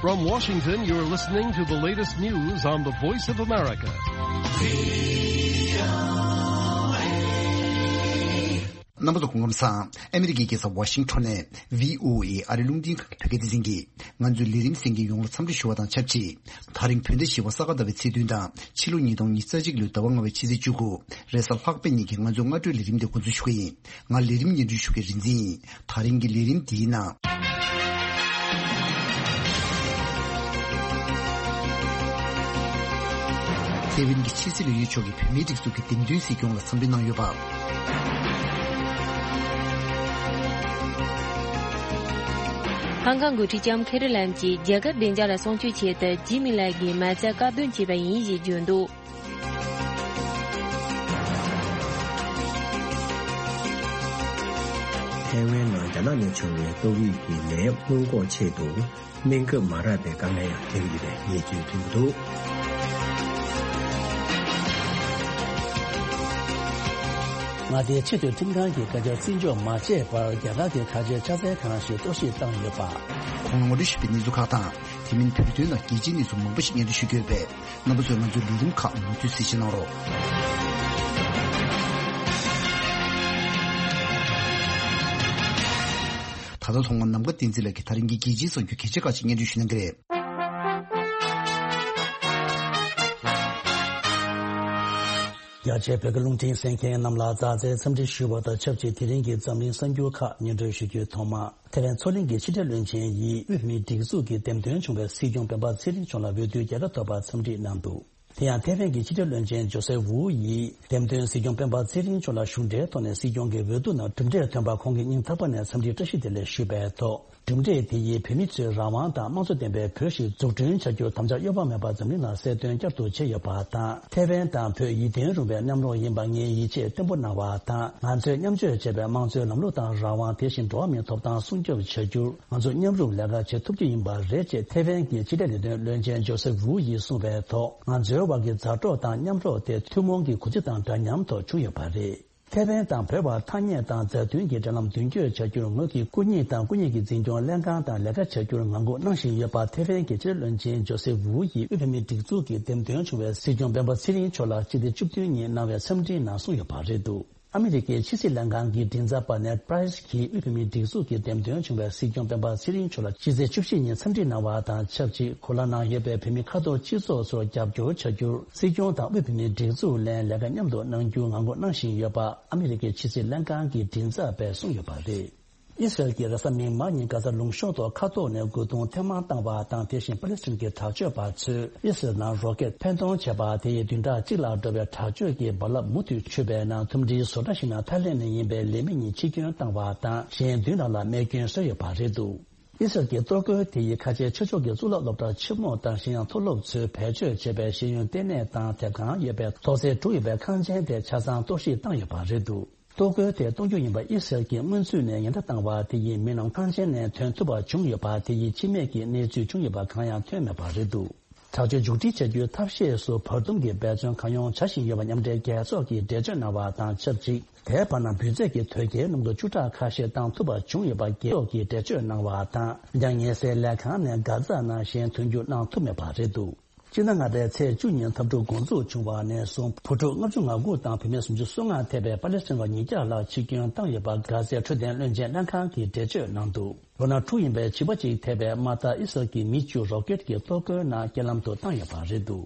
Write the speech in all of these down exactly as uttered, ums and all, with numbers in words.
From Washington, you're listening to the latest news on the Voice of America. རྣམ་པ་ཚོ་སྐུ་ཁམས་བཟང་། ཨ་མི་རི་ཀའི་རྒྱལ་ས་ཝ་ཤིང་ཊོན་ནས་བྷི་ཨོ་ཨེ་ཨ་རི་རླུང་འཕྲིན་ཁང་གི་བོད་སྐད་སྡེ་ཚན་གྱིས་ང་ཚོའི་ལས་རིམ་གསན་མཁན་ཡོངས་ལ་འཚམས་འདྲི་ཞུ་བ་དང་ཆབས་ཅིག་དེ་རིང་བོད་ཟླ་བཞི་པ་ས་ག་ཟླ་བའི་ཚེས་བདུན་དང་ཕྱི་ལོ་ཉིས་སྟོང་ཉི་ཤུ་རྩ་གཅིག་ལོའི་ཟླ་བ་ལྔ་པའི་ཕྱི་ཚེས་བཅུ་དགུ། རེས་གཟའ་ལྷག་པའི་ཉིན་གྱི་ང་ཚོའི་སྔ་དྲོའི་ལས་རིམ་དེ་འགོ་འཛུགས་ཞུ་གི་ཡིན། ང་ལས་རིམ་སྙན་སྒྲོན་ཞུ་མཁན་རིག་འཛིན་ཡིན། དེ་རིང་གི་ལས་རིམ་འདིའི་ནང་། ཐའེ་ཝན་གྱི་ཕྱི་སྲིད་བློན་ཆེན་མཆོག་གིས་བོད་མིའི་སྒྲིག་འཛུགས་ཀྱི་འདེམས་ཐོན་སྲིད་སྐྱོང་ལ་འཚམས་འདྲི་གནང་ཡོད་པ། ཧང་ཀང་འགོ་ཁྲིད་ལྕམ་ཁེ་རི་ལམ་གྱིས་རྒྱལ་ཁབ་བདེ་འཇགས་ལ་སྲུང་སྐྱོབ་ཆེད་དུ་ཇི་མིན་ལའེ་གིས་མ་རྩ་བཀག་སྡོམ་བྱས་པ་ཡིན་ཞེས་བརྗོད་འདུག་ཐའེ་ཝན་ནང་རྒྱ་ནག་ནས་བྱུང་བའི་ཏོག་དབྱིབས་ཀྱི་ནད་ཡམས་སྔོན་འགོག་ཆེད་དུ། གནས་སྐབས་མ་རག་པའི་དཀའ་ངལ་ཡང་འཕྲད་ཀྱི་ཡོད་པའི་གནས་ཚུལ་ཐོན་གྱི་འདུག་མངའ་སྡེའི་ཆེས་མཐོའི་ཁྲིམས་ཁང་གིས་བཀའ་རྒྱ་བརྩི་འཇོག་མ་བྱས་པར་རྒྱ་གར་གྱི་ཁ་ཆེའི་ཕྱག་འཚལ་ཁང་ཞིག་གཏོར་བཤིག་བཏང་ཡོད་པ། གོང་ལ་ངོ་སྤྲོད་ཞུས་པའི་གནས་ཚུལ་ཁག་དང་། དེ་མིན་བོད་དོན་ནང་རྒྱལ་སྤྱིའི་གནས་ཚུལ་མང་པོ་ཞིག་སྙན་སྒྲོན་ཞུ་རྒྱུ་ཡོད་པས། རྣམ་པ་ཚོས་ང་ཚོའི་ལས་རིམ་ཁག་མུ་མཐུད་གཟིགས་ཞིབ་གནང་རོགས། ད་ལྟ་ཐོག་མར་ནམ་མཁའ་བསྟན་འཛིན་ལགས་ཀྱིས་ད་རིང་གི་རྒྱལ་སྤྱིའི་གསར་འགྱུར་གལ་ཆེ་ཁག་ཅིག་སྙན་སྒྲོན་ཞུ་གནང་གི་རེད། རྒྱ་ཆེའི་བོད་སྐད་རླུང་འཕྲིན་གསན་མཁན་རྣམས་ལ་མཛའ་བརྩེའི་འཚམས་འདྲི་ཞུ་བ་དང་ཆབས་ཅིག་དེ་རིང་གི་འཛམ་གླིང་གསར་འགྱུར་ཁག་སྙན་སྒྲོན་ཞུ་རྒྱུའི་ཐོག་མ། ཐའེ་ཝན་མཚོ་གླིང་གི་ཕྱི་འབྲེལ་བློན་ཆེན་ཡིས་དབུས་བོད་མིའི་སྒྲིག་འཛུགས་ཀྱི་འདེམས་ཐོན་བྱུང་བའི་སྲིད་སྐྱོང་སྤེན་པ་ཚེ་རིང་མཆོག་ལ་འོས་བསྡུའི་རྒྱལ་ཁ་ཐོབ་པར་འཚམས་འདྲི་གནང་འདུག་དེ་ཡང་ཐའེ་ཝན་གྱི་ཕྱི་འབྲེལ་བློན་ཆེན་ཇོ་སེ་ཝུའུ་ཡིས་འདེམས་ཐོན་སྲིད་སྐྱོང་སྤེན་པ་ཚེ་རིང་མཆོག་ལ་གཞུང་འབྲེལ་ཐོག་ནས་སྲིད་སྐྱོང་གི་འོས་བསྡུ་ནང་གྲུབ་འབྲས་ཐོན་པར་ཁོང་གི་སྙིང་ཐག་པ་ནས་འཚམས་འདྲིའི་བཀྲ་ཤིས་བདེ་ལེགས་ཞུས་པའི་ཐོག་གྲུབ་འབྲས་དེ་ཡིས་བོད་མི་ཚོའི་རང་དབང་དང་དམངས་གཙོ་ལྡན་པའི་བོད་ཞིག་འཛུགས་སྐྲུན་བྱ་རྒྱུར་དམ་བཅའ་གཡོ་བ་མེད་པར་འཛམ་གླིང་ལ་གསལ་སྟོན་བསྐྱར་དུ་བྱས་ཡོད་པ་དང་། ཐའེ་ཝན་དང་བོད་ཡིད་བརྟན་རུང་བའི་མཉམ་རོགས་ཡིན་པར་ངས་ཡིད་ཆེས་བརྟན་པོ་གནང་བ་དང་། ང་ཚོས་མཉམ་སྤྱོད་བྱས་པའི་དམངས་གཙོའི་ལམ་ལུགས་དང་རང་དབང་དེ་བཞིན་འགྲོ་བ་མིའི་ཐོབ་ཐང་སྲུང་སྐྱོབ་བྱ་རྒྱུར་ང་ཚོ་མཉམ་རུབ་ལས་ཀ་བྱེད་ཐུབ་རྒྱུ་ཡིན་པ་རེད་ཅེས་ཐའེ་ཝན་གྱི་ཕྱི་འབྲེལ་ལས་དོན་བློན་ཆེན་ཇོ་སེ་ཝུའུ་ཡིས་གསུངས་པའི་ཐོག་ང་ཚོའི་དབར་གྱི་མཛའ་གྲོགས་དང་མཉམ་རོགས་དེ་ཐུན་མོང་གི་གུས་བརྩི་དང་འདྲ་མཉམ་ཐོག་བྱུང་ཡོད་པ་རེད། ཐའེ་ཝན་དང་བོད་བར་ཐ་སྙད་དང་མཛའ་མཐུན་གྱི་འབྲེལ་ལམ་མདུན་སྐྱོད་བྱ་རྒྱུར་ངོས་ཀྱིས་སྐུ་ཉིད་དང་སྐུ་ཉིད་ཀྱི་འཛིན་སྐྱོང་ལྷན་ཁང་དང་ལས་ཀ་བྱ་རྒྱུར་ངང་སྒུག་གནང་བཞིན་ཡོད་པ་ཐའེ་ཝན་གྱི་ཕྱི་འབྲེལ་བློན་ཆེན་ཇོ་སེ་ཝུའུ་ཡིས་དབུས་བོད་མིའི་སྒྲིག་འཛུགས་ཀྱི་འདེམས་ཐོན་བྱུང་བའི་སྲིད་སྐྱོང་སྤེན་པ་ཚེ་རིང་མཆོག་ལ་སྤྱི་ཟླ་བཅུ་བདུན་ཉིན་གནང་བའི་འཚམས་འདྲིའི་ནང་གསུངས་ཡོད་པ་རེད་འདུག་ཨ་མི་རི་ཀའི་ཕྱི་སྲིད་ལྷན་ཁང་གི་མགྲིན་ཚབ་པ་ནེཌ་པྲའི་སི་གིས་དབུས་བོད་མིའི་སྒྲིག་འཛུགས་ཀྱི་འདེམས་ཐོན་བྱུང་བའི་སྲིད་སྐྱོང་སྤེན་པ་ཚེ་རིང་མཆོག་ལ་སྤྱི་ཚེས་བཅུ་བཞི་ཉིན་འཚམས་འདྲི་གནང་བ་དང་ཆབས་ཅིག་གོ་ལ་ནང་ཡོད་པའི་བོད་མི་ཁ་ཐོར་སྤྱི་ཚོགས་ཚོར་རྒྱབ་སྐྱོར་བྱ་རྒྱུར་སྲིད་སྐྱོང་དང་དབུས་བོད་མིའི་སྒྲིག་འཛུགས་ལ་ལས་ཀ་མཉམ་དུ་གནང་རྒྱུའི་ངང་སྒུག་གནང་བཞིན་ཡོད་པ་ཨ་མི་རི་ཀའི་ཕྱི་སྲིད་ལྷན་ཁང་གི་མགྲིན་ཚབ་པས་གསུངས་ཡོད་པ་རེད། ཨི་སི་རལ་གྱིས་རེས་གཟའ་མིག་དམར་ཉིན་གྷ་ཛ་ལུང་གཤོང་ཐོག་མཁའ་ཐོག་ནས་རྒོལ་རྡུང་ཐེངས་མང་བཏང་བ་དང་། དེ་བཞིན་པ་ལི་སི་ཐན་གྱི་དྲག་སྤྱོད་པ་ཚོས་ཨི་སི་རལ་ནང་རོ་ཀེད་འཕེན་གཏོང་བྱས་པ་དེ་ཡིས་བདུན་ཕྲག་གཅིག་ལྷག་འགྲོ་བའི་དྲག་སྤྱོད་ཀྱི་རྦ་རླབས་མུ་མཐུད་འཕྱུར་བའི་ནང་། ཐུམ་སྒྲིལ་བཟོ་གྲྭ་ཞིག་ནང་ཐའི་ལེན་ནས་ཡིན་པའི་ལས་མི་གཉིས་འཆི་སྐྱོན་བཏང་བ་དང་། གཞན་བདུན་ལྷག་ལ་རྨས་སྐྱོན་བཟོས་ཡོད་པ་རེད་འདུག་ཨི་སི་རལ་གྱི་གཏོར་རྒོལ་དེ་ཡིས་ཁ་ཆེའི་ཆོས་ཕྱོགས་ཀྱི་གཙུག་ལག་སློབ་གྲྭ་ཆེན་མོ་དང་། གཞན་ཡང་མཐོ་སློབ་ཚོས་བེད་སྤྱོད་བྱས་པའི་ཤེས་ཡོན་ལྟེ་གནས་དང་དེབ་ཁང་ཡོད་པའི་ཐོག་སེ་གྲུ་ཡོད་པའི་ཁང་ཆེན་དེ་ཆ་ཚང་གཏོར་བཤིག་བཏང་ཡོད་པ་རེད་འདུག་གཏོར་རྒོལ་དེ་གཏོང་རྒྱུ་ཡིན་པ་ཨི་སི་རལ་གྱིས་སྔོན་ཚུད་ནས་ཉེན་བརྡ་བཏང་བ་དེ་ཡིས་མི་རྣམས་ཁང་ཆེན་ནས་ཐོན་ཐུབ་པ་བྱུང་ཡོད་པ་དེ་ཡིས་འཆི་རྨས་ཀྱི་གནས་ཚུལ་བྱུང་ཡོད་པ་གང་ཡང་ཐོན་མེད་པ་རེད་འདུག་དྲག་སྤྱོད་མཇུག་སྒྲིལ་བྱ་རྒྱུའི་ཐབས་ཤེས་སུ་བར་འདུམ་གྱི་འབད་བརྩོན་གང་ཡོང་བྱ་བཞིན་ཡོད་པ་མཉམ་འབྲེལ་རྒྱལ་ཚོགས་ཀྱིས་འགྲེལ་བརྗོད་གནང་བ་དང་ཆབས་ཅིག་དེའི་བར་ན་འབུད་རྫས་ཀྱི་དོས་སྐྱེལ་སྣུམ་དུ་བཅུ་ཕྲག་ཁ་ཤས་བཏང་ཐུབ་པ་བྱུང་ཡོད་པ་རྒྱལ་ཚོགས་ཀྱིས་འགྲེལ་བརྗོད་གནང་བ་དང་། འཇང་ཉེ་སའི་ལས་ཁང་ནས་གྷ་ཛ་ནང་གཞན་ཐོན་རྒྱུ་གནང་ཐུབ་མེད་པ་རེད་འདུག་སྤྱི་ཟླ་ལྔ་པའི་ཚེས་བཅུ་ཉིན་འཐབ་འཁྲུག་འགོ་འཛུགས་བྱུང་བ་ནས་བཟུང་བུ་ཕྲུག་ལྔ་བཅུ་ང་དགུ་དང་བུད་མེད་སུམ་ཅུ་སོ་ལྔ་ཐེ་བའི་པ་ལེ་སི་ཐན་པ་ཉིས་བརྒྱ་ལྷག་འཆི་སྐྱོན་བཏང་ཡོད་པ་གྷ་ཟའི་འཕྲོད་བསྟེན་བློན་ཆེན་ལྷན་ཁང་གིས་འགྲེལ་བརྗོད་གནང་འདུག་ལོ་ན་དྲུག་ཡིན་པའི་བྱིས་པ་གཅིག་ཐེ་བའི་དམག་དར་ཨི་སི་རལ་གྱིས་མི་བཅུ་རོ་ཀེད་ཀྱི་གཏོར་རྒོལ་ནང་རྐྱེན་ལམ་དུ་བཏང་ཡོད་པ་རེད་འདུག་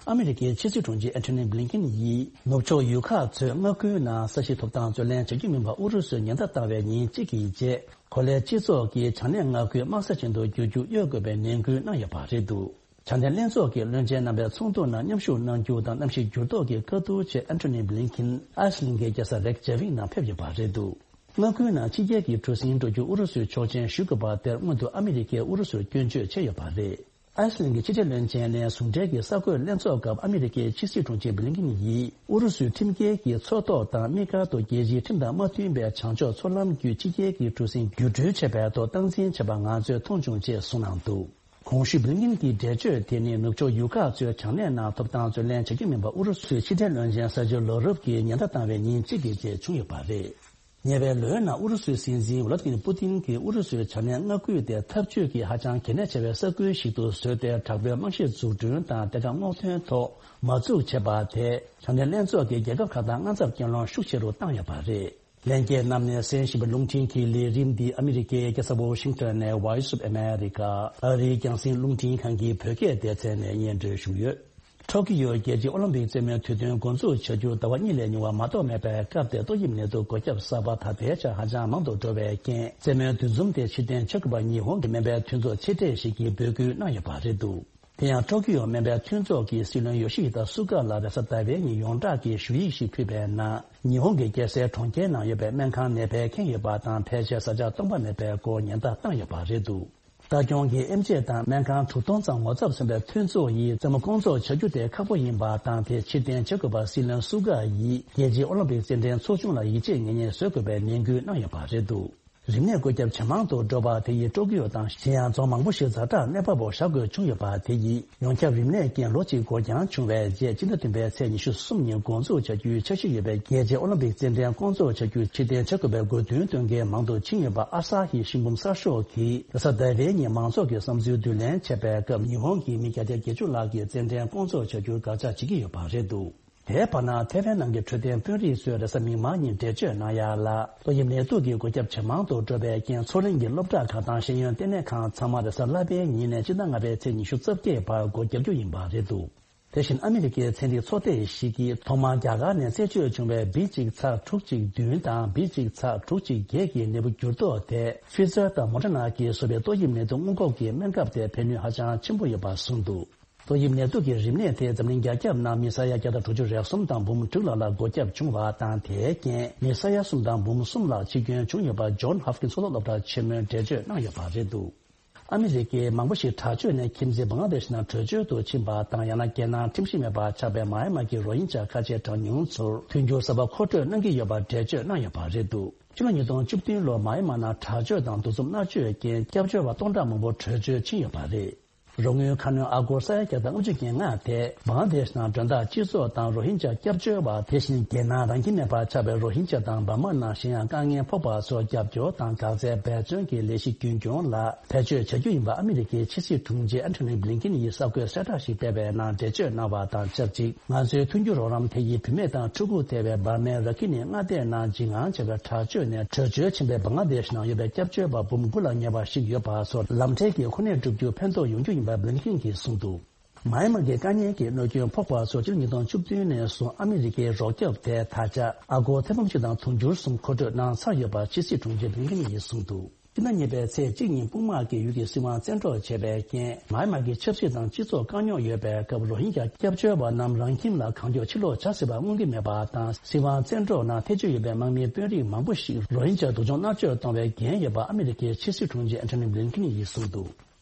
ཨ་མི་རི་ཀའི་ཕྱི་སྲིད་དྲུང་ཆེ་ཨན་ཐོ་ནི་བྷི་ལིན་ཀིན་ཡིས་ནུབ་ཕྱོགས་ཡུལ་ཁག་ཚོས་མངའ་ཁུལ་ནང་ས་གཞི་ཐོབ་ཐང་རྩོད་ལེན་བྱ་རྒྱུ་མིན་པ་ཨུ་རུ་སུས་ཉེན་བརྡ་བཏང་བའི་ཉིན་གཅིག་གི་རྗེས། གོ་ལའི་སྤྱི་ཚོགས་ཀྱིས་བྱང་སྣེའི་མངའ་ཁུལ་དམག་ས་ཅན་དུ་བསྒྱུར་རྒྱུ་གཡོལ་དགོས་པའི་ནན་སྐུལ་གནང་ཡོད་པ་རེད་འདུག་བྱང་སྣེ་ལྷན་ཚོགས་ཀྱི་བློན་ཆེན་རྣམ་པའི་ཚོགས་འདུ་ནང་མཉམ་ཞུགས་གནང་རྒྱུ་དང་གནམ་གཤིས་འགྱུར་ལྡོག་གི་བཀའ་བསྡུར་ཆེད་ཨན་ཐོ་ནི་བྷི་ལིན་ཀིན་ཨའི་སི་ལན་གྱི་རྒྱལ་ས་རེག་ཇེ་ཝིག་ནང་ཕེབས་ཡོད་པ་རེད་འདུག་མངའ་ཁུལ་ནང་ཕྱི་རྒྱལ་གྱི་གྲུ་གཟིངས་འགྲོ་རྒྱུ་ཨུ་རུ་སུས་ཆོག་མཆན་ཞུ་དགོས་པ་དེར་སྔོན་དུ་ཨ་མི་རི་ཀས་ཨུ་རུ་སུར་སྐྱོན་བརྗོད་བྱས་ཡོད་པ་རེད། ཨའི་སི་ལན་གྱི་ཕྱི་འབྲེལ་བློན་ཆེན་ནས་ཟུང་འབྲེལ་གྱི་གསར་འགོད་ལྷན་ཚོགས་སྐབས་ཨ་མི་རི་ཀའི་ཕྱི་སྲིད་དྲུང་ཆེ་བྷི་ལིན་ཀིན་ཡིས་ཨུ་རུ་སུའི་ཁྲིམས་འགལ་གྱི་མཚོ་ཐོག་དང་དམིགས་བཀར་དུ་རྒྱལ་སྤྱིའི་ཁྲིམས་དང་མ་མཐུན་པའི་བྱང་ཕྱོགས་མཚོ་ལམ་བརྒྱུད་ཕྱི་རྒྱལ་གྱི་གྲུ་གཟིངས་བརྒྱུད་འགྲུལ་བྱེད་པའི་ཐོག་སྟངས་འཛིན་བྱས་པ་ང་ཚོས་མཐོང་བྱུང་ཅེས་གསུངས་གནང་འདུག་གོང་ཞུས་བྷི་ལིན་ཀིན་གྱི་འགྲེལ་བརྗོད་དེ་ནི་ནུབ་ཕྱོགས་ཡུལ་ཁག་ཚོས་བྱང་སྣེ་ནང་ཐོབ་ཐང་རྩོད་ལེན་བྱ་རྒྱུ་མིན་པ་ཨུ་རུ་སུའི་ཕྱི་འབྲེལ་བློན་ཆེན་སར་ཇི་ལོ་རོབ་ཀྱིས་ཉེན་བརྡ་བཏང་བའི་ཉིན་གཅིག་གི་རྗེས་བྱུང་ཡོད་པ་རེད། ཉེ་བའི་ལོའི་ནང་ཨུ་རུ་སུའི་སྲིད་འཛིན་ཝ་ལ་ཏི་མིར་པུ་ཏིན་གྱིས་ཨུ་རུ་སུའི་བྱ་ངན་མངའ་ཁུལ་དེ་འཐབ་ཇུས་ཀྱི་ཧ་ཅང་གལ་གནད་ཆེ་བའི་ས་ཁུལ་ཞིག་ཏུ་བཟོས་ཏེ། དྲག་པོའི་རྨང་གཞི་འཛུགས་སྐྲུན་དང་བདེ་འཇགས་སྔོག་འདོན་ཐོག་མ་འཛུགས་བྱས་པ་དེས། བྱང་མཐུན་ལྷན་ཚོགས་ཀྱི་རྒྱལ་ཁབ་ཁག་དང་དངངས་འཚབ་སྐྱེ་ལོང་ཤུགས་ཆེ་རུ་བཏང་ཡོད་པ་རེད། ལྷན་རྒྱས་རྣམས་ནས་གསན་བཞིན་པའི་རླུང་འཕྲིན་གྱི་ལས་རིམ་འདི་ཨ་མི་རི་ཀའི་རྒྱལ་ས་ཝོ་ཤིང་ཊོན་ནས་Voice of America ཨ་རིའི་རྒྱང་སྲིང་རླུང་འཕྲིན་ཁང་གི་བོད་སྐད་སྡེ་ཚན་ནས་སྙན་སྒྲོན་ཞུས་ཡོད། ཊོ་ཀི་ཡོ་རྒྱལ་སྤྱིའི་ཨོ་ལིམ་པིག་རྩེད་མོའི་དུས་སྟོན་འགོ་འཛུགས་བྱ་རྒྱུ་ཟླ་བ་གཉིས་ལས་ཉུང་བ་མ་གཏོགས་མེད་པའི་སྐབས་དེར། ཏོག་དབྱིབས་ནད་དུག་འགོས་ཁྱབ་གསར་པ་ད་ལྟའི་ཆར་ཧ་ཅང་མང་དུ་འགྲོ་བའི་རྐྱེན། རྩེད་མོའི་འདུ་འཛོམས་དེ་ཕྱིར་འཐེན་བྱ་དགོས་པར་ཉི་ཧོང་གི་སྨན་པའི་མཐུན་ཚོགས་ཆེ་གྲས་ཤིག་གིས་འབོད་སྐུལ་གནང་ཡོད་པ་རེད་འདུག་དེ་ཡང་ཊོ་ཀི་ཡོ་སྨན་པའི་མཐུན་ཚོགས་ཀྱི་སྲིད་བློན་ཡོ་ཤི་ཧི་ད་སུ་ག་ལ་རེས་གཟའ་ཟླ་བའི་ཉིན་ཡོངས་གྲགས་ཀྱི་ཞུ་ཡིག་ཞིག་ཕུལ་བའི་ནང་། ཉི་ཧོང་གི་རྒྱལ་སའི་གྲོང་ཁྱེར་ནང་ཡོད་པའི་སྨན་ཁང་ནས་ཕར་འཁྱེར་ཡོད་པ་དང་། ཕལ་ཆེར་བཟའ་བཅའ་སྟོང་པ་མེད་པའི་སྐོར་ཉེན་བརྡ་བཏང་ཡོད་པ་རེད་འདུག་ལྟ་སྐྱོང་གི་ཨེམ་ཆི་དང་སྨན་ཁང་དྲུག་སྟོང་ཙམ་ངོ་ཚབ་མཚོན་པའི་མཐུན་ཚོགས་ཡིས་རྩེད་མོ་སྐོང་ཚོགས་བྱ་རྒྱུ་དེ་ཁག་པོ་ཡིན་པ་དང་། དེ་ཕྱིར་འཐེན་བྱ་དགོས་པར་སྲིད་བློན་སུ་ག་ཡིས་རྒྱལ་སྤྱིའི་ཨོ་ལིམ་པིག་རྩེད་འགྲན་ཚོགས་ཆུང་ལ་ཡིད་ཆེས་ངེས་མེད་བཟོ་དགོས་པའི་ནན་སྐུལ་གནང་ཡོད་པ་རེད་འདུག་རིམས་ནད་བཀོད་ཁྱབ་ཇེ་མང་དུ་འགྲོ་བ་དེ་ཡིས་ཀྲོ་ཀི་ཡོ་དང་གཞན་ཡང་རྫོང་མང་པོ་ཞིག་ཛ་དྲག་གནས་སྤར་འོག་བཞག་དགོས་བྱུང་ཡོད་པ་དེ་ཡིས། ཡོངས་ཁྱབ་རིམས་ནད་རྐྱེན་ལོ་གཅིག་འགོར་འགྱངས་བྱུང་བའི་རྗེས། སྤྱི་ཟླ་བདུན་པའི་ཚེས་ཉི་ཤུ་གསུམ་ཉིན་འགོ་འཛུགས་བྱ་རྒྱུའི་འཆར་གཞི་ཡོད་པའི་རྒྱལ་སྤྱིའི་ཨོ་ལིམ་པིག་རྩེད་འགྲན་སྐོང་ཚོགས་བྱ་རྒྱུ་ཕྱིར་འཐེན་བྱ་དགོས་པའི་དགོས་འདུན་བཏོན་མཁན་མང་དུ་ཕྱིན་ཡོད་པ་ཨ་སཱ་ཧི་ཤིན་བུམ་གསར་ཤོག་གིས་རེས་གཟའ་ཟླ་བའི་ཉིན་མང་ཚོགས་ཀྱི་བསམ་ཚུལ་བསྡུ་ལེན་བྱས་པའི་སྐབས། ཉི་ཧོང་གི་མི་བརྒྱ་ཆ་བརྒྱད་ཅུ་ལྷག་གིས་རྩེད་འགྲན་སྐོང་ཚོགས་བྱ་རྒྱུར་དགག་བྱ་བྱེད་ཀྱི་ཡོད་པ་རེད་འདུག་དེའི་བར་ན། ཐེ་ཝན་ནང་གི་འཕྲོད་བསྟེན་དཔོན་རིགས་ཚོས་རེས་གཟའ་མིག་དམར་ཉིན་འགྲེལ་བརྗོད་གནང་ཡག་ལ། ཏོག་དབྱིབས་ནད་དུག་གི་འགོས་ཁྱབ་ཇེ་མང་དུ་འགྲོ་བའི་རྐྱེན། མཚོ་གླིང་གི་སློབ་གྲྭ་ཁག་དང་ཤེས་ཡོན་ལྟེ་གནས་ཁང་ཚང་མ་རེས་གཟའ་ལྷག་པའི་ཉིན་ནས་སྤྱི་ཟླ་ལྔ་པའི་ཚེས་ཉི་ཤུ་རྩ་བརྒྱད་བར་སྒོ་རྒྱག་རྒྱུ་ཡིན་པ་རེད་འདུག་དེ་བཞིན་ཨ་མི་རི་ཀའི་ཚན་རིག་ཚོགས་སྡེ་ཞིག་གིས་ཐོག་མར་རྒྱ་གར་ནས་རྩད་གཅོད་བྱུང་བའི་བི་གཅིག་ཚ་དྲུག་གཅིག་བདུན་དང་བི་གཅིག་ཚ་དྲུག་གཅིག་བརྒྱད་ཀྱི་ནད་འབུ་འགྱུར་ལྡོག་དེ། Pfizer དང་Moderna གིས་བཟོས་པའི་ཏོག་དབྱིབས་ནད་དུག་སྔོན་འགོག་གི་སྨན་ཁབ་དེ་ཕན་ནུས་ཧ་ཅང་ཆེན་པོ་ཡོད་པ་གསུངས་འདུག་ཏོག་དབྱིབས་ནད་དུག་གི་རིམས་ནད་དེ་འཛམ་གླིང་རྒྱ་ཁྱབ་ནང་མི་ས་ཡ་བརྒྱ་དང་དྲུག་ཅུ་རེ་གསུམ་དང་འབུམ་དྲུག་ལྷག་ལ་འགོས་ཁྱབ་བྱུང་བ་དང་། དེའི་རྐྱེན་མི་ས་ཡ་གསུམ་དང་འབུམ་གསུམ་ལྷག་འཆི་སྐྱོན་བྱུང་ཡོད་པ་John Hopkins གཙུག་ལག་སློབ་གྲྭ་ཆེན་མོས་འགྲེལ་བརྗོད་གནང་ཡོད་པ་རེད་འདུག་ཨ་མི་རི་ཀའི་མང་པོ་ཞིག་དྲག་སྤྱོད་ནས་ཁྱིམ་མཚེས་བང་ལ་དེ་ཤི་ནང་བྲོས་བྱོལ་དུ་ཕྱིན་པ་དང་། ཡང་ན་རྒྱལ་ནང་ཁྲིམས་གཞི་མེད་པར་ཆགས་པའི་མཱ་ཡན་མཱ་གི་རོ་ཧིན་ཇཱ་ཁ་ཆེ་གྲངས་ཉུང་ཚོར་མཐུན་འགྱུར་གསར་པ་མཁོ་སྤྲོད་གནང་གི་ཡོད་པར་འགྲེལ་བརྗོད་གནང་ཡོད་པ་རེད་འདུག་ཕྱི་ལོ་ཉིས་སྟོང་བཅུ་བདུན་ལོར་མཱ་ཡན་མཱ་ནང་དྲག་སྤྱོད་དང་འདུ་འཛོམས་མནར་གཅོད་ཀྱིས་སྐྱབས་བཅོལ་བ་སྟོང་ཕྲག་མང་པོ་བྲོས་བྱོལ་ཕྱིན་ཡོད་པ་རེད། རོགས་དངུལ་ཁ་སྣོན་ཨ་སྒོར་ས་ཡ་བརྒྱ་དང་ལྔ་བཅུ་ང་ལྔ་དེ་བང་ལ་དེ་ཤི་ནང་མགྲོན་བདག་སྤྱི་ཚོགས་དང་རོ་ཧིན་ཇཱ་སྐྱབས་བཅོལ་བ། དེ་བཞིན་རྒྱལ་ནང་རང་ཁྱིམ་མེད་པར་ཆགས་པའི་རོ་ཧིན་ཇཱ་དང་འབར་མ་ནང་གཞན་ཡང་དཀའ་ངལ་ཕོག་པ་ཚོར་རྒྱབ་སྐྱོར་དང་འགག་རྩའི་འབད་བརྩོན་གྱི་ལས་གཞི་རྒྱུན་འཁྱོངས་ལ་བེད་སྤྱོད་བྱ་རྒྱུ་ཡིན་པ་ཨ་མི་རི་ཀའི་ཕྱི་སྲིད་དྲུང་ཆེ་ཨན་ཐོ་ནི་བྷི་ལིན་ཀིན་ཡིས་གསར་འགོད་གསལ་བསྒྲགས་ཤིག་སྤེལ་བའི་ནང་འགྲེལ་བརྗོད་གནང་བ་དང་ཆབས་ཅིག་ང་ཚོའི་མཐུན་འགྱུར་རོགས་རམ་དེ་ཡིས་བུད་མེད་དང་ཕྲུ་གུ་ཐེ་བའི་འབར་མའི་ར་ཁི་ནི་མངའ་སྡེ་ནང་འཇིགས་དངངས་ཆེ་བའི་དྲག་སྤྱོད་ནས་བྲོས་བྱོལ་ཕྱིན་པའི་བང་ལ་དེ་ཤི་ནང་ཡོད་པའི་སྐྱབས་བཅོལ་བ་འབུམ་དགུ་ལ་ཉེ་བ་ཞིག་ཡོད་པ་ཚོར་ལམ་འཕྲལ་གྱི་གོ་གནས་སྒྲུབ་རྒྱུར་ཕན་ཐོགས་ཡོང་རྒྱུ་ཡིན་པ་བྷི་ལིན་ཀིན་གྱིས་གསུངས་འདུག་མཱ་ཡན་མཱ་གི་དཀའ་ཉེན་གྱི་གནོད་སྐྱོན་ཕོག་པ་ཚོར་ཕྱི་ལོ་ཉིས་སྟོང་བཅུ་བདུན་ནས་བཟུང་ཨ་མི་རི་ཀའི་རོགས་སྐྱོབ་དེ་ད་ཆ་ཨ་སྒོར་ཐེར་འབུམ་གཅིག་དང་དུང་ཕྱུར་གསུམ་མཁོ་སྤྲོད་གནང་ཚར་ཡོད་པ་ཕྱི་སྲིད་དྲུང་ཆེ་བྷི་ལིན་ཀིན་ཡིས་གསུངས་འདུག་སྤྱི་ཟླ་གཉིས་པའི་ཚེས་གཅིག་ཉིན་དཔུང་དམག་གིས་ཡུལ་གྱི་སྲིད་དབང་བཙན་འཕྲོག་བྱས་པའི་རྐྱེན། མཱ་ཡན་མཱ་གི་ཆབ་སྲིད་དང་སྤྱི་ཚོགས་དཀའ་རྙོག་ཡོད་པའི་སྐབས། རོ་ཧིན་ཇཱ་སྐྱབས་བཅོལ་བ་རྣམས་རང་ཁྱིམ་ལ་གང་མགྱོགས་ཕྱིར་ལོག་བྱ་སྲིད་པ་མངོན་གྱི་མེད་པ་དང་། སྲིད་དབང་བཙན་འཕྲོག་ནང་ཐེ་བྱུས་ཡོད་པའི་དམག་མིའི་དཔོན་རིགས་མང་པོ་ཞིག་རོ་ཧིན་ཇཱ་སྡུག་སྦྱོང་མནར་གཅོད་གཏོང་བའི་འགན་ཡོད་པ་ཨ་མི་རི་ཀའི་ཕྱི་སྲིད་དྲུང་ཆེ་ཨན་ཐོ་ནི་བྷི་ལིན་ཀིན་ཡིས་གསུངས་འདུག་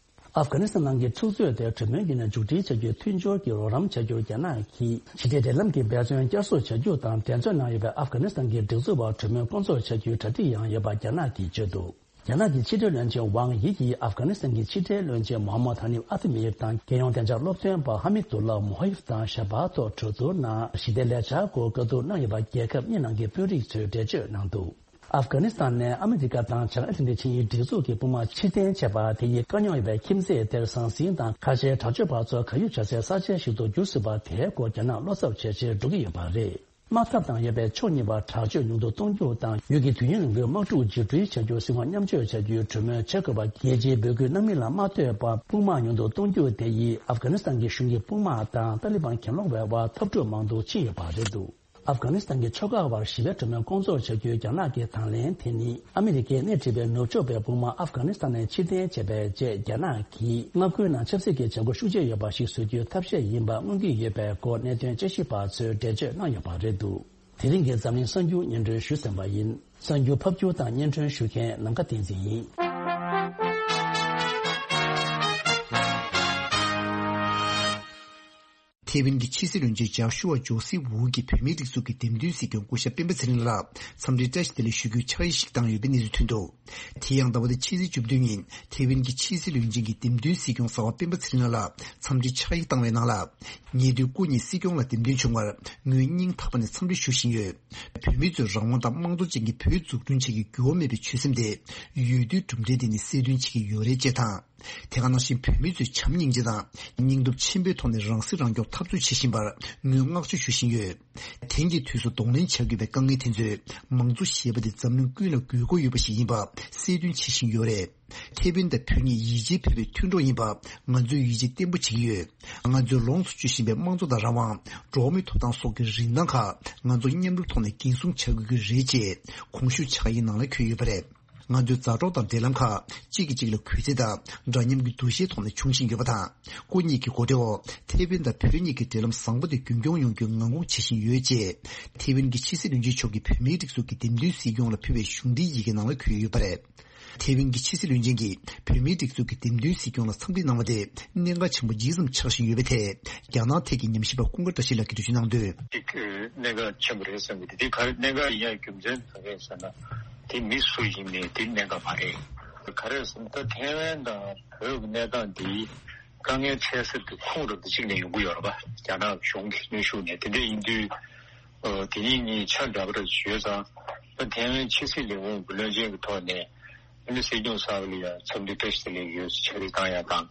ཨབ་གྷ་ནི་སི་ཐན་ནང་གི་འཁྲུག་རྩོད་དེ་གྲོས་མོལ་བརྒྱུད་ནས་མཇུག་སྒྲིལ་བྱ་རྒྱུའི་མཐུན་སྦྱོར་གྱི་རོགས་རམ་བྱ་རྒྱུར་རྒྱ་ནག་གིས་ཞི་བདེ་འབྲེལ་ལམ་གྱི་འབད་བརྩོན་བསྐྱར་གསོ་བྱ་རྒྱུ་དང་། འགྲན་རྩོད་ནང་ཡོད་པའི་ཨབ་གྷ་ནི་སི་ཐན་གྱི་སྒྲིག་འཛུགས་བར་གྲོས་མོལ་སྐོང་ཚོགས་བྱ་རྒྱུའི་གྲ་སྒྲིག་ཡང་ཡོད་པ་རྒྱ་ནག་གིས་བརྗོད་འདུག་རྒྱ་ནག་གི་ཕྱི་འབྲེལ་བློན་ཆེན་ཝང་དབྱི་ཡིས་ཨབ་གྷ་ནི་སི་ཐན་གྱི་ཕྱི་འབྲེལ་བློན་ཆེན་མོ་ཧམ་མད་ཧ་ནིབ་ཨ་ཏི་མིར་དང་རྒྱལ་ཡོངས་བདེ་འཇགས་སློབ་སྟོན་པ་ཧ་མི་དུ་ལ་མོ་ཧ་ཡིབ་དང་ཞལ་པར་ཐོག་གྲོས་བསྡུར་ནང་ཞི་བདེ་ལས་འཆར་སྐོར་བཀའ་བསྡུར་གནང་ཡོད་པ་རྒྱལ་ཁབ་གཉིས་ནང་གི་དཔོན་རིགས་ཚོས་འགྲེལ་བརྗོད་གནང་འདུག་ཨབ་གྷ་ནི་སི་ཐན་ནས་ཨ་མི་རི་ཀ་དང་བྱང་ཨེ་ཊ་ལན་ཊིག་ཆིངས་ཡིག་སྒྲིག་འཛུགས་ཀྱི་དཔུང་དམག་ཕྱིར་འཐེན་བྱས་པ་དེ་ཡིས་དཀའ་རྙོག་ཡོད་པའི་ཁྱིམ་མཚེས་དེར་ཟང་ཟིང་དང་། ཁ་ཆེའི་དྲག་སྤྱོད་པ་ཚོ་བག་ཡོད་བྱ་སའི་ས་ཆ་ཞིག་ཏུ་འགྱུར་སྲིད་པ་དེའི་སྐོར་རྒྱ་ནག་བློ་འཚབ་བྱས་རྗེས་འགྲོ་གི་ཡོད་པ་རེད། དམག་འཐབ་དང་ཡོད་པའི་ཕྱོགས་གཉིས་བར་དྲག་སྤྱོད་ཉུང་དུ་གཏོང་རྒྱུ་དང་། ཡུལ་གྱི་དུས་ཡུན་རིང་པོའི་དམག་འཁྲུག་འཇིགས་སྐྲུན་བྱ་རྒྱུར་སྲིད་དབང་མཉམ་སྤྱོད་བྱ་རྒྱུའི་གྲོས་མོལ་བྱེད་དགོས་པ། རྒྱལ་སྤྱིའི་འབོད་སྐུལ་གནང་མིན་ལ་མ་ལྟོས་པར་དཔུང་དམག་ཉུང་དུ་གཏོང་རྒྱུ་དེ་ཡིས་ཨབ་གྷ་ནི་སི་ཐན་གྱི་གཞུང་གི་དཔུང་དམག་དང་ཏཱ་ལི་བན་གྱེན་ལོག་པའི་དབར་འཐབ་འཁྲུག་མང་དུ་ཕྱིན་ཡོད་པ་རེད་འདུག་ཨབ་གྷ་ནི་སི་ཐན་གྱི་ཕྱོགས་ཁག་བར་ཞི་བའི་གྲོས་མོལ་སྐོང་ཚོགས་བྱ་རྒྱུའི་རྒྱ་ནག་གི་དང་ལེན་དེ་ནི། ཨ་མི་རི་ཀས་སྣེ་ཁྲིད་པའི་ནུབ་ཕྱོགས་པའི་དཔུང་དམག་ཨབ་གྷ་ནི་སི་ཐན་ནས་ཕྱིར་འཐེན་བྱས་པའི་རྗེས། རྒྱ་ནག་གིས་མངའ་ཁུལ་ནང་ཆབ་སྲིད་ཀྱི་བྱ་སྒོ་ཤུགས་ཆེ་ཡོད་པ་ཞིག་བཟོ་རྒྱུའི་ཐབས་ཤེས་ཡིན་པ་མངོན་གྱི་ཡོད་པའི་སྐོར་གནད་དོན་དཔྱད་ཞིབ་པ་ཚོས་འགྲེལ་བརྗོད་གནང་ཡོད་པ་རེད་འདུག་དེ་རིང་གི་འཛམ་གླིང་གསར་འགྱུར་སྙན་སྒྲོན་ཞུས་ཟིན་པ་ཡིན། གསར་འགྱུར་ཕབ་སྒྱུར་དང་སྙན་སྒྲོན་ཞུ་མཁན་ནམ་མཁའ་བསྟན་འཛིན་ཡིན། ཐེ་ཝན་གྱི་ཕྱི་སྲིད་བློན་ཆེན་ཇཱ་ཤུ་ཝ་ཇོ་སི་ཝུ་གིས་བོད་མིའི་སྒྲིག་འཛུགས་ཀྱི་འདེམས་ཐོན་སྲིད་སྐྱོང་སྐུ་ཞབས་སྤེན་པ་ཚེ་རིང་ལགས་ལ་འཚམས་འདྲིའི་བཀྲ་ཤིས་བདེ་ལེགས་ཞུ་རྒྱུའི་ཕྱག་ཡིག་ཞིག་བཏང་ཡོད་པའི་གནས་ཚུལ་ཐོན་འདུག་དེ་ཡང་ཟླ་བ་འདིའི་ཕྱི་ཚེས་བཅུ་བདུན་ཉིན་ཐེ་ཝན་གྱི་ཕྱི་སྲིད་བློན་ཆེན་གྱི་འདེམས་ཐོན་སྲིད་སྐྱོང་གསར་པ་སྤེན་པ་ཚེ་རིང་ལགས་ལ་འཚམས་འདྲིའི་ཕྱག་ཡིག་བཏང་བའི་ནང་ལ། ཉེ་དུས་སྐུ་ཉིད་སྲིད་སྐྱོང་ལ་འདེམས་ཐོན་བྱུང་བར་ངོས་སྙིང་ཐག་པ་ནས་འཚམས་འདྲི་ཞུ་བཞིན་ཡོད། བོད་མི་ཚོས་རང་དབང་དང་དམངས་གཙོ་ཅན་གྱི་བོད་འཛུགས་སྐྲུན་བྱེད་རྒྱུའི་འགྱུར་བ་མེད་པའི་ཆོད་སེམས་དེ་ཡུལ་དུས་གྲུབ་འབྲས་དེ་ནི་གསལ་སྟོན་བྱེད་ཀྱི་ཡོད་རེད་ཅེས་དང་། དེ་ག་ནང་བཞིན་བོད་མི་ཚོས་བྱམས་སྙིང་རྗེ་དང་སྙིང་སྟོབས་ཆེན་པོའི་ཐོག་ནས་རང་སྲིད་རང་སྐྱོང་འཐབ་རྩོད་བྱེད་བཞིན་པར་ངོས་བསྔགས་བརྗོད་ཞུ་བཞིན་ཡོད། དེང་གི་དུས་སུ་གདོང་ལེན་བྱ་དགོས་པའི་དཀའ་ངལ་དེ་ཚོས་མང་གཙོ་ཞེས་པ་དེ་འཛམ་གླིང་ཀུན་ལ་དགོས་མཁོ་ཡོད་པ་ཞིག་ཡིན་པ་གསལ་སྟོན་བྱེད་བཞིན་ཡོད་རེད། ཐེ་ཝན་དང་བོད་གཉིས་ཡིད་ཆེས་བོད་པའི་མཐུན་གྲོགས་ཡིན་པ་ང་ཚོས་ཡིད་ཆེས་བརྟན་པོ་བྱེད་ཀྱི་ཡོད། ང་ཚོས་ལོངས་སུ་སྤྱོད་བཞིན་པའི་དམངས་གཙོ་དང་རང་དབང་། འགྲོ་བ་མིའི་ཐོབ་ཐང་སོགས་ཀྱི་རིན་ཐང་ཁག་ང་ཚོ་མཉམ་རུབ་ཐོག་ནས་འགན་སྲུང་བྱ་དགོས་ཀྱི་རེད་ཅེས་གོང་ཞུས་ཕྱག་ཡིག་ནང་ལ་འཁོད་ཡོད་པ་རེད། ང་ཚོའི་མཛའ་གྲོགས་དང་འབྲེལ་ལམ་ཁག་གཅིག་གིས་གཅིག་ལ་གུས་བརྩི་དང་འདྲ་མཉམ་གྱི་འདུ་ཤེས་ཐོག་ནས་འབྱུང་བཞིན་ཡོད་པ་དང་། སྐུ་ཉིད་ཀྱི་གོ་སྒྲིག་འོག་ཐེ་ཝན་དང་བོད་གཉིས་ཀྱི་འབྲེལ་ལམ་བཟང་པོ་དེ་རྒྱུན་འཁྱོངས་ཡོང་རྒྱུའི་ངང་སྒུག་བྱེད་བཞིན་ཡོད་ཅེས་ཐེ་ཝན་གྱི་ཕྱི་སྲིད་བློན་ཆེན་མཆོག་གིས་བོད་མིའི་སྒྲིག་འཛུགས་ཀྱི་འདེམས་ཐོན་སྲིད་སྐྱོང་ལ་ཕུལ་བའི་གཞུང་འབྲེལ་ཡི་གེ་ནང་ལ་འཁོད་ཡོད་པ་རེད། ཐེ་ཝན་གྱི་ཕྱི་སྲིད་བློན་ཆེན་གྱིས་བོད་མིའི་སྒྲིག་འཛུགས་ཀྱི་འདེམས་ཐོན་སྲིད་སྐྱོང་ལ་འཚམས་འདྲི་གནང་བ་དེ་གནད་འགག་ཆེན་པོ་ཇི་ཙམ་ཆགས་བཞིན་ཡོད་པའི་ཐད་རྒྱ་ནག་ཐད་ཀྱི་ཉམས་ཞིབ་པ་ཀུན་དགའ་བཀྲ་ཤིས་ལགས་ཀྱིས་འགྲེལ་བརྗོད་གནང་དོན། གཅིག་གནད་འགག་ཆེན་པོ་རེད་བསམ་གྱི་འདུག་དེ་ག་རེ་གནད་འགག་ཡིན་ཡང་རྒྱུ་མཚན་ག་རེ་ཟེར་ན། དེ་མི་སུ་ཡིན་མིན་དེ་གནད་འགག་མ་རེད། ག་རེ་ཟེར་ན་ད་ཐེ་ཝན་དང་བོད་ཀྱི་གནས་སྟངས་འདི་དཀའ་ངལ་འཕྲད་སར་དེ་ཁོངས་རུ་དེ་གཅིག་ནས་ཡོང་གི་ཡོད་རེད་པ། རྒྱ་ནག་གཞུང་གི་གནོན་ཤུགས་ནས། དེ་འདྲ་ཡིན་དུས་ཨ་དེ་གཉིས་གཉིས་ཆ་འདྲ་པོ་རེ་ཡོད་ཙང་། ད་ཐེ་ཝན་ཕྱི་སྲིད་ལས་ཁུངས་ཀྱི་བློན་ཆེན་གྱི་ཐོག་ནས་ཨ་ནི་སྲིད་སྐྱོང་གསར་པ་ལ་ཡང་འཚམས་འདྲི་བཀྲ་ཤིས་བདེ་ལེགས་ཡོད་ཕྱག་བྲིས་བཏང་ཡ་དང་།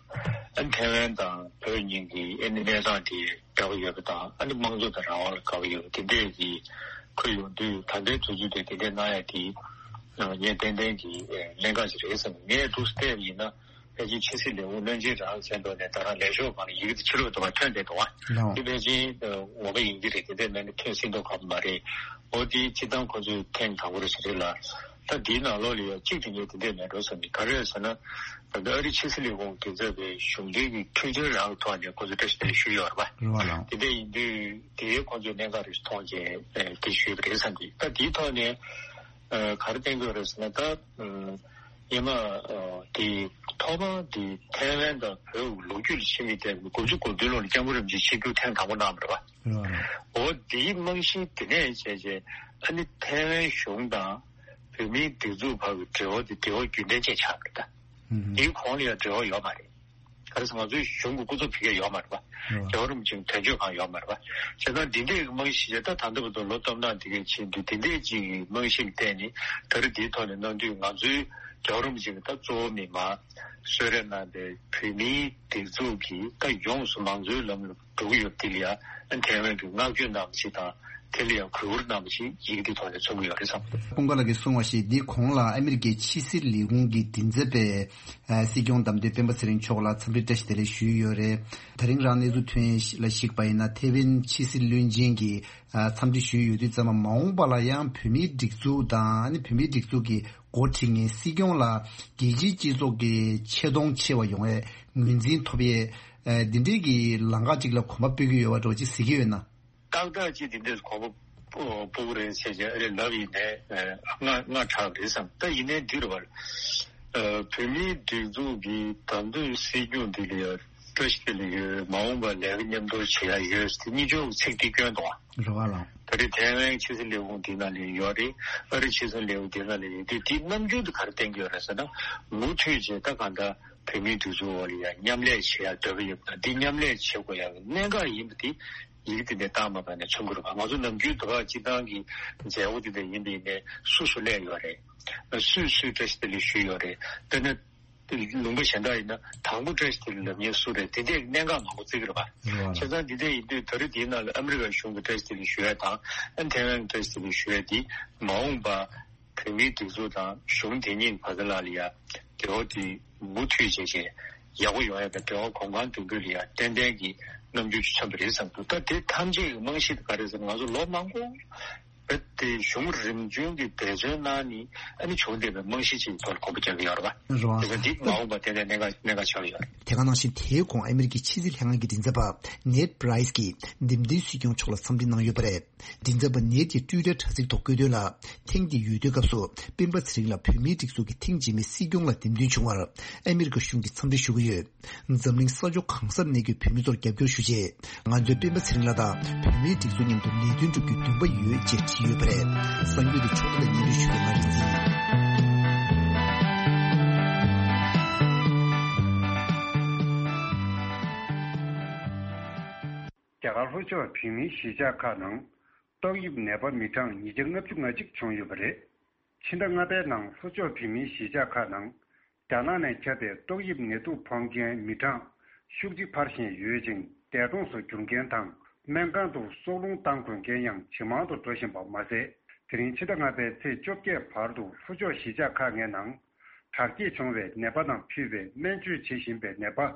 ཨ་ནི་ཐེ་ཝན་དང་བོད་གཉིས་ཀྱི་ཨ་ནི་གནས་སྟངས་དེ་འདྲ་པོ་ཡོད་པ་དང་། ཨ་ནི་དམངས་གཙོ་དང་རང་དབང་ལ་དགའ་པོ་ཡོད་པ་དེ་འདྲས་ཀྱི་ཁུལ་ཡོང་དུས། ད་ལྟའི་དུས་ཚོད་དེ་དེ་འདྲས་གནང་ཡ་དེ་ངས་ཏན་ཏན་གྱི་གནད་འགག་ཅིག་རེད་བསམ། ངས་འདུག་སེ་བལྟས་པ་ཡིན་ན། ཕལ་ཆེར་ཕྱི་སྲིད་ལས་ཁུངས་བློན་ཆེན་རང་མཚན་ཐོག་ནས་ད་རང་ལས་ཤོག་སྒང་ལ་ཡི་གེ་དེ་ཕྱི་ལོགས་དུ་བ་ཐོན་བསྡད་འདུག་བ། ལགས། དེ་ཕལ་ཆེར་ངོ་མ་ཡིན་གྱི་རེད། དེ་འདྲས་མེད་ན་ཐོན་སྲིད་མདོག་ཁ་པོ་མ་རེད། འོ་དེ་སྤྱིར་བཏང་ཁོ་ཚོས་ཐེངས་དང་པོ་རེད་ཟེར་རེད་ལ། ད་དེའི་ནང་ལོགས་ལ་ཡང་གཅིག་དེ་ངས་དེ་འདྲས་མེད་འགྲོ་བསམ་གྱི། ག་རེ་རེད་ཟེར་ན། ད་ལྟ་ཨ་རི་ཕྱི་སྲིད་ལས་ཁུངས་མགྲིན་ཚབ་པའི་གཞུང་འབྲེལ་གྱི་འཕྲིན་བཅར་རང་གི་ཐོག་ནས་ཁོ་ཚོ་བཀྲ་ཤིས་བདེ་ལེགས་ཞུས་ཡོད་རེད་པ། རེད་པ་ལགས། དེ་འདྲས་ཡིན་དུས་དེ་ཁོ་ཚོས་གནད་འགག་རེད་མཐོང་བྱས་དེ་ཞུས་པ་རེད་བསམ་གྱི། ད་དེའི་ཐོག་ནས་ག་རེ་བསྟན་གྱི་ཡོད་རེད་ཟེར་ན། ད་ཉི་མ་དེ་ཐོག་མར་དེ་ཐའེ་ཝན་དང་བོད་ལོ་རྒྱུས་ལ་ཕྱི་མིག་བལྟས་པའི་དགུ་བཅུ་གོ་བདུན་ལོ་ལ་སྐྱབས་མགོན་རིན་པོ་ཆེ་ཆིབས་བསྒྱུར་ཐེངས་དང་པོ་གནང་བ་རེད་པ། རེད་པ། འོ་དེའི་རྨང་གཞི་དེ་ནས་བྱས་བྱས་ཨ་ནི་ཐའེ་ཝན་གཞུང་དང་བོད་མིའི་སྒྲིག་འཛུགས་བར་གྱི་འབྲེལ་བ་དེ་འབྲེལ་བ་རྒྱུན་ལྡན་ཅན་ཆགས་པ་རེད་ད། ཨུ་ཧུམ། དེའི་གོང་ལ་ཡང་འབྲེལ་བ་ཡོད་མ་རེད། ག་རེ་ཟེར་ང་ཚོའི་གཞུང་གི་སྐུ་ཚབ་ཕ་གིར་ཡོད་མ་རེད་པ། རེད། རྒྱལ་བ་རིན་པོ་ཆེའི་དོན་གཅོད་ཁང་ཡོད་མ་རེད་པ། བྱས་ཙང་འདི་འདྲའི་རྨང་གཞི་བྱས། ད་ད་ལྟ་བར་དུ་ལོ་སྟོང་ཕྲག་འདི་གའི་ཕྱིན་དུས་འདི་འདྲའི་ཅིག་གི་རྨང་གཞི་ལ་བརྟེན་ནས་ད་རེས་འདིའི་ཐོག་ནས་གནང་དུས། ང་ཚོའི་རྒྱལ་བ་རིན་པོ་ཆེ་གི་ད་གཙོ་བོ་མི་མང་གསོལ་རས་གནང་པའི་བོད་མིའི་སྒྲིག་འཛུགས་ཀྱི་ད་ཡོངས་སུ་མང་གཙོའི་ལམ་ལུགས་འགྲོ་གི་ཡོད་པ་འདི་ལ་ཡང་ཐའེ་ཝན་གྱིས་བསྔགས་བརྗོད་གནང་བ་ཞིག་དང་། དེ་ལ་ཡང་གུས་བཀུར་གནང་བ་ཞིག་ཡི་གེ་འདིའི་ཐོག་ནས་མཚོན་གྱི་ཡོད་རེད་བསམ། ཀུན་དགའ་ལགས་ཀྱིས་གསུངས་པ་བཞིན་འདིའི་གོང་ལ་ཨ་མི་རི་ཀའི་ཕྱི་སྲིད་ལས་ཁུངས་ཀྱི་མགྲིན་ཚབ་པས་སྲིད་སྐྱོང་བདམས་ཐོན་སྤེན་པ་ཚེ་རིང་མཆོག་ལ་འཚམས་འདྲི་བཀྲ་ཤིས་བདེ་ལེགས་ཞུས་ཡོད་རེད། ད་རིང་རང་གནས་ཚུལ་ཐོན་ཡས་ལ་གཞིགས་པ་ཡིན་ན། ཐེ་ཝན་ཕྱི་སྲིད་བློན་ཆེན་གྱིས་འཚམས་འདྲི་ཞུས་ཡོད་དུས་ཙམ་པ། མ་འོངས་པ་ལ་ཡང་བོད་མིའི་སྒྲིག་འཛུགས་དང་ཨ་ནི་བོད་མིའི་སྒྲིག་འཛུགས་ཀྱི་འགོ་ཁྲིད་མཁན་སྲིད་སྐྱོང་ལ་རྒྱལ་སྤྱིའི་སྤྱི་ཚོགས་ཀྱི་ཆེ་མཐོང་ཆེ་བ་ཡོང་བའི་ངོས་འཛིན་ཐོབ་ཡས། ཨ་འདི་འདྲའི་གི་ལམ་ཁ་ཅིག་ལ་གོམ་པ་སྤོ་གི་ཡོད་པ་འདྲ་བོ་ཅིག་གཟིགས་ཀྱི་ཡོད་ན། ཏག་ཏག་ཅིག་དེ་འདྲས་གོམ་པ་སྤོ་གི་རེད་ཟེར་བྱས་ཨ་རེ་ལབ་ཡིན་ནའི་ཨ་སྔ་སྔ་དྲགས་པ་རེད་བསམ། ད་ཡིན་ནའི་འདི་རེད་པ། ཨ་བོད་མིའི་སྒྲིག་འཛུགས་ཀྱི་བདམས་ཐོན་སྲིད་སྐྱོང་འདི་ལ་ཡང་བཀྲ་ཤིས་བདེ་ལེགས་ཡོད། མ་འོངས་པར་ལས་ཀ་མཉམ་དུ་བྱེད་ཡ་ཡོད་ཟེར་ཏེ་གཉིས་ཆོག་གི་ཚིག་འདི་བསྐྱོན་འདུག་ཨ། རེད་པ་ལགས། ད་རེས་ཐའེ་ཝན་ཕྱི་སྲིད་ལས་ཁུངས་འདི་ནང་ལ་ཡོད་རེད། ཨ་རི་ཕྱི་སྲིད་ལས་ཁུངས་འདི་ནང་ལ་ཡོད་དུས། འདི་རྣམ་འགྱུར་དེ་ག་རེ་བསྟན་གྱི་ཡོད་རེད་ཟེར་ན། མུ་མཐུད་བྱས་ད་གང་ལྟར་བོད་མིའི་སྒྲིག་འཛུགས་འོག་ལ་ཡང་མཉམ་ལས་བྱེད་ཡ་འདོད་པ་ཡོད་པ་དང་། འདི་མཉམ་ལས་བྱེད་དགོས་ཡ་གི་གནད་འགག་ཡིན་པ་དེ་ཡི་གེ་དེ་འདྲ་བཏང་མ་པ་ནས་མཚོན་གྱི་རེད་པ། ང་ཚོ་ནམ་རྒྱུན་དུ་བ་སྤྱི་བཏང་གི་མཛད་སྒོ་དེ་འདྲ་ཡིན་པ་ཡིན་ནའི་སུ་སུ་སླེབས་ཡོད་རེད། སུས་སུས་བཀྲ་ཤིས་བདེ་ལེགས་ཞུས་ཡོད་རེད། དཔེར་ན་ལུང་པ་གཞན་དག་ཡིན་ན་དང་པོ་བཀྲ་ཤིས་བདེ་ལེགས་ལབ་མཁན་སུ་རེད། དེ་འདྲའི་གནད་འགག་མང་པོ་བརྩི་གི་རེད་པ། རེད་པ། བྱས་ཙང་འདི་འདྲ་ཡིན་དུས་ད་རེས་དེའི་ནང་ལ་ཨ་མི་རི་ཀ་གཞུང་གི་བཀྲ་ཤིས་བདེ་ལེགས་ཞུ་ཡ་དང་། ཨ་ཐའེ་ཝན་གྱི་བཀྲ་ཤིས་བདེ་ལེགས་ཞུ་ཡ་དེ་མ་འོངས་པ་བོད་མིའི་སྒྲིག་འཛུགས་དང་གཞུང་དེ་གཉིས་བར་ལ་ལ་ཡ་འབྲེལ་བ་དེ་མུ་མཐུད་བྱས་བྱས་ཡག་པོ་ཡོང་ཡ་དང་། འབྲེལ་བ་གོམ་གང་མདུན་སྤོས་ལ་ཡ་ཏན་ཏན་གྱི་རྣམ་འགྱུར་ཅིག་མཚོན་པ་རེད་བསམ་འདུག་ད་དེ་ཐམས་ཅད་ཀྱི་རྨང་གཞི་དེ་ག་རེ་ཟེར་ན། ང་ཚོ་ལོ་མང་པོ་ རྦད་དེ་གཞུང་རིམ་བྱོན་གྱི་འབད་བརྩོན་གནང་ནས་ཨ་ནི་བྱུང་བསྡད་པའི་རྨང་གཞི་ཅིག་ཐོག་ལ་དགོངས་པ་རྒྱག་གི་ཡོད་རེད་པ། རེད་བ། དེ་ཚོ་འདི་མ་འོངས་པ་དེ་ནས་གནད་འགག་གནད་འགག་ཆགས་ཀྱི་ཡོད་རེད། དེ་ག་ནང་བཞིན་དེའི་གོང་ཨ་མི་རི་ཀའི་ཕྱི་སྲིད་ལྷན་ཁང་གི་མགྲིན་ཚབ་པ་ནེད་པྲའི་སི་གིས་འདེམས་ཐོན་སྲིད་སྐྱོང་མཆོག་ལ་འཚམས་འདྲི་གནང་ཡོད་པ་རེད། མགྲིན་ཚབ་པ་ནེད་ཀྱིས་ཊུའི་ཊར་དྲ་ཚིགས་ཐོག་བཀོད་དོན་ལ། ཐེངས་འདིའི་འོས་བསྡུའི་སྐབས་སུ་སྤེན་པ་ཚེ་རིང་ལ་བོད་མིའི་སྒྲིག་འཛུགས་ཀྱི་ཐེངས་རྗེས་མའི་སྲིད་སྐྱོང་ལ་འདེམས་ཐོན་བྱུང་བར་ཨ་མི་རི་ཀ་གཞུང་གིས་འཚམས་འདྲི་ཞུ་གི་ཡོད། འཛམ་གླིང་ས་ཕྱོགས་གང་སར་གནས་ཡོད་བོད་མི་ཚོར་རྒྱབ་སྐྱོར་ཞུ་ཆེད། ང་ཚོས་སྤེན་པ་ཚེ་རིང་ལགས་དང་བོད་མིའི་སྒྲིག་འཛུགས་མཉམ་དུ་ལས་དོན་སྒྲུབ་རྒྱུའི་འདུན་པ་ཡོད་ཅེས་བྲིས་ཡོད་པ་རེད། གསར་འགྱུར་དེ་ཕྱོགས་སྒྲིག་དང་སྙན་སྒྲོན་ཞུ་མཁན་ང་རིག་འཛིན། རྒྱ་གར་ལྷོ་ཕྱོགས་བོད་མིའི་གཞིས་ཆགས་ཁག་ནང་ཏོག་དབྱིབས་ནད་པ་མི་གྲངས་ཉིས་བརྒྱ་ལྔ་བཅུ་ང་གཅིག་བྱུང་ཡོད་པ་རེད། ཕྱི་ཟླ་ལྔ་པའི་ནང་ལྷོ་ཕྱོགས་བོད་མིའི་གཞིས་ཆགས་ཁག་ནང་རྒྱ་ནག་ནས་ཁྱབ་པའི་ཏོག་དབྱིབས་ནད་དུག་ཕོག་མཁན་མི་གྲངས་ཤུགས་ཆེ་འཕར་བཞིན་ཡོད་ཅིང་། འདས་གྲོངས་སུ་གྱུར་མཁན་དང་སྨན་ཁང་དུ་སྲོག་རླུང་བཏང་དགོས་མཁན་ཡང་ཇེ་མང་དུ་འགྲོ་བཞིན་པ་མ་ཟད། དེ་རིང་ཕྱི་ཟླ་ལྔ་པའི་ཚེས་བཅོ་བརྒྱད་བར་དུ་ལྷོ་ཕྱོགས་གཞིས་ཆགས་ཁག་ལྔའི་ནང་དྲག་སྐྱེད་བྱུང་བའི་ནད་པ་དང་ཕུད་པའི་སྨན་བཅོས་བྱེད་བཞིན་པའི་ནད་པ།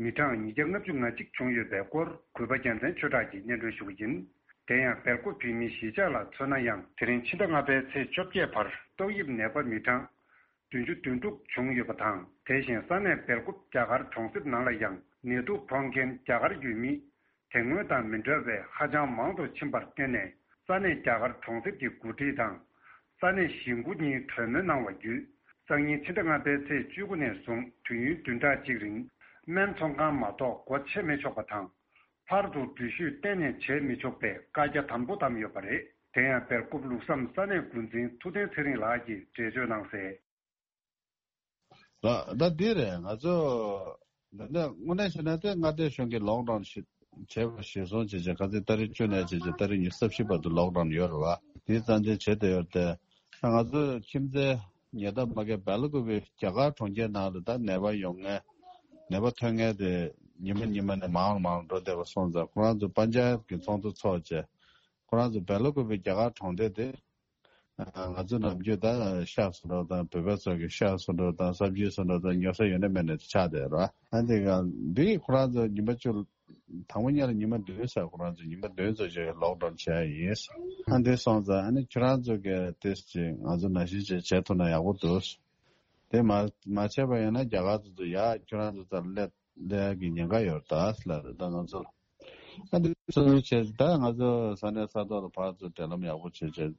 མི་གྲངས་ཉིས་བརྒྱ་ལྔ་བཅུ་ང་གཅིག་བྱུང་ཡོད་པའི་སྐོར་གུས་པ་རྒྱལ་མཚན་ཆོས་གྲགས་ཀྱིས་སྙན་སྒྲོན་ཞུ་གི་ཡིན། དེ་ཡང་སྦེལ་ཀོབ་བོད་མིའི་གཞིས་ཆགས་ལ་མཚོན་ན་ཡང་། དེ་རིང་ཕྱི་ཟླ་ལྔ་པའི་ཚེས་བཅོ་བརྒྱད་བར་ཏོག་དབྱིབས་ནད་པ་མི་གྲངས་བདུན་ཅུ་དོན་དྲུག་བྱུང་ཡོད་པ་དང་། དེ་བཞིན་ས་གནས་སྦེལ་ཀོབ་རྒྱ་གར་གྲོང་གསེབ་ནང་ལ་ཡང་ནད་དུག་ཕོག་མཁན་རྒྱ་གར་ཡུལ་མི་དེ་སྔོན་དང་མི་འདྲ་བའི་ཧ་ཅང་མང་དུ་ཕྱིན་པར་བརྟེན་ནས། ས་གནས་རྒྱ་གར་གྲོང་གསེབ་ཀྱི་འགོ་ཁྲིད་དང་། ས་གནས་གཞིས་འགོ་གཉིས་གྲོས་མོལ་གནང་བ་བརྒྱུད། སང་ཉིན་ཕྱི་ཟླ་ལྔ་པའི་ཚེས་བཅུ་དགུ་ནས་བཟུང་དུས་ཡུན་བདུན་ཕྲག་གཅིག་རིང་སྨན་ཚོང་ཁང་མ་གཏོགས་སྒོ་ཕྱེ་མི་ཆོག་པ་དང་། ཕར་ཚུར་འགྲུལ་བཞུད་གཏན་ནས་བྱེད་མི་ཆོག་པའི་བཀའ་རྒྱ་དམ་པོ་བསྡམས་ཡོད་པ་རེད། དེ་ཡང་སྦེལ་ཀོབ་ལུགས་བསམ་ས་གནས་འགོ་འཛིན་ཐུབ་བསྟན་ཚེ་རིང་ལགས་ཀྱིས་འགྲེལ་བརྗོད་གནང་གསལ། ལགས། ད་འདི་རེད། ང་ཚོ་འདི་ནས་དངོས་གནས་བྱས་ན་དེ་མངའ་སྡེ་གཞུང་གིས་ལོག་ཌའོན་ཞིག་བྱས་པ་གཞིར་བཟུང་བྱས་བྱས། ཁ་སང་ཏ་རིག་བཅུ་ནས་བྱས་བྱས་ཏ་རིག་ཉི་ཤུ་རྩ་བཞི་བར་དུ་ལོག་ཌའོན་ཡོད་རེད་བ། དེ་རྩ་འཛིན་བྱས་བསྡད་ཡོད་རེད་དེ། ད་ང་ཚོ་ཁྱིམ་མཚེས་ཉེ་འདབས་མ་གི་སྦེལ་ཀོབ་རྒྱ་གར་གྲོང་ཁྱེར་ནང་ལ་ད་ནད་པ་ཡོང་མཁན། ནད་པ་ཐོན་མཁན་དེ་ཉི་མ་ཉི་མ་ནས་མང་རུ་མང་རུ་འགྲོ་བསྡད་པ་སོང་ཙང་། ཁོ་རང་ཚོ་པན་ཇབ་ཀྱི་ཚོགས་འདུ་ཚོགས་བྱས། ཁོ་རང་ཚོ་སྦེལ་ཀོབ་རྒྱ་གར་གྲོང་སྡེ་དེ། ང་ཚོ་ནམ་རྒྱུན་ད་ཤག་བཟོ་འདྲ་དང་། བོད་པ་ཚོ་གི་ཤག་བཟོ་འདྲ་དང་། ས་བཅུད་བཟོ་འདྲ་དང་། ཉོ་ས་ཡོད་ན་མེད་ན་ཆགས་བསྡད་ར། ཨ་འདི་ག་འདི་ཁོ་རང་ཚོ་ཉི་མ་བཅུ། དང་པོ་ཉིད་ལ་ཉི་མ་བདུན་ཟེར། ཁོ་རང་ཚོ་ཉི་མ་བདུན་ཙམ་ཞིག་ལོག་ཌའོན་བྱས་ཡིན། ཨ་འདི་སོང་ཙང་ཨ་ནི་ཁྱོད་རང་ཚོ་གི་ཏིས་ཅིག་ང་ཚོ་ནང་བཞིན་ཅིག་བྱེད་ཐུབ་ན་ཡག་པོ་འདུག། དེ་མ་མ་བྱས་པ་ཡིན་ན་རྒྱ་གར་ཚོ་ཚོ་ཡ་ཁྱོད་རང་ཚོ་ཚར་སླེབས་ལས་ཀྱི་ཉེན་ཁ་ཡོད་ད་ལབ་རེད་ད་ང་ཚོ་ལ། ཨ་འདི་ཚོ་བྱས་ད་ང་ཚོ་ས་གནས་ས་ཐོག་ལ་ཕར་ཚུར་འབྲེལ་ལམ་ཡག་པོ་བྱས་བྱས་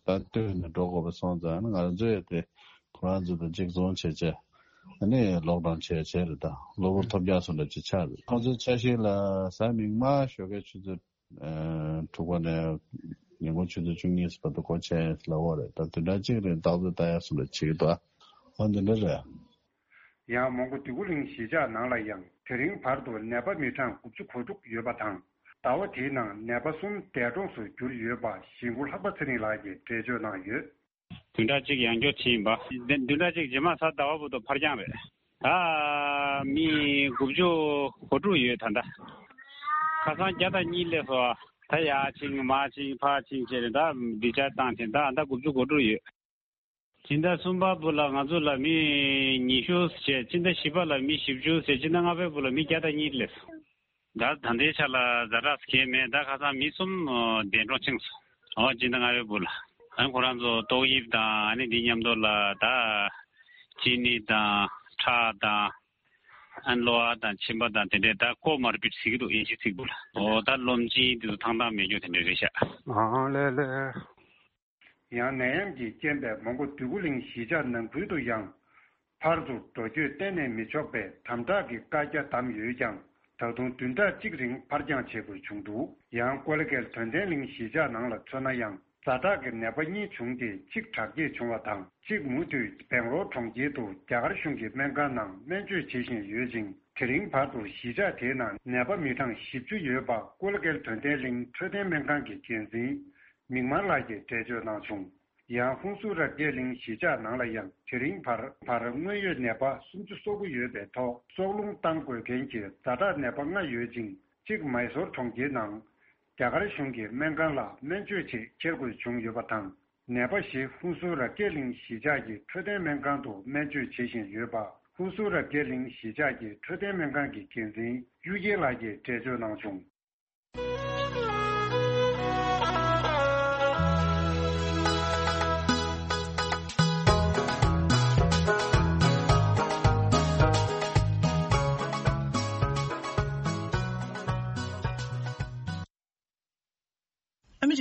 ད་ལྟོས་ནས་འགྲོ་དགོས་པ་སོང་ཙང་། ང་ཚོ་ཡོད་དེ་ཁོ་རང་ཚོ་དང་གཅིག་མཚུངས་བྱས་བྱས། ཨ་ནི་ལོག་ཌའོན་བྱས་བྱས་རེད་ད། གློ་བུར་ཐོལ་རྒྱག་སོང་འདྲ་ཅིག་ཆགས་རེད། ཁོང་ཚོའི་འཆར་གཞི་ལ་གཟའ་མིག་དམར་ཞོགས་ཀའི་ཆུ་ཚོད་དྲུག་པ་ནས་ཉིན་གུང་ཆུ་ཚོད་བཅུ་གཉིས་བར་དུ་སྒོ་ཕྱེ་ལབ་པ་རེད་ད། བདུན་ཕྲག་གཅིག་རིང་རྟག་ཏུ་ལྟ་ཡག་སོང་འདྲ་བྱེད་ཀྱི་འདུག། ཨ་འདི་འདྲ་རེད། ཡང་མོན་གྷོ་འདོད་རྒུ་གླིང་གཞིས་ཆགས་ནང་ལ་ཡང་དེ་རིང་བར་དུ་ནད་པ་མི་གྲངས་དགུ་བཅུ་གོ་དྲུག་ཡོད་པ་དང་། ཟླ་བ་དེའི་ནང་ནད་པ་གསུམ་འདས་གྲོངས་སུ་གྱུར་ཡོད་པ་གཞིས་འགོ་ལྷག་པ་ཚེ་རིང་ལགས་ཀྱིས་འགྲེལ་བརྗོད་གནང་ཡོད། བདུན་ཕྲག་གཅིག་ཡང་བསྐྱར་ཕྱིན་པ། བདུན་ཕྲག་གཅིག་རྗེས་མ་གཟའ་ཟླ་བ་བར་དུ་ཕར་འགྱངས་རེད། ད་མི་དགུ་བཅུ་གོ་དྲུག་ཡོད་ད་ལྟ། ཁ་སང་བརྒྱ་དང་གཉིས་སླེབས་སོང་། ད་ཡར་ཕྱིན་མར་ཕྱིན་ཕར་ཕྱིན་བྱས་ནས་ད་ཌི་ཆར་ཇི་བཏང་བྱས་ནས་ད་ད་དགུ་བཅུ་གོ་དྲུག་ཡོད། སྤྱི་ཟླ་གསུམ་པ་བར་ལ་ང་ཚོ་ལ་མི་ཉི་ཤུ་བྱས། སྤྱི་ཟླ་བཞི་པ་ལ་མི་བཞི་བཅུ་བྱས། སྤྱི་ཟླ་ལྔ་པའི་བར་ལ་མི་བརྒྱ་དང་གཉིས་སླེབས་སོང་། ད་ད་ལྟའི་ཆ་ལ་ཛ་དྲག་གང་ཡང་མེད། ད་ཁ་སང་མི་གསུམ་འདས་གྲོངས་ཕྱིན་སོང་། འོ་སྤྱི་ཟླ་ལྔ་པའི་བར་ལ། ཨ་ཁོ་རང་ཚོ་ཏོག་དབྱིབས་དང་ཨ་ནི་འདི་མཉམ་དུ་ལ་ད་གཅིན་སྙི་དང་ཁྲག་དང་། ཨ་གློ་བ་དང་མཆིན་པ་དང་དེ་འདྲས་ད་ཀོ་མར་བིཌ་ཟེར་གྱི་འདུག་དབྱིན་ཇི་ཚིག་བར་ལ། འོ་ད་གློ་མཆིན་དེ་ཚོ་ཐང་ཐང་མེད་རྒྱུ་དེ་འདྲས་རེད་ཤག། ཨང་ལེ་ལེ། ཡང་ནད་ཡམས་ཀྱི་རྐྱེན་པས་མོན་གྷོ་འདོད་རྒུ་གླིང་གཞིས་ཆགས་ནང་ཁུལ་དུ་ཡང་ཕར་ཚུར་འགྲོ་སྐྱོད་གཏན་ནས་མི་ཆོག་པའི་དམ་དྲག་གི་བཀའ་རྒྱ་བསྡམས་ཡོད་ཀྱང་། ད་དུང་བདུན་ཕྲག་གཅིག་རིང་ཕར་འགྱངས་བྱེད་དགོས་བྱུང་འདུག། ཡང་ཀོ་ལི་གྷལ་དོན་ལྡན་གླིང་གཞིས་ཆགས་ནང་ལ་མཚོན་ན་ཡང་། ཛ་དྲག་གི་ནད་པ་གཉིས་བྱུང་སྟེ་གཅིག་དྲག་སྐྱེད་བྱུང་བ་དང་། གཅིག་མུ་མཐུད་བེང་ལོར་གྲོང་ཁྱེར་དུ་རྒྱ་གར་གཞུང་གི་སྨན་ཁང་ནང་སྨན་བཅོས་བྱེད་བཞིན་ཡོད་ཅིང་། དེ་རིང་བར་དུ་གཞིས་ཆགས་དེའི་ནང་ནད་པ་མི་གྲངས་བཞི་བཅུ་ཡོད་པ་ཀོ་ལི་གྷལ་དོན་ལྡན་གླིང་འཕྲོད་བསྟེན་སྨན་ཁང་གི་འགན་འཛིན་མིག་དམར་ལགས་ཀྱིས་འགྲེལ་བརྗོད་གནང་བྱུང་། ཡང་ཧུན་སུར་རབ་རྒྱས་གླིང་གཞིས་ཆགས་ནང་ལ་ཡང་དེ་རིང་བར་བར་དངོས་ཡོད་ནད་པ་སུམ་ཅུ་སོ་དགུ་ཡོད་པའི་ཐོག་སྲོག་རླུང་བཏང་དགོས་མཁན་གྱི་ཛ་དྲག་ནད་པ་ལྔ་ཡོད་ཅིང་། གཅིག་མའི་སོར་གྲོང་ཁྱེར་ནང་རྒྱ་གར་གཞུང་གི་སྨན་ཁང་ལ་སྨན་བཅོས་ཆེད་འཁྱེར་དགོས་བྱུང་ཡོད་པ་དང་། ནད་པ་བཞི་ཧུན་སུར་རབ་རྒྱས་གླིང་གཞིས་ཆགས་ཀྱི་འཕྲོད་བསྟེན་སྨན་ཁང་དུ་སྨན་བཅོས་བྱེད་བཞིན་ཡོད་པ། ཧུན་སུར་རབ་རྒྱས་གླིང་གཞིས་ཆགས་ཀྱི་འཕྲོད་བསྟེན་སྨན་ཁང་གི་འགན་འཛིན་གཡུ་རྒྱལ་ལགས་ཀྱིས་འགྲེལ་བརྗོད་གནང་བྱུང་།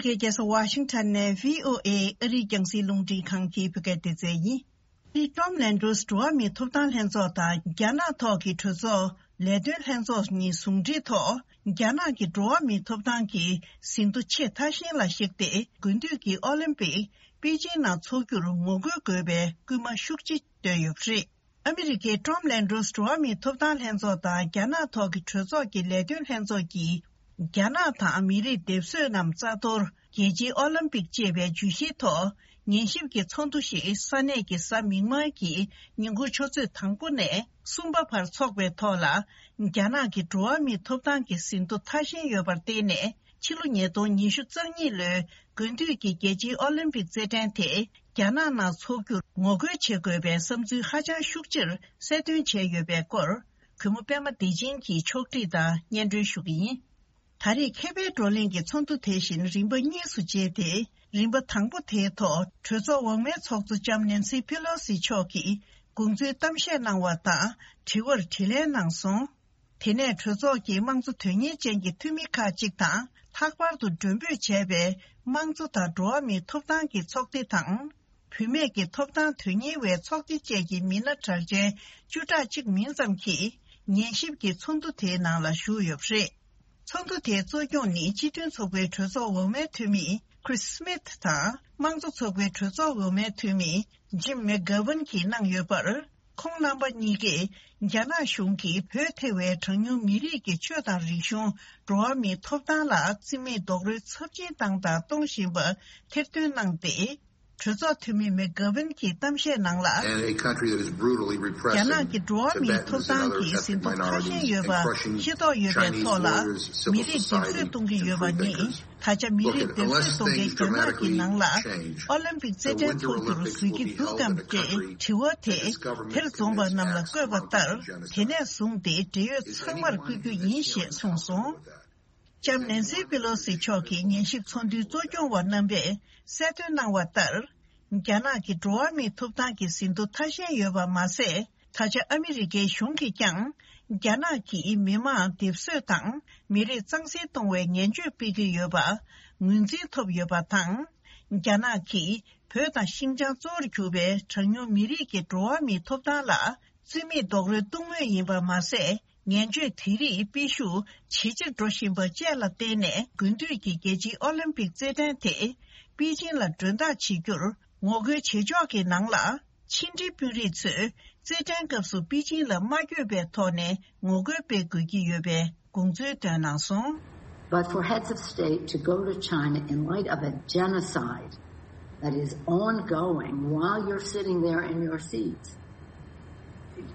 རྒྱལ་ས་ཝ་ཤིང་ཊོན་ནས་བྷི་ཨོ་ཨེ་ཨ་རིའི་རྒྱང་སྲིང་རླུང་འཕྲིན་ཁང་གི་བོད་སྐད་སྡེ་ཚན་ཡིན། ཊོམ་ལན་ཌོས་འགྲོ་བ་མིའི་ཐོབ་ཐང་ལྷན་ཚོགས་དང་རྒྱ་ནག་ཐོག་གི་གྲོས་ཚོགས་ལས་དོན་ལྷན་ཚོགས་གཉིས་ཟུང་འབྲེལ་ཐོག་རྒྱ་ནག་གི་འགྲོ་བ་མིའི་ཐོབ་ཐང་གི་ཟིན་ཐོ་ཆེས་ཐ་ཤལ་ལ་གཞིགས་ཏེ། དགུན་དུས་ཀྱི་ཨོ་ལིམ་པིག་པེ་ཅིན་ནང་འཚོགས་རྒྱུར་ངོ་རྒོལ་དགོས་པའི་སྐུལ་མ་ཤུགས་ཆེ་བཏོན་ཡོད་པ་རེད། ཨ་མི་རི་ཀའི་ཊོམ་ལན་ཌོས་འགྲོ་བ་མིའི་ཐོབ་ཐང་ལྷན་ཚོགས་དང་རྒྱ་ནག་ཐོག་གི་གྲོས་ཚོགས་ཀྱི་ལས་དོན་ལྷན་ཚོགས་ཀྱིས། རྒྱ་ནག་དང་མི་རིགས་སྡེབ་གསོད་རྣམས་རྩ་གཏོར། རྒྱལ་སྤྱིའི་ཨོ་ལིམ་པིག་ཅེས་པའི་བརྗོད་གཞིའི་ཐོག་ཉན་ཞིབ་ཀྱི་ཚོགས་འདུ་ཞིག་ས་གནས་ཀྱི་གཟའ་མིག་དམར་གྱི་ཉིན་གུང་ཆུ་ཚོད་དང་པོ་ནས་གསུམ་པ་བར་འཚོགས་པའི་ཐོག་ལ། རྒྱ་ནག་གི་འགྲོ་བ་མིའི་ཐོབ་ཐང་གི་ཟིན་ཐོ་ཐ་ཞན་ཡོད་པར་བརྟེན་ནས། ཕྱི་ལོ་ཉིས་སྟོང་ཉི་ཤུ་རྩ་གཉིས་ལོའི་དགུན་དུས་ཀྱི་རྒྱལ་སྤྱིའི་ཨོ་ལིམ་པིག་རྩེད་འགྲན་དེ་རྒྱ་ནག་ནང་འཚོགས་རྒྱུར་ངོ་རྒོལ་བྱེད་དགོས་པའི་བསམ་ཚུལ་ཧ་ཅང་ཤུགས་ཆེར་གསལ་སྟོན་བྱས་ཡོད་པའི་སྐོར། གུས་མོ་པད་མ་བདེ་ཆེན་གྱིས་ཕྱོགས་སྒྲིག་དང་སྙན་སྒྲོན་ཞུ་གི་ཡིན། ད་རེས་མཁས་པའི་བགྲོ་གླེང་གི་ཚོགས་འདུ་དེ་བཞིན་རིམ་པ་གཉིས་སུ་བརྗེས་ཏེ། རིམ་པ་དང་པོ་དེའི་ཐོག་གྲོས་ཚོགས་འོག་མའི་ཚོགས་གཙོ་ལྕམ་ནན་སི་ཕེ་ལོ་སི་མཆོག་གིས་དགོངས་ཚུལ་གཏམ་བཤད་གནང་བ་དང་། དྲི་བར་དྲིས་ལན་གནང་སོང་། དེ་ནས་གྲོས་ཚོགས་ཀྱི་དམངས་གཙོ་དོན་གཉེར་ཅན་གྱི་འཐུས་མི་ཁག་ཅིག་དང་། ལྷག་པར་དུ་མགྲོན་འབོད་བྱས་པའི་དམངས་གཙོ་དང་འགྲོ་བ་མིའི་ཐོབ་ཐང་གི་ཚོགས་སྡེ་དང་། བུད་མེད་ཀྱི་ཐོབ་ཐང་དོན་གཉེར་བའི་ཚོགས་སྡེ་བཅས་ཀྱི་མི་སྣ་གྲགས་ཅན་བཅུ་ཕྲག་གཅིག་མིན་ཙམ་གྱིས་ཉན་ཞིབ་ཀྱི་ཚོགས་འདུ་དེའི་ནང་ལ་ཞུགས་ཡོད་པ་རེད། ཚོགས་འདུ་དེའི་གཙོ་སྐྱོང་ནི་སྤྱི་མཐུན་ཚོགས་པའི་གྲོས་ཚོགས་འོག་མའི་འཐུས་མི་Chris Smith དང་། དམངས་གཙོ་ཚོགས་པའི་གྲོས་ཚོགས་འོག་མའི་འཐུས་མི་Jim McGovern གྱིས་གནང་ཡོད་པར། ཁོང་རྣམ་པ་གཉིས་ཀས་རྒྱ་ནག་གཞུང་གིས་བོད་ཐེ་བའི་གྲངས་ཉུང་མི་རིགས་ཀྱི་ཆོས་དང་རིག་གཞུང་། འགྲོ་བ་མིའི་ཐོབ་ཐང་ལ་བརྩི་མེད་རྡོག་རོལ་ཚབས་ཆེན་བཏང་དང་གཏོང་བཞིན་པ་ཐེར་འདོན་གནང་སྟེ། གྲོས་ཚོགས་འཐུས་མི་མེག་གྷ་ཝིན་གྱིས་གཏམ་བཤད་ནང་ལ། And a country that is brutally repressing རྒྱ་ནག་གི་འགྲོ་བ་མིའི་Tibetans ཐོབ་and ཐང་other གི་ethnic ཟིན་ཐོ་ཁ་ཤས་ཡོད་པ་ཤེས་རྟོགས་ཡོད་པའི་ཐོག་ལ། མི་རིགས་སྡེབ་གསོད་གཏོང་གི་ཡོད་པ་ནི། ད་ཆ་མི་རིགས་སྡེབ་གསོད་གཏོང་མཁན་རྒྱ་ནག་གི་ནང་ལ་ཨོ་ལིམ་པིག་རྩེད་འགྲན་འཚོགས་རྒྱུར་བཟོ་གི་འདུག་གམ་ཅེས་དྲི་བ་དེ་དེར་འཛོམས་པ་རྣམས་ལ་བཀོད་པ་ལྟར། དེ་ནས་བཟུང་སྟེ་འབྲེལ་ཡོད་ཚང་མར་བསྐུལ་རྒྱུ་ཡིན་ཞེས་གསུངས་སོང་། ལྕམ་ནན་སི་པི་ལོ་སི་མཆོག་གིས་ཉན་ཞིབ་ཚོགས་འདུའི་གཙོ་སྐྱོང་བ་རྣམ་པས་གསལ་སྟོན་གནང་བ་ལྟར། རྒྱ་ནག་གི་འགྲོ་བ་མིའི་ཐོབ་ཐང་གི་ཟིན་ཐོ་ཐ་ཞན་ཡོད་པ་མ་ཟད། ད་ཆ་ཨ་མི་རི་ཀའི་གཞུང་གིས་ཀྱང་། རྒྱ་ནག་གིས་མི་མང་སྡེབ་གསོད་དང་མི་རིགས་གཙང་སེལ་གཏོང་བའི་ངན་བྱུས་སྤེལ་གྱི་ཡོད་པ་ངོས་འཛིན་ཐོབ་ཡོད་པ་དང་། རྒྱ་ནག་གིས་བོད་དང་ཤིན་ཅང་གཙོ་བོར་གྱུར་པའི་གྲངས་ཉུང་མི་རིགས་ཀྱི་འགྲོ་བ་མིའི་ཐོབ་ཐང་ལ་བརྩི་མེད་རྡོག་རོལ་གཏོང་མུས་ཡིན་པ་མ་ཟད། ངན་བྱུས་དེ་རིགས་སྤེལ་ཤུགས་ཇེ་ཆེར་འགྲོ་བཞིན་པ་བཅས་ལ་བརྟེན་ནས། དགུན་དུས་ཀྱི་རྒྱལ་སྤྱིའི་ཨོ་ལིམ་པིག་རྩེད་འགྲན་དེ་པེ་ཅིན་ལ་མགྲོན་བདག་བྱེད་རྒྱུར་ངོ་རྒོལ་བྱེད་ཕྱོགས་ཀྱི་ནང་ལ། ཕྱི་འབྲེལ་དཔོན་རིགས་ཚོས་རྩེད་འགྲན་སྐབས་སུ་པེ་ཅིན་ལ་མ་བསྐྱོད་པའི་ཐོག་ནས་ངོ་རྒོལ་སྤེལ་དགོས་ཀྱི་ཡོད་པའི་དགོངས་ཚུལ་བཏོན་གནང་སོང་། But for heads of state to go to China in light of a genocide that is ongoing while you're sitting there in your seats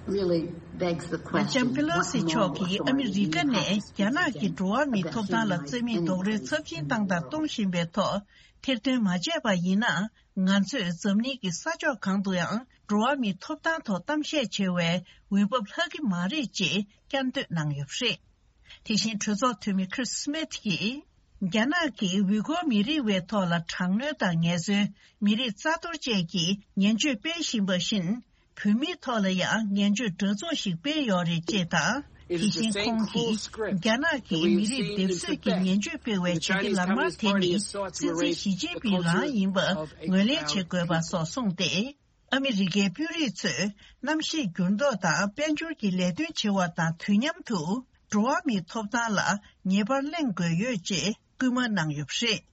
really begs the question. ལྕམ་པེ་ལོ་སི་མཆོག་གིས་ཨ་མི་རི་ཀ་ནས་རྒྱ་ནག་གི་འགྲོ་བ་མིའི་ཐོབ་ཐང་ལ་བརྩི་མེད་རྡོག་རོལ་ཚབས་ཆེན་བཏང་དང་གཏོང་བཞིན་པའི་ཐོག་ཐེར་འདོན་མ་བྱས་པ་ཡིན་ན། ང་ཚོས་འཛམ་གླིང་གི་ས་ཕྱོགས་གང་དུ་ཡང་འགྲོ་བ་མིའི་ཐོབ་ཐང་ཐོག་གཏམ་བཤད་བྱེད་པའི་འོས་བབ་ལྷག་གི་མ་རེད་ཅེས་བསྐྱར་ཟློས་གནང་ཡོད་པ་རེད། དེ་བཞིན་གྲོས་ཚོགས་འཐུས་མི་Chris Smith གྱིས། རྒྱ་ནག་གིས་ཝི་གོ་མི་རིགས་པའི་ཐོག་ལ་དྲག་གནོན་དང་ངལ་རྩོལ། མི་རིགས་རྩ་གཏོར་བཅས་ཀྱི་ངན་བྱུས་སྤེལ་བཞིན་པ་བཞིན། བོད་མིའི་ཐོག་ལ་ཡང་ངན་བྱུས་འདྲ་མཚུངས་ཤིག་སྤེལ་ཡོད་རེད་ཅེས་དང་། དེ་བཞིན་ཁོང་གིས། རྒྱ་ནག་གིས་མི་རིགས་སྡེབ་གསོད་ཀྱི་ངན་བྱུས་སྤེལ་བའི་བྱ་དེ་ལ་མ་དེ་ནི་སྲིད་འཛིན་ཞི་ཅིན་ཕིང་རང་ཡིན་པ་ངོས་ལེན་བྱེད་དགོས་པ་སོགས་གསུངས་ཏེ། ཨ་མི་རི་ཀའི་དཔོན་རིགས་ཚོས་གནམ་གཤིས་འགྱུར་ལྡོག་དང་དཔལ་འབྱོར་གྱི་ལས་དོན་བྱེད་པ་དང་དུས་མཉམ་དུ་འགྲོ་བ་མིའི་ཐོབ་ཐང་ལ་ངེས་པར་གླེང་དགོས་ཡོད་ཅེས་སྐུལ་མ་གནང་ཡོད་པ་རེད།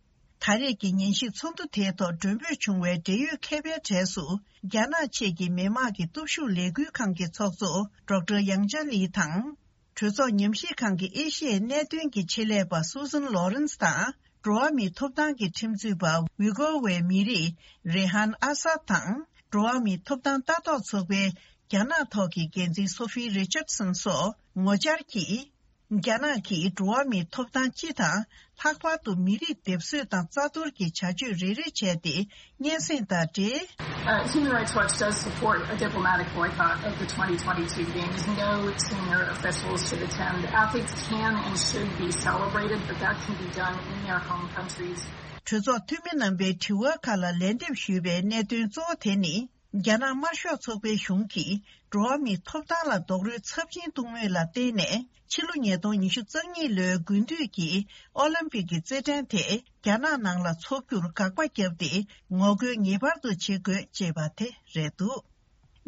ད་རེས་ཀྱི་ཉན་ཞིབ་ཚོགས་འདུ་དེའི་ཐོག་མགྲོན་འབོད་བྱུང་བའི་འབྲེལ་ཡོད་མཁས་པའི་གྲས་སུ། རྒྱ་ནག་ཆེད་ཀྱི་མི་དམངས་ཀྱི་སྟོབས་ཤུགས་ལས་འགུལ་ཁང་གི་ཚོགས་གཙོ་ཌོག་ཊར་ཡང་ཅཱ་ལི་དང་། གྲོས་ཚོགས་ཉམས་ཞིབ་ཁང་གི་ཨེ་ཤི་ཡའི་གནད་དོན་གྱི་ཆེད་ལས་པ་སུ་ཟན་ལོ་རན་སི་དང་། འགྲོ་བ་མིའི་ཐོབ་ཐང་གི་ཁྲིམས་རྩོད་པ་ཝི་གོ་ཝའི་མི་རིགས་རེ་ཧན་ཨ་སཱད་དང་། འགྲོ་བ་མིའི་ཐོབ་ཐང་ལྟ་རྟོག་ཚོགས་པའི་རྒྱ་ནག་ཐོག་གི་འགན་འཛིན་སོ་ཕི་རི་ཅར་སན་སོགས་ངོ་བཅར་གྱིས། རྒྱ་ནག་གིས་འགྲོ་བ་མིའི་ཐོབ་ཐང་སྤྱི་དང་། ལྷག་པར་དུ་མི་རིགས་སྡེབ་གསོད་དང་རྩ་གཏོར་གྱི་བྱ་སྤྱོད་རེ་རེ་བྱས་ཏེ། སྙན་སེང་དང་འབྲེལ། Uh, Human Rights Watch does support a diplomatic boycott of the twenty twenty-two Games. No senior officials should attend. Athletes can and should be celebrated, but that can be done in their home countries. གྲོས་ཚོགས་འཐུས་མི་རྣམ་པའི་དྲི་བ་ཁག་ལ་ལན་འདེབས་ཞུས་པའི་གནད་དོན་གཙོ་བོ་དེ་ནི། རྒྱ་ནག་དམར་ཤོག་ཚོགས་པའི་གཞུང་གིས་འགྲོ་བ་མིའི་ཐོབ་ཐང་ལ་རྡོག་རོལ་ཚབས་ཆེན་གཏོང་མུས་ལ་བརྟེན་ནས། ཕྱི་ལོ་ཉིས་སྟོང་ཉི་ཤུ་རྩ་གཉིས་ལོའི་དགུན་དུས་ཀྱི་ཨོ་ལིམ་པིག་གི་རྩེད་འགྲན་དེ་རྒྱ་ནག་ནང་ལ་འཚོགས་རྒྱུར་དགག་པ་བརྒྱབ་སྟེ། ངོ་རྒོལ་ངེས་པར་དུ་བྱེད་དགོས་ཅེས་པ་དེ་རེད་འདུག་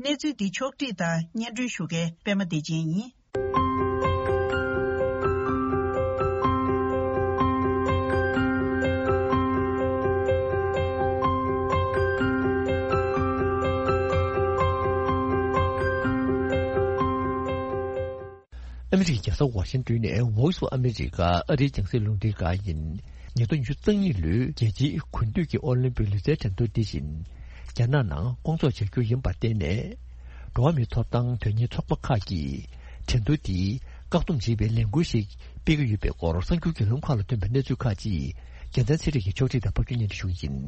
གནས་ཚུལ་འདི་ཕྱོགས་བསྒྲིགས་དང་སྙན་སྒྲོན་ཞུ་མཁན་པད་མ་བདེ་ཆེན་ཡིན། ཨ་མི་རི་ཀའི་རྒྱལ་ས་ཝ་ཤིང་ཏོན་ནས་Voice of America ཨ་རིའི་རྒྱང་སྲིང་རླུང་འཕྲིན་ཁང་ཡིན། ཉིས་སྟོང་ཉི་ཤུ་རྩ་གཉིས་ལོའི་རྒྱལ་སྤྱིའི་དགུན་དུས་ཀྱི་ཨོ་ལིམ་པིག་ལུས་རྩལ་འགྲན་བསྡུར་འདི་བཞིན་རྒྱ་ནག་ནང་སྐོང་ཚོགས་བྱ་རྒྱུ་ཡིན་པར་བརྟེན་ནས། འགྲོ་བ་མིའི་ཐོབ་ཐང་དོན་གཉེར་ཚོགས་པ་ཁག་གིས་འགྲན་བསྡུར་འདིའི་བཀག་སྡོམ་བྱེད་པའི་ལས་འགུལ་ཞིག་སྤེལ་གྱི་ཡོད་པའི་སྐོར་གསར་འགྱུར་བརྒྱུད་ལམ་ཁག་ལ་ཐོན་པའི་གནས་ཚུལ་ཁག་ཅིག་རྒྱལ་མཚན་ཚེ་རིང་གིས་ཕྱོགས་སྒྲིག་དང་ཕབ་སྒྱུར་སྙན་སྒྲོན་ཞུ་གི་ཡིན།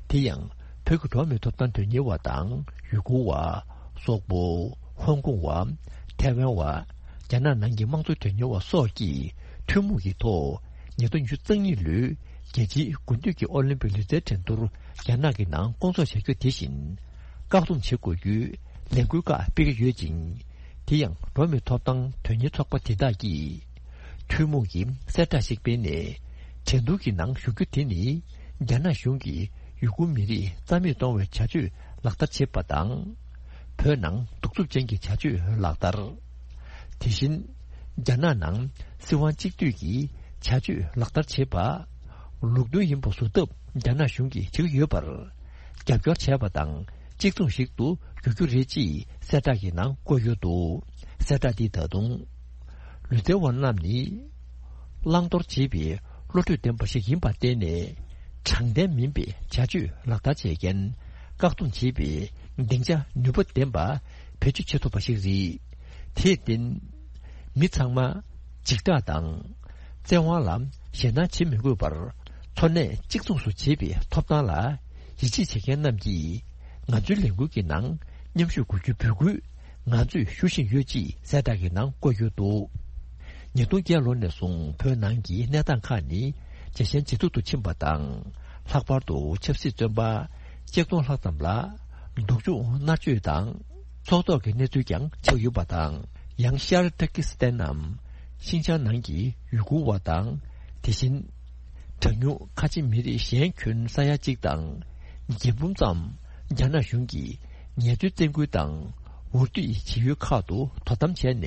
དེ་ཡང་བོད་ཀྱི་འགྲོ་བ་མིའི་ཐོབ་ཐང་དོན་གཉེར་བ་དང་ཡུ་གུར་བ། སོག་པོ། ཧོང་ཀོང་བ། ཐའེ་ཝན་བ། རྒྱ་ནག་ནང་གི་དམངས་གཙོ་དོན་གཉེར་བ་སོགས་ཀྱིས་ཐུན་མོང་གི་ཐོག་ཉིས་སྟོང་ཉི་ཤུ་རྩ་གཉིས་ལོའི་རྒྱལ་སྤྱིའི་དགུན་དུས་ཀྱི་ཨོ་ལིམ་པིག་ལུས་རྩལ་འགྲན་བསྡུར་རྒྱ་ནག་གི་ནང་སྐོང་ཚོགས་བྱ་རྒྱུ་དེ་བཞིན་བཀག་སྡོམ་བྱེད་དགོས་རྒྱུའི་ལས་འགུལ་ཁག་སྤེལ་གྱི་ཡོད་ཅིང་། དེ་ཡང་འགྲོ་བ་མིའི་ཐོབ་ཐང་དོན་གཉེར་ཚོགས་པ་དེ་དག་གིས་ཐུན་མོང་གི་གསལ་བསྒྲགས་ཤིག་སྤེལ་ནས། འགྲན་བསྡུར་གྱི་ནང་ཞུགས་རྒྱུ་དེ་ནི་རྒྱ་ནག་གཞུང་གིས་ཡུ་གུར་མི་རིགས་རྩ་མེད་གཏོང་བའི་བྱ་སྤྱོད་ལག་བསྟར་བྱེད་པ་དང་། བོད་ནང་གདུག་རྩུབ་ཅན་གྱི་བྱ་སྤྱོད་ལག་བསྟར། དེ་བཞིན། རྒྱ་ནག་ནང་སྲིད་དབང་གཅིག་སྡུད་ཀྱི་བྱ་སྤྱོད་ལག་བསྟར་བྱེད་པ། ལུགས་མཐུན་ཡིན་པ་བཟོ་ཐབས་རྒྱ་ནག་གཞུང་གིས་བྱེད་ཀྱི་ཡོད་པར། རྒྱབ་སྐྱོར་བྱས་པ་དང་གཅིག་མཚུངས་ཤིག་ཏུ་འགྱུར་རྒྱུ་རེད་ཅེས་གསལ་བསྒྲགས་ཀྱི་ནང་བཀོད་ཡོད་འདུག་གསལ་བསྒྲགས་འདིས་ད་དུང་། ལུས་རྩལ་བ་རྣམས་ནི། བླང་དོར་བྱེད་པའི་བློ་གྲོས་ལྡན་པ་ཞིག་ཡིན་པར་བརྟེན་ནས། དྲང་བདེན་མིན་པའི་བྱ་སྤྱོད་ལག་བསྟར་བྱེད་མཁན། བཀག་སྡོམ་བྱེད་པའི་སྡིངས་ཆ་ནུས་པ་ལྡན་པ་བེད་སྤྱོད་བྱེད་ཐུབ་པ་ཞིག་རེད། དེར་བརྟེན། མི་ཚང་མ་འཇིགས་སྐྲག་དང་། བཙན་དབང་ལ་ཞེད་སྣང་བྱེད་མི་དགོས་པར། འཚོ་གནས་གཅིག་མཚུངས་སུ་བྱེད་པའི་ཐོབ་ཐང་ལ་ཡིད་ཆེས་བྱེད་མཁན་རྣམས་ཀྱིས། ང་ཚོའི་ལས་འགུལ་གྱི་ནང་མཉམ་ཞུགས་དགོས་རྒྱུའི་འབོད་སྐུལ་ང་ཚོས་ཞུ་བཞིན་ཡོད་ཅེས་གསལ་བསྒྲགས་ཀྱི་ནང་བཀོད་ཡོད་འདུག་ཉིས་སྟོང་བརྒྱད་ལོ་ནས་བཟུང་བོད་ནང་གི་གནས་སྟངས་ཁག་ནི་ཇེ་ཞན་ཇེ་སྡུག་ཏུ་ཕྱིན་པ་དང་། ལྷག་པར་དུ་ཆབ་སྲིད་བཙོན་པ་ཆིག་སྟོང་ལྷག་ཙམ་ལ་སྡུག་སྦྱོང་མནར་གཅོད་དང་ཚོགས་ཐོག་གི་གནས་ཚུལ་ཀྱང་ཆགས་ཡོད་པ་དང་། ཡང་ཤར་ཏུར་ཀི་སི་ཐན་ནམ་ཤིན་ཅང་ནང་གི་ཡུ་གུར་བ་དང་། དེ་བཞིན། གྲངས་ཉུང་ཁ་ཆེ་མི་རིགས་གཞན་ཁྱོན་ས་ཡ་གཅིག་དང་། བརྒྱད་འབུམ་ཙམ་རྒྱ་ནག་གཞུང་གིས་ཉེས་དོན་བཙན་སྐུལ་དང་འུར་སྡུད་བྱེད་ཡུལ་ཁག་ཏུ་དོ་དམ་བྱས་ནས།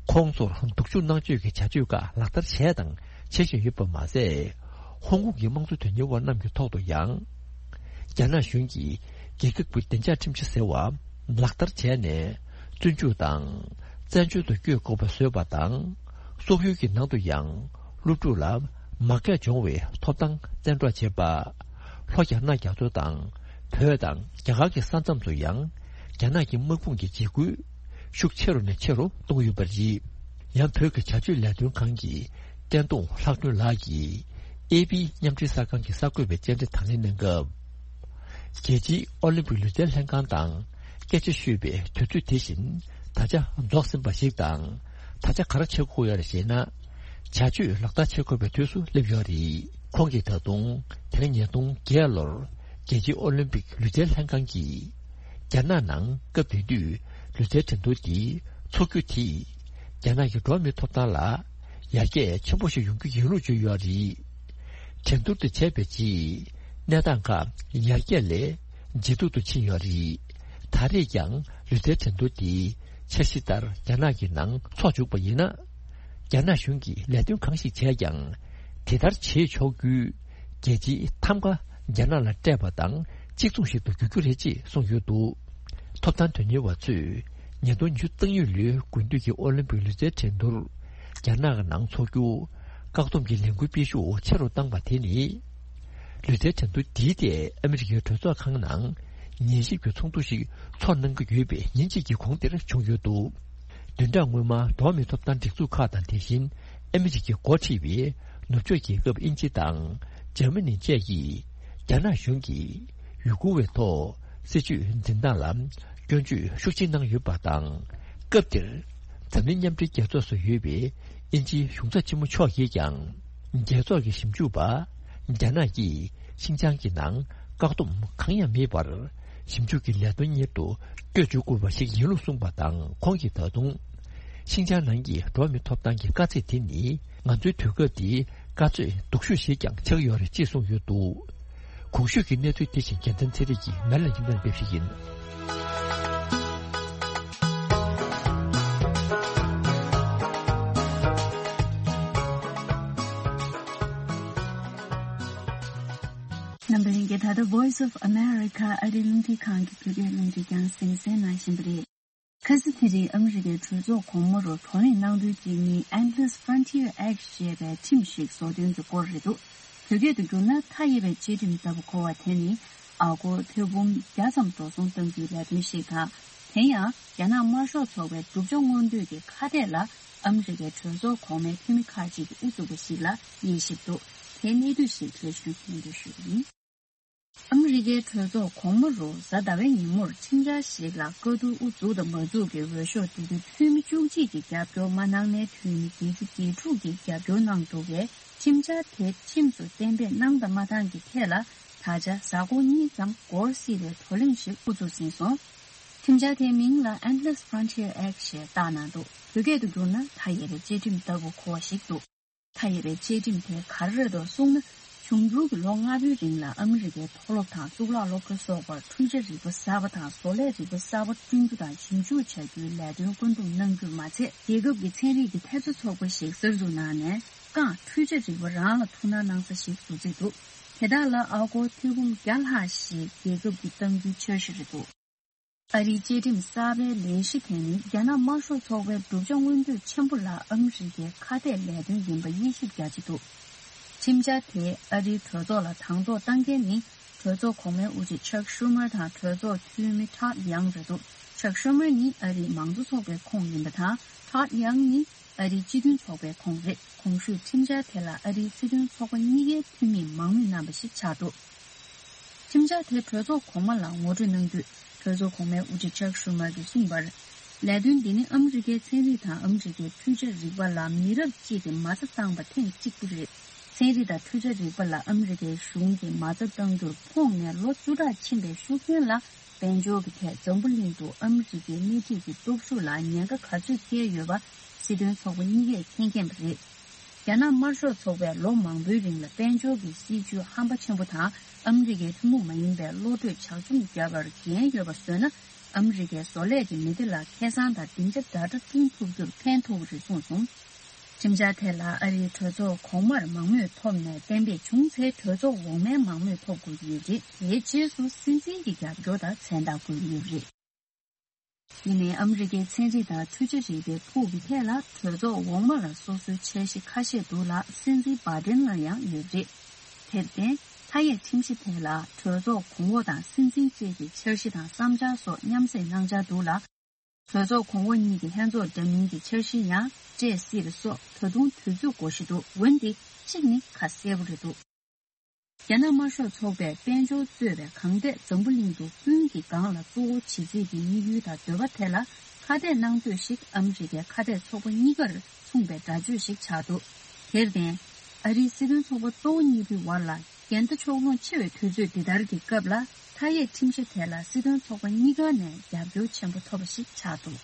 ཁོང་ཚོར་སྡུག་སྦྱོང་གནང་སྤྱོད་ཀྱི་བྱ་སྤྱོད་ཁག་ལག་བསྟར་བྱས་དང་བྱེད་བཞིན་ཡོད་པ་མ་ཟད། ཧོང་ཀོང་གི་དམངས་གཙོ་དོན་གཉེར་བ་རྣམས་ཀྱི་ཐོག་ཏུ་ཡང་། རྒྱ་ནག་གཞུང་གིས་རྒྱལ་ཁབ་ཀྱི་བདེ་འཇགས་ཁྲིམས་གཞི་ཟེར་བ་ལག་བསྟར་བྱས་ནས། བཙོན་འཇུག་དང་། བཙན་བྱོལ་དུ་བསྐྱོད་དགོས་པ་བཟོས་པ་དང་། སོག་ཡུལ་གྱི་ནང་དུ་ཡང་། སློབ་ཕྲུག་ལ་མ་རྒྱ་སྦྱོང་བའི་ཐོབ་ཐང་བཙན་འཕྲོག་བྱེད་པ། ལྷོ་རྒྱ་ནག་རྒྱ་མཚོ་དང་། བོད་དང་རྒྱ་གར་གྱི་ས་མཚམས་སུ་ཡང་། རྒྱ་ནག་གི་དམག་དཔུང་གི་འཇིགས་སྐུལ་ཤུགས་ཆེ་རུ་ནས་ཆེ་རུ་གཏོང་གི་ཡོད་པ་རེད། ཡང་བོད་ཀྱི་བྱ་སྤྱོད་ལས་དོན་ཁང་གི་བསྟན་དུང་ལྷག་སྒྲོན་ལགས་ཀྱིས། ཨེ་པི་མཉམ་འབྲེལ་གསར་ཁང་གི་གསར་འགོད་པའི་བཅར་འདྲི་དང་ལེན་གནང་སྐབས། རྒྱལ་སྤྱིའི་ཨོ་ལིམ་པིག་ལུས་རྩལ་ལྷན་ཁང་དང་སྐད་ཆ་ཤོད་པའི་དུས་ཚོད་དེ་བཞིན་ད་ཆ་རྫོགས་ཟིན་པ་ཞིག་དང་། ད་ཆ་ག་རེ་བྱེད་དགོས་ཡོད་རེད་ཞེ་ན། བྱ་སྤྱོད་ལག་བསྟར་བྱེད་དགོས་པའི་དུས་སུ་སླེབས་ཡོད་རེད། ཁོང་གིས་ད་དུང་དེ་རིང་ཉིས་སྟོང་བརྒྱད་ལོར་རྒྱལ་སྤྱིའི་ཨོ་ལིམ་པིག་ལུས་རྩལ་ལྷན་ཁང་གིས་རྒྱ་ནག་ནང་སྐབས་དེ་དུས་ལུས་རྩལ་འགྲན་བསྡུར་འདི་འཚོགས་རྒྱུ་དེས་རྒྱ་ནག་གི་འགྲོ་བ་མིའི་ཐོབ་ཐང་ལ་ཡར་རྒྱས་ཆེན་པོ་ཞིག་ཡོང་རྒྱུ་ཡིན་ལུགས་བརྗོད་ཡོད་རེད། འགྲན་བསྡུར་དེ་བྱས་པའི་རྗེས་གནས་སྟངས་ཁག་ཡར་རྒྱས་ལས་ཇེ་སྡུག་ཏུ་ཕྱིན་ཡོད་རེད། ད་རེས་ཀྱང་ལུས་རྩལ་འགྲན་བསྡུར་དེ་འཆར་གཞི་ལྟར་རྒྱ་ནག་གི་ནང་འཚོགས་བཅུག་པ་ཡིན་ན། རྒྱ་ནག་གཞུང་གིས་ལས་དོན་གང་ཞིག་བྱས་ཀྱང་དེ་ལྟར་བྱེད་ཆོག་རྒྱུའི་རྒྱལ་སྤྱིའི་ཐམ་ག་རྒྱ་ནག་ལ་སྤྲད་པ་དང་གཅིག་མཚུངས་ཤིག་ཏུ་འགྱུར་རྒྱུ་རེད་ཅེས་གསུངས་ཡོད་འདུག་ཐོབ་ཐང་དོན་གཉེར་བ་ཚོས་ཉིས་སྟོང་ཉི་ཤུ་རྩ་གཉིས་ལོའི་དགུན་དུས་ཀྱི་ཨོ་ལིམ་པིག་ལུས་རྩལ་འགྲན་བསྡུར་རྒྱ་ནག་གི་ནང་འཚོགས་རྒྱུ་བཀག་སྡོམ་གྱི་ལས་འགུལ་སྤེལ་ཤུགས་ཆེ་རུ་བཏང་པ་དེ་ནི། ལུས་རྩལ་འགྲན་བསྡུར་འདིའི་ཐད་ཨ་མི་རི་ཀའི་གྲོས་ཚོགས་ཁང་ནང་ཉན་ཞིབ་ཀྱི་ཚོགས་འདུ་ཞིག་ཚོགས་གནང་གི་ཡོད་པའི་ཉིན་གཅིག་གི་གོང་དེར་བྱུང་ཡོད་འདུག་བདུན་ཕྲག་སྔོན་མ་འགྲོ་བ་མིའི་ཐོབ་ཐང་སྒྲིག་འཛུགས་ཁག་དང་དེ་བཞིན་ཨ་མི་རི་ཀས་འགོ་ཁྲིད་པའི་ནུབ་ཕྱོགས་རྒྱལ་ཁབ་དབྱིན་ཇི་དང་འཇར་མ་ནི་བཅས་ཀྱིས་རྒྱ་ནག་གཞུང་གིས་ཡུ་གུར་བའི་ཐོག་སྲིད་བྱུས་འཛིན་སྟངས་ལ་སྐྱོན་བརྗོད་ཤུགས་ཆེ་གནང་ཡོད་པ་དང་། སྐབས་དེར་འཛམ་གླིང་མཉམ་འབྲེལ་རྒྱལ་ཚོགས་སུ་ཡོད་པའི་དབྱིན་ཇིའི་གཞུང་ཚབ་ཆེན་མོ་མཆོག་གིས་ཀྱང་། རྒྱལ་ཚོགས་ཀྱི་ཞིབ་འཇུག་པ་རྒྱ་ནག་གིས་ཤིན་ཅང་གི་ནང་བཀག་སྡོམ་གང་ཡང་མེད་པར་ ཞིབ་འཇུག་གི་ལས་དོན་གཉེར་དུ་སྐྱོད་འཇུག་དགོས་པ་ཞིག་ཡིན་ལུགས་གསུངས་པ་དང་། ཁོང་གིས་ད་དུང་ཤིན་ཅང་ནང་གི་འགྲོ་བ་མིའི་ཐོབ་ཐང་གི་དཀའ་ཚེགས་དེ་ནི་ང་ཚོའི་དུས་སྐབས་འདིའི་དཀའ་ཚེགས་སྡུག་ཤོས་ཤིག་ཀྱང་ཆགས་ཡོད་རེད་ཅེས་གསུངས་ཡོད་འདུག། གོང་ཞུས་ཀྱི་གནས་ཚུལ་དེ་བཞིན་རྒྱལ་མཚན་ཚེ་རིང་གིས་མེ་ལ་ཉིན་ལྟར་སླེབས་ཞིག་ཡིན། རྣམ་པ་ལྷན་རྒྱས། ད་ལྟ་Voice of America ཨ་རིའི་རླུང་འཕྲིན་ཁང་གི་བོད་སྐད་རླུང་འཕྲིན་རྒྱང་སྲིང་གསན་གནང་བཞིན་པ་རེད། ཁ་སང་དེ་རིང་ཨ་མི་རི་ཀའི་གྲོས་ཚོགས་གོང་མ་རུ་བགྲོ་གླེང་གནང་དོན་གཅིག་ནི་Endless Frontier Act ཞེས་པའི་ཁྲིམས་ཤིག་བཟོ་དོན་གྱི་སྐོར་རེད་འདུག། བོད་སྐད་དུ་བསྒྱུར་ན་མཐའ་ཡས་པའི་བཅའ་ཁྲིམས་ལྟ་བུ་གོ་བ་དེ་ནི་ཨ་སྒོར་ཐེར་འབུམ་བརྒྱ་ཙམ་འགྲོ་སོང་གཏང་རྒྱུའི་ལས་དོན་ཞིག་དང་། དེ་ཡང་རྒྱ་ནག་དམར་ཤོག་ཚོགས་པའི་བསྒྲུབ་བྱ་མངོན་འདོད་ཀྱི་ཁ་གཏད་ལ་ཨ་མི་རི་ཀའི་གྲོས་ཚོགས་གོང་མའི་འཐུས་མི་ཁག་ཅིག་གིས་དབུ་བཙུགས་པ་ཞིག་ལ་དབྱེ་ཞིབ་འདུག། དེའི་གནད་བསྡུས་ཤིག་སླད་ཞུ་སྙན་སྒྲོན་ཞུ་གི་ཡིན། ཨ་མི་རི་ཀའི་གྲོས་ཚོགས་གོང་མ་རུ་གཟའ་ཟླ་བའི་ཉིན་མོར་ཁྲིམས་འཆར་ཞིག་ལ་བཀའ་བསྡུར་དབུ་འཛུགས་དང་མ་འཛུགས་ཀྱི་འོས་ཤོག་དེ་དུས་འཐུས་མི་བཅུ་གཅིག་གིས་རྒྱབ་སྐྱོར་མ་གནང་ནའི་འཐུས་མི་བརྒྱད་ཅུ་གྱ་དྲུག་གིས་རྒྱབ་སྐྱོར་གནང་འདུག་པས། ཁྲིམས་འཆར་དེ་ཁྲིམས་སུ་གཏན་འབེབས་གནང་དང་མ་གནང་གི་ཐད་ལ་ད་ཆ་གཟའ་འཁོར་གཉིས་ཙམ་འགོར་སྲིད་པའི་བགྲོ་གླེང་ཞིག་དབུ་འཛུགས་ཟིན་སོང་། ཁྲིམས་འཆར་དེའི་མིང་ལ་Endless Frontier Act ཞེས་བཏགས་གནང་འདུག། བོད་སྐད་དུ་བསྒྱུར་ན་མཐའ་ཡས་པའི་བཅའ་ཁྲིམས་ལྟ་བུ་གོ་བ་ཞིག་འདུག། མཐའ་ཡས་པའི་བཅའ་ཁྲིམས་དེ་ག་རེ་རེད་འདུག་གསུངས་ན། འབྱུང་འགྱུར་གྱི་ལོ་ལྔ་པོའི་རིང་ལ་ཨ་མི་རི་ཀའི་མཐོ་སློབ་དང་གཙུག་ལག་སློབ་གྲྭ་སོགས་པར་འཕྲུལ་ཆས་རིག་པ་གསར་པ་དང་བཟོ་ལས་རིག་པ་གསར་པ་བསྐྲུན་རྒྱུ་དང་ཞིབ་འཇུག་བྱ་རྒྱུའི་ལས་དོན་བཀོད་འདོམས་གནང་རྒྱུར་མ་ཚད། རྒྱལ་ཁབ་ཀྱི་ཚན་རིག་གི་འཐབ་རྩོད་ཚོགས་པ་ཞིག་གསར་འཛུགས་གནང་ནས་རྐང་འཕྲུལ་ཆས་རིག་པ་རང་ལ་ཐུགས་སྣང་གནང་ས་ཞིག་བཟོ་རྩིས་འདུག། དེ་དག་ལ་ཨ་སྒོར་ཐེར་འབུམ་བརྒྱ་ལྷག་ཞིག་རྒྱལ་ཁབ་ཀྱིས་གཏང་རྒྱུའི་འཆར་གཞི་རེད་འདུག། ཨ་རིའི་བཅའ་ཁྲིམས་གསར་པའི་ལས་གཞི་དེ་ནི་རྒྱ་ནག་དམར་ཤོག་ཚོགས་པའི་བསྒྲུབ་བྱ་མངོན་འདོད་ཆེན་པོ་ལ་ཨ་མི་རི་ཀའི་ཁ་གཏད་ལས་དོན་ཡིན་པ་དབྱེ་ཞིབ་རྒྱག་གི་འདུག། ཁྲིམས་འཆར་དེ་ཨ་རིའི་གྲོས་ཚོགས་ལ་དང་ཐོག་བཏང་མཁན་ནི་གྲོས་ཚོགས་གོང་མའི་དབུ་ཁྲིད་ཆག་ཤུ་མར་དང་གྲོས་ཚོགས་འཐུས་མི་ཊོཌ་ཡང་རེད་འདུག། ཆག་ཤུ་མར་ནི་ཨ་རིའི་མང་གཙོ་ཚོགས་པའི་ཁོངས་ཡིན་པ་དང་། ཊོཌ་ཡང་ནི་ཨ་རིའི་སྤྱི་མཐུན་ཚོགས་པའི་ཁོངས་རེད། གོང་ཞུས་ཁྲིམས་འཆར་དེ་ལ་ཨ་རིའི་སྲིད་དོན་ཚོགས་པ་གཉིས་ཀའི་འཐུས་མིས་མང་མོས་གནང་བ་ཞིག་ཆགས་འདུག། ཁྲིམས་འཆར་དེ་གྲོས་ཚོགས་གོང་མ་ལ་ངོ་སྤྲོད་གནང་དུས། གྲོས་ཚོགས་གོང་མའི་དབུ་ཁྲིད་ཆག་ཤུ་མར་གྱིས་གསུངས་པར། ལས་དོན་འདི་ནི་ཨ་མི་རི་ཀའི་ཚན་རིག་དང་ཨ་མི་རི་ཀའི་འཕྲུལ་ཆས་རིག་པ་ལ་མི་རབས་གཅིག་གི་མ་རྩ་བཏང་བ་ཐེངས་གཅིག་པུ་རེད། ཚན་རིག་དང་འཕྲུལ་ཆས་རིག་པ་ལ་ཨ་མི་རི་ཀའི་གཞུང་གིས་མ་རྩ་བཏང་རྒྱུར་ཕོངས་ནས་ལོ་བཅུ་ཕྲག་ཕྱིན་པའི་ཤུགས་རྐྱེན་ལ། དཔལ་འབྱོར་གྱི་ཐད་འཛམ་བུ་གླིང་དུ་ཨ་མི་རི་ཀའི་སྣེ་ཁྲིད་ཀྱི་སྟོབས་ཤུགས་ལ་ཉེན་ཁ་ག་ཚོད་བསྐྱལ་ཡོད་པ་སྲིད་དོན་ཚོགས་པ་གཉིས་ཀས་མཁྱེན་མཁྱེན་པ་རེད། རྒྱ་ནག་དམར་ཤོག་ཚོགས་པས་ལོ་མང་པོའི་རིང་ལ་དཔལ་འབྱོར་གྱི་སྲིད་ཇུས་ཧམ་པ་ཆེན་པོ་དང་ཨ་མི་རི་ཀའི་ཐུན་མོང་མ་ཡིན་པའི་བློ་གྲོས་ཇག་བཅོམ་བརྒྱབ་པར་འགན་ཡོད་པ་བཟོས་ན། ཨ་མི་རི་ཀའི་བཟོ་ལས་ཀྱི་མི་སྡེ་ལ་ཁེ་བཟང་དང་སྡིངས་ཆ་ཟླ་གྲྭ་བསྐྲུན་ཐུབ་རྒྱུར་ཕན་ཐོགས་རེད་གསུངས་སོང་། ཁྲིམས་འཆར་དེ་ལ་ཨ་རིའི་གྲོས་ཚོགས་གོང་མར་མང་མོས་ཐོབ་ནས་གཏན་འབེབས་བྱུང་ཚེ་གྲོས་ཚོགས་འོག་མའི་མང་མོས་ཐོབ་དགོས་ཀྱི་ཡོད་རེད། དེའི་རྗེས་སུ་སྲིད་འཛིན་གྱི་རྒྱབ་སྐྱོར་དང་མཚན་རྟགས་དགོས་ཀྱི་ཡོད་རེད། དེ་ནས་ཨ་མི་རི་ཀའི་ཚན་རིག་དང་འཕྲུལ་ཆས་རིག་པའི་ཕུགས་ཀྱི་ཐད་ལ་གྲོས་ཚོགས་འོག་མ་ལ་སོ་སོའི་འཆར་གཞི་ཁ་ཤས་འདུག་ལ་སྲིད་འཛིན་བྷ་ཏན་ལ་ཡང་ཡོད་རེད། དེར་བརྟེན་མཐའ་ཡས་ཁྲིམས་གཞི་དེ་ལ་གྲོས་ཚོགས་གོང་འོག་དང་སྲིད་འཛིན་བཅས་ཀྱི་འཆར་གཞི་དང་བསམ་འཆར་སོགས་མཉམ་བསྲེས་གནང་འཆར་འདུག་ལ། གྲོས་ཚོགས་གོང་འོག་གཉིས་ཀྱི་ལྷན་ཚོགས་འདྲ་མིན་གྱི་འཆར་གཞི་ཡང་སྤྲད་སྲིད་པ་སོགས་ད་དུང་དུས་ཚོད་འགོར་བཞིན་འདུག། འོན་ཏེ་གཅིག་ནི་ཁ་གསལ་པོ་རེད་འདུག། རྒྱ་ནག་དམར་ཤོག་ཚོགས་པས་དཔལ་འབྱོར་གཙོས་པའི་གང་ཐད་འཛམ་བུ་གླིང་དུ་ཀུན་གྱིས་སྒང་ལ་གཙོ་བོ་བྱེད་རྩིས་ཀྱི་དམིགས་ཡུལ་དང་འདོད་པ་དེ་ལ་ཁ་གཏད་གནང་འདོད་ཞིག་ཨ་མི་རི་ཀའི་ཁ་གཏད་ཚོགས་པ་གཉིས་ཀར་མཚུངས་པའི་སྒྲ་བརྗོད་ཞིག་ཆགས་འདུག། དེར་བརྟེན། ཨ་རིའི་སྲིད་དོན་ཚོགས་པ་གཙོ་བོ་གཉིས་པོའི་བར་ལ་འགལ་ཟླ་ཕྱོགས་ལྷུང་ཆེ་བའི་དུས་ཚོད་འདི་ལྟར་གྱི་སྐབས་ལ། མཐའ་ཡས་ཁྲིམས་གཞི་དེ་ལ་སྲིད་དོན་ཚོགས་པ་གཉིས་ཀ་ནས་རྒྱབ་སྐྱོར་ཆེན་པོ་ཐོབ་པ་ཞིག་ཆགས་འདུག།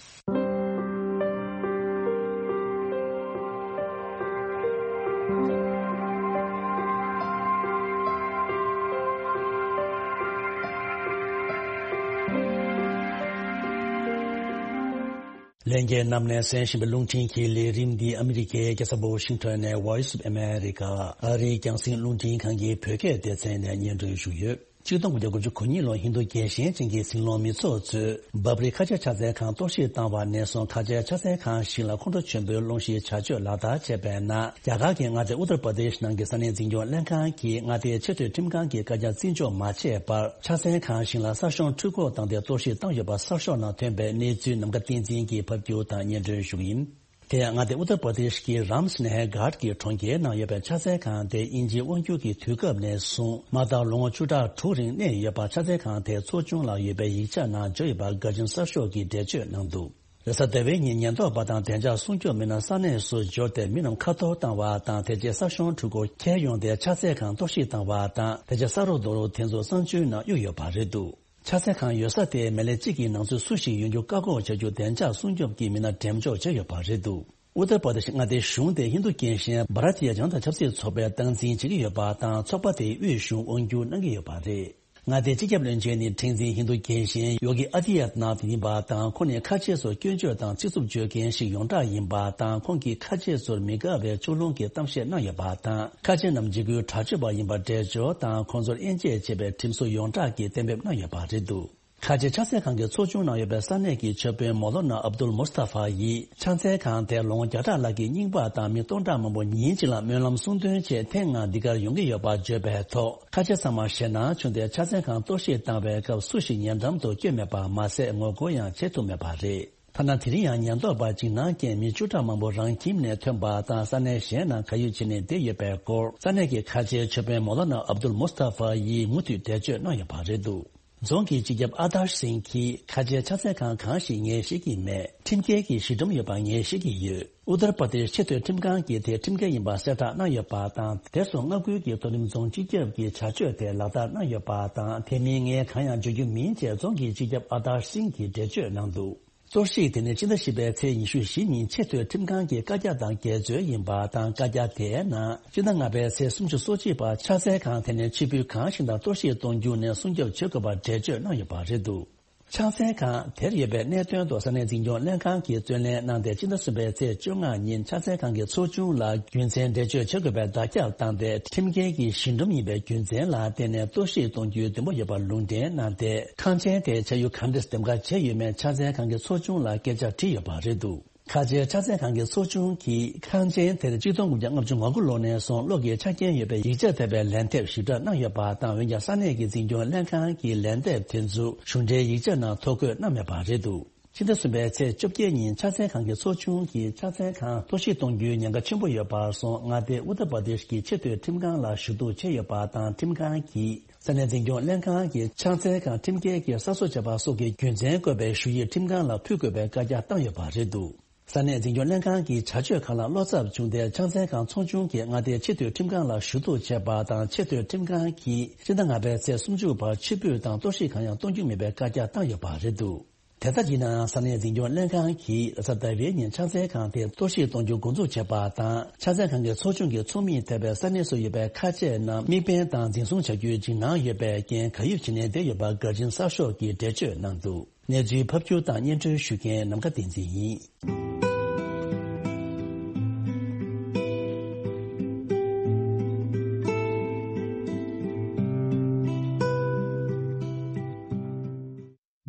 ལྷན་རྒྱས་རྣམས་ནས་གསན་བཞིན་པའི་རླུང་འཕྲིན་གྱི་ལས་རིམ་འདི་ཨ་མི་རི་ཀའི་རྒྱལ་ས་ཝ་ཤིང་ཊོན་ནས་Voice of America ཨ་རིའི་རྒྱང་སྲིང་རླུང་འཕྲིན་ཁང་གི་བོད་སྐད་སྡེ་ཚན་ནས་སྙན་སྒྲོན་ཞུས་ཡོད། ཆིག་སྟོང་དགུ་བརྒྱ་དགུ་བཅུ་གོ་གཉིས་ལོར་ཧིན་རྡུ་རྒྱལ་ཞེན་ཅན་གྱི་སྲིད་བློན་མི་ཚོགས་ཚོས་བབ་རི་ཁ་ཆེ་ཕྱག་འཚལ་ཁང་གཏོར་བཤིག་བཏང་བ་ནས་བཟུང་ཁ་ཆེ་ཕྱག་འཚལ་ཁང་ཞིང་ལ་ཁོང་ཁྲོ་ཆེན་པོའི་གློག་བཞིའི་བྱ་སྤྱོད་ལག་བསྟར་བྱས་པའི་ནང་། རྒྱ་གར་གྱི་མངའ་སྡེ་ཨུ་ཏར་པར་དེཤ་ནང་གི་ས་གནས་འཛིན་སྐྱོང་ལྷན་ཁང་གིས་མངའ་སྡེའི་ཆེས་མཐོའི་ཁྲིམས་ཁང་གི་བཀའ་རྒྱ་བརྩི་འཇོག་མ་བྱས་པར། ཕྱག་འཚལ་ཁང་ཞིང་ལ་གསར་ཤོག་འཕྲུལ་འཁོར་བཏང་སྟེ་གཏོར་བཤིག་བཏང་ཡོད་པ་གསར་ཤོག་ནང་ཐོན་པའི་གནས་ཚུལ་ནམ་མཁའ་བསྟན་འཛིན་གྱིས་ཕབ་སྒྱུར་དང་སྙན་སྒྲོན་ཞུ་གི་ཡིན། དེ་ཡང་མངའ་སྡེ་ཨུ་ཏར་པར་དེཤ་གི་རམ་སྣེ་ཧ་གྷཊ་གྱི་གྲོང་ཁྱེར་ནང་ཡོད་པའི་ཕྱག་འཚལ་ཁང་དེ་དབྱིན་ཇིའི་དབང་སྒྱུར་གྱི་དུས་སྐབས་ནས་བཟུང་མ་མཐར་ལོ་ངོ་བཅུ་ཕྲག་དྲུག་རིང་གནས་ཡོད་པ་ཕྱག་འཚལ་ཁང་དེའི་ཚོགས་ཆུང་ལ་ཡོད་པའི་ཡིག་ཆ་ནང་བརྗོད་ཡོད་པ་དགའ་ཞིང་གསར་ཤོག་གིས་འགྲེལ་བརྗོད་གནང་འདུག། རེས་གཟའ་ཟླ་བའི་ཉིན་ཉེན་རྟོག་པ་དང་བདེ་འཇགས་སྲུང་སྐྱོབ་མི་སྣ་ས་གནས་སུ་འབྱོར་ཏེ་མི་རྣམས་ཁ་འཐོར་བཏང་བ་དང་། དེ་རྗེས་གསར་ཤོག་འཕྲུལ་འཁོར་ཁྱེར་ཡོང་སྟེ་ཕྱག་འཚལ་ཁང་གཏོར་བཤིག་བཏང་བ་དང་། དེ་རྗེས་ས་རོ་རྡོ་རུག་དེ་ཚོ་གསང་སྤྱོད་ནང་གཡུགས་ཡོད་པ་རེད་འདུག། ཕྱག་འཚལ་ཁང་ཡོད་ས་དེ་མི་ལེ་གཅིག་གི་ནང་ཚུད་སུ་ཞིག་ཡོང་རྒྱུ་བཀག་འགོག་བྱ་རྒྱུ་བདེ་འཇགས་སྲུང་སྐྱོབ་ཀྱི་མི་སྣ་འགྲེམས་འཇོག་བྱས་ཡོད་པ་རེད་འདུག་ཨུ་ཏར་པར་དེ་ཤི་མངའ་སྡེའི་གཞུང་དེ་ཧིན་རྡུ་རྒན་གཞོན་བྷ་ར་ཏི་ཡ་ཇན་ཏ་ཆབ་སྲིད་ཚོགས་པས་སྟངས་འཛིན་བྱེད་ཀྱི་ཡོད་པ་དང་། ཚོགས་པ་དེའི་དབུས་གཞུང་དབང་སྒྱུར་གནང་གི་ཡོད་པ་རེད། མངའ་སྡེའི་སྤྱི་ཁྱབ་བློན་ཆེན་ནི་ཁྲིམས་འཛིན་ཧིན་རྡུ་རྒན་གཞོན་ཡོ་གི་ཨ་དི་ཡ་ནཱཐ་ཡིན་པ་དང་། ཁོང་ནི་ཁ་ཆེ་ཚོར་སྐྱོན་བརྗོད་དང་ཚིག་རྩུབ་བརྗོད་མཁན་ཞིག་ཡོངས་གྲགས་ཡིན་པ་དང་། ཁོང་གིས་ཁ་ཆེ་ཚོར་མི་དགའ་བའི་ཕྱོགས་ལྷུང་གི་གཏམ་བཤད་གནང་ཡོད་པ་དང་། ཁ་ཆེ་རྣམས་འཇིགས་སྐུལ་དྲག་སྤྱོད་པ་ཡིན་པར་འགྲེལ་བརྗོད་དང་། ཁོང་ཚོར་དབྱེ་འབྱེད་བྱེད་པའི་ཁྲིམས་སྲོལ་ཡོངས་གྲགས་ཀྱིས་གཏན་འབེབས་གནང་ཡོད་པ་རེད་འདུག་ཁ་ཆེ་ཕྱག་འཚལ་ཁང་གི་ཚོགས་ཆུང་གནང་ཡོད་པའི་ས་གནས་ཀྱི་ཆོས་དཔོན་མོ་ལོ་ན་ཨབ་དུལ་མུ་སྟ་ཧྥ་ཡིས། ཕྱག་འཚལ་ཁང་དེར་ལོ་ངོ་བརྒྱ་ཕྲག་ལྷག་གི་རྙིང་པ་དང་མི་སྟོང་ཕྲག་མང་པོ་ཉིན་གཅིག་ལ་སྨོན་ལམ་གསུང་འདོན་ཆེད་ཐེངས་ལྔ་འདི་གར་ཡོང་གི་ཡོད་པ་བརྗོད་པའི་ཐོག་ཁ་ཆེ་ཚང་མ་ཞེད་སྣང་བྱུང་སྟེ། ཕྱག་འཚལ་ཁང་གཏོར་བཤིག་བཏང་བའི་སྐབས་སུ་ཞིག་ཉེ་འགྲམ་དུ་བསྐྱོད་མེད་པ་མ་ཟད། ངོ་རྒོལ་ཡང་བྱེད་ཐུབ་མེད་པ་རེད། ཐ་ན་དེ་རིང་ཡང་ཉེན་རྟོག་པ་འཇིགས་སྣང་རྐྱེན་མི་བཅུ་ཕྲག་མང་པོ་རང་ཁྱིམ་ནས་ཐོན་པ་དང་། ས་གནས་གཞན་ནང་གར་ཡོད་བྱས་ནས་བསྡད་ཡོད་པའི་སྐོར་ས་གནས་ཀྱི་ཁ་ཆེའི་ཆོས་དཔོན་མོ་ལོ་ན་ཨབ་དུལ་མུ་སྟ་ཧྥ་ཡིས་མུ་མཐུད་འགྲེལ་བརྗོད་གནང་ཡོད་པ་རེད་འདུག་རྫོང་གི་སྤྱི་ཁྱབ་ཨ་དར་སིང་གིས། ཁ་ཆེའི་ཕྱག་འཚལ་ཁང་གང་ཞིག་ངས་ཤེས་ཀྱི་མེད། ཁྲིམས་འགལ་གྱི་གཞི་འགྲམ་ཡོད་པ་ངས་ཤེས་ཀྱི་ཡོད། ཨུ་ཏར་པར་དེ་ཤི་ཆེས་མཐོའི་ཁྲིམས་ཁང་གིས་དེ་ཁྲིམས་འགལ་ཡིན་པ་གསལ་བསྒྲགས་གནང་ཡོད་པ་དང་། དེར་སོང་མངའ་ཁུལ་གྱི་མཐོ་རིམ་རྫོང་སྤྱི་ཁྱབ་ཀྱིས་བྱ་སྤྱོད་དེ་ལག་བསྟར་གནང་ཡོད་པ་དང་། དེ་མིན་ངས་གང་ཡང་བརྗོད་རྒྱུ་མིན་ཅེས་རྫོང་གི་སྤྱི་ཁྱབ་ཨ་དར་སིང་གིས་འགྲེལ་བརྗོད་གནང་འདུག་གཏོར་བཤིག་དེ་ནི་ཕྱི་ཟླ་བཞི་པའི་ཚེས་ཉི་ཤུ་བཞི་ཉིན་ཆེས་མཐོའི་ཁྲིམས་ཁང་གི་བཀའ་རྒྱ་དང་འགལ་འཛོལ་ཡིན་པ་དང་། བཀའ་རྒྱ་དེའི་ནང་ཕྱི་ཟླ་ལྔ་པའི་ཚེས་སུམ་ཅུ་སོ་གཅིག་བར་ཕྱག་འཚལ་ཁང་དེ་ནས་ཕྱིར་འབུད་གང་ཞིག་དང་གཏོར་བཤིག་གཏོང་རྒྱུ་ནས་སྲུང་སྐྱོབ་བྱེད་དགོས་པར་འགྲེལ་བརྗོད་གནང་ཡོད་པ་རེད་འདུག་ཕྱག་འཚལ་ཁང་དེར་ཡོད་པའི་གནད་དོན་ཐོག་ས་གནས་འཛིན་སྐྱོང་ལྷན་ཁང་གིས་རྩོད་ལེན་གནང་སྟེ། ཕྱི་ཟླ་གསུམ་པའི་ཚེས་བཅོ་ལྔ་ཉིན་ཕྱག་འཚལ་ཁང་གི་ཚོགས་ཆུང་ལ་རྒྱུ་མཚན་འགྲེལ་བརྗོད་བྱེད་དགོས་པའི་བརྡ་ཁྱབ་བཏང་སྟེ། ཁྲིམས་འགལ་གྱི་གཞི་འགྲམ་ཡིན་པའི་རྒྱུ་མཚན་ལ་བརྟེན་ནས་གཏོར་བཤིག་གཏོང་རྒྱུའི་འདུན་པ་ཡོད་པར་ལུང་འདྲེན་གནང་སྟེ། ཁང་ཆེན་དེ་ཆ་ཡུལ་ག་འདྲས་འདེམས་ཀ་བྱས་ཡོད་མེད་ཕྱག་འཚལ་ཁང་གི་ཚོགས་ཆུང་ལ་སྐད་ཆ་དྲིས་ཡོད་པ་རེད་འདུག་ཁ་ཆེའི་ཕྱག་འཚལ་ཁང་གི་ཚོགས་ཆུང་གིས་ཁང་ཆེན་དེར་ཆིག་སྟོང་དགུ་བརྒྱ་ལྔ་བཅུ་ང་དགུ་ལོ་ནས་བཟུང་གློག་གི་ཆ་རྐྱེན་ཡོད་པའི་ཡིག་ཆ་ཐེབས་པའི་ལན་འདེབས་ཞིབ་ཕྲ་གནང་ཡོད་པ་དང་། འོན་ཀྱང་ས་གནས་ཀྱི་འཛིན་སྐྱོང་ལྷན་ཁང་གིས་ལན་འདེབས་དེ་ཚོ་གཞུང་འབྲེལ་ཡིག་ཆ་ནང་ཐོ་འགོད་གནང་མེད་པ་རེད་འདུག་ཕྱི་ཟླ་གསུམ་པའི་ཚེས་བཅོ་བརྒྱད་ཉིན་ཕྱག་འཚལ་ཁང་གི་ཚོགས་ཆུང་གིས་ཕྱག་འཚལ་ཁང་གཏོར་བཤིག་གཏོང་རྒྱུའི་ཉེན་ཁ་ཆེན་པོ་ཡོད་པར་སོང་། མངའ་སྡེ་ཨུ་ཏར་པར་དེཤ་གི་ཆེས་མཐོའི་ཁྲིམས་ཁང་ལ་ཞུ་གཏུག་བྱས་ཡོད་པ་དང་། ཁྲིམས་ཁང་གིས་ས་གནས་འཛིན་སྐྱོང་ལྷན་ཁང་གིས་ཕྱག་འཚལ་ཁང་ཁྲིམས་འགལ་གྱིས་གསར་བཟོ་བྱས་པ་སོགས་ཀྱི་རྒྱུ་མཚན་བཀོད་པའི་ཞུ་ཡིག་ཁྲིམས་ཁང་ལ་ཕུལ་དགོས་པའི་བཀའ་རྒྱ་བཏང་ཡོད་པ་རེད་འདུག་ས་གནས་འཛིན་སྐྱོང་ལྷན་ཁང་གི་བྱ་སྤྱོད་ཁག་ལ་བློ་འཚབ་བྱུང་སྟེ། ཕྱག་འཚལ་ཁང་ཚོགས་ཆུང་གིས་མངའ་སྡེའི་ཆེས་མཐོའི་ཁྲིམས་ཁང་ལ་ཞུ་གཏུག་བྱས་པ་དང་། ཆེས་མཐོའི་ཁྲིམས་ཁང་གིས་ཕྱི་ཟླ་ལྔ་པའི་ཚེས་སུམ་ཅུ་བར་ཕྱིར་འབུད་དང་གཏོར་བཤིག་གང་ཡང་གཏོང་རྒྱུ་མེད་པའི་བཀའ་རྒྱ་བཏང་ཡོད་པ་རེད་འདུག་དེ་ལྟར་ཡིན་ནའང་། ས་གནས་འཛིན་སྐྱོང་ལྷན་ཁང་གིས་ལ་ས་ཟླ་བའི་ཉིན་ཕྱག་འཚལ་ཁང་དེ་གཏོར་བཤིག་གཏོང་རྒྱུ་འགོ་འཛུགས་བྱས་པ་དང་། ཕྱག་འཚལ་ཁང་གི་ཚོགས་ཆུང་གི་ཚོགས་མི་ཐེ་བའི་ས་གནས་སུ་ཡོད་པའི་ཁ་ཆེ་རྣམས་དམིགས་འབེན་དང་འཛིན་བཟུང་བྱ་རྒྱུའི་འཇིགས་སྣང་ཡོད་པའི་རྐྱེན། གར་ཡུལ་ཕྱིན་ནས་བསྡད་ཡོད་པ་གར་ཆེན་གསར་ཤོག་གིས་འགྲེལ་བརྗོད་གནང་འདུག་གནས་ཚུལ་ཕབ་སྒྱུར་དང་སྙན་སྒྲོན་ཞུ་མཁན་ནམ་མཁའ་བསྟན་འཛིན་ཡིན།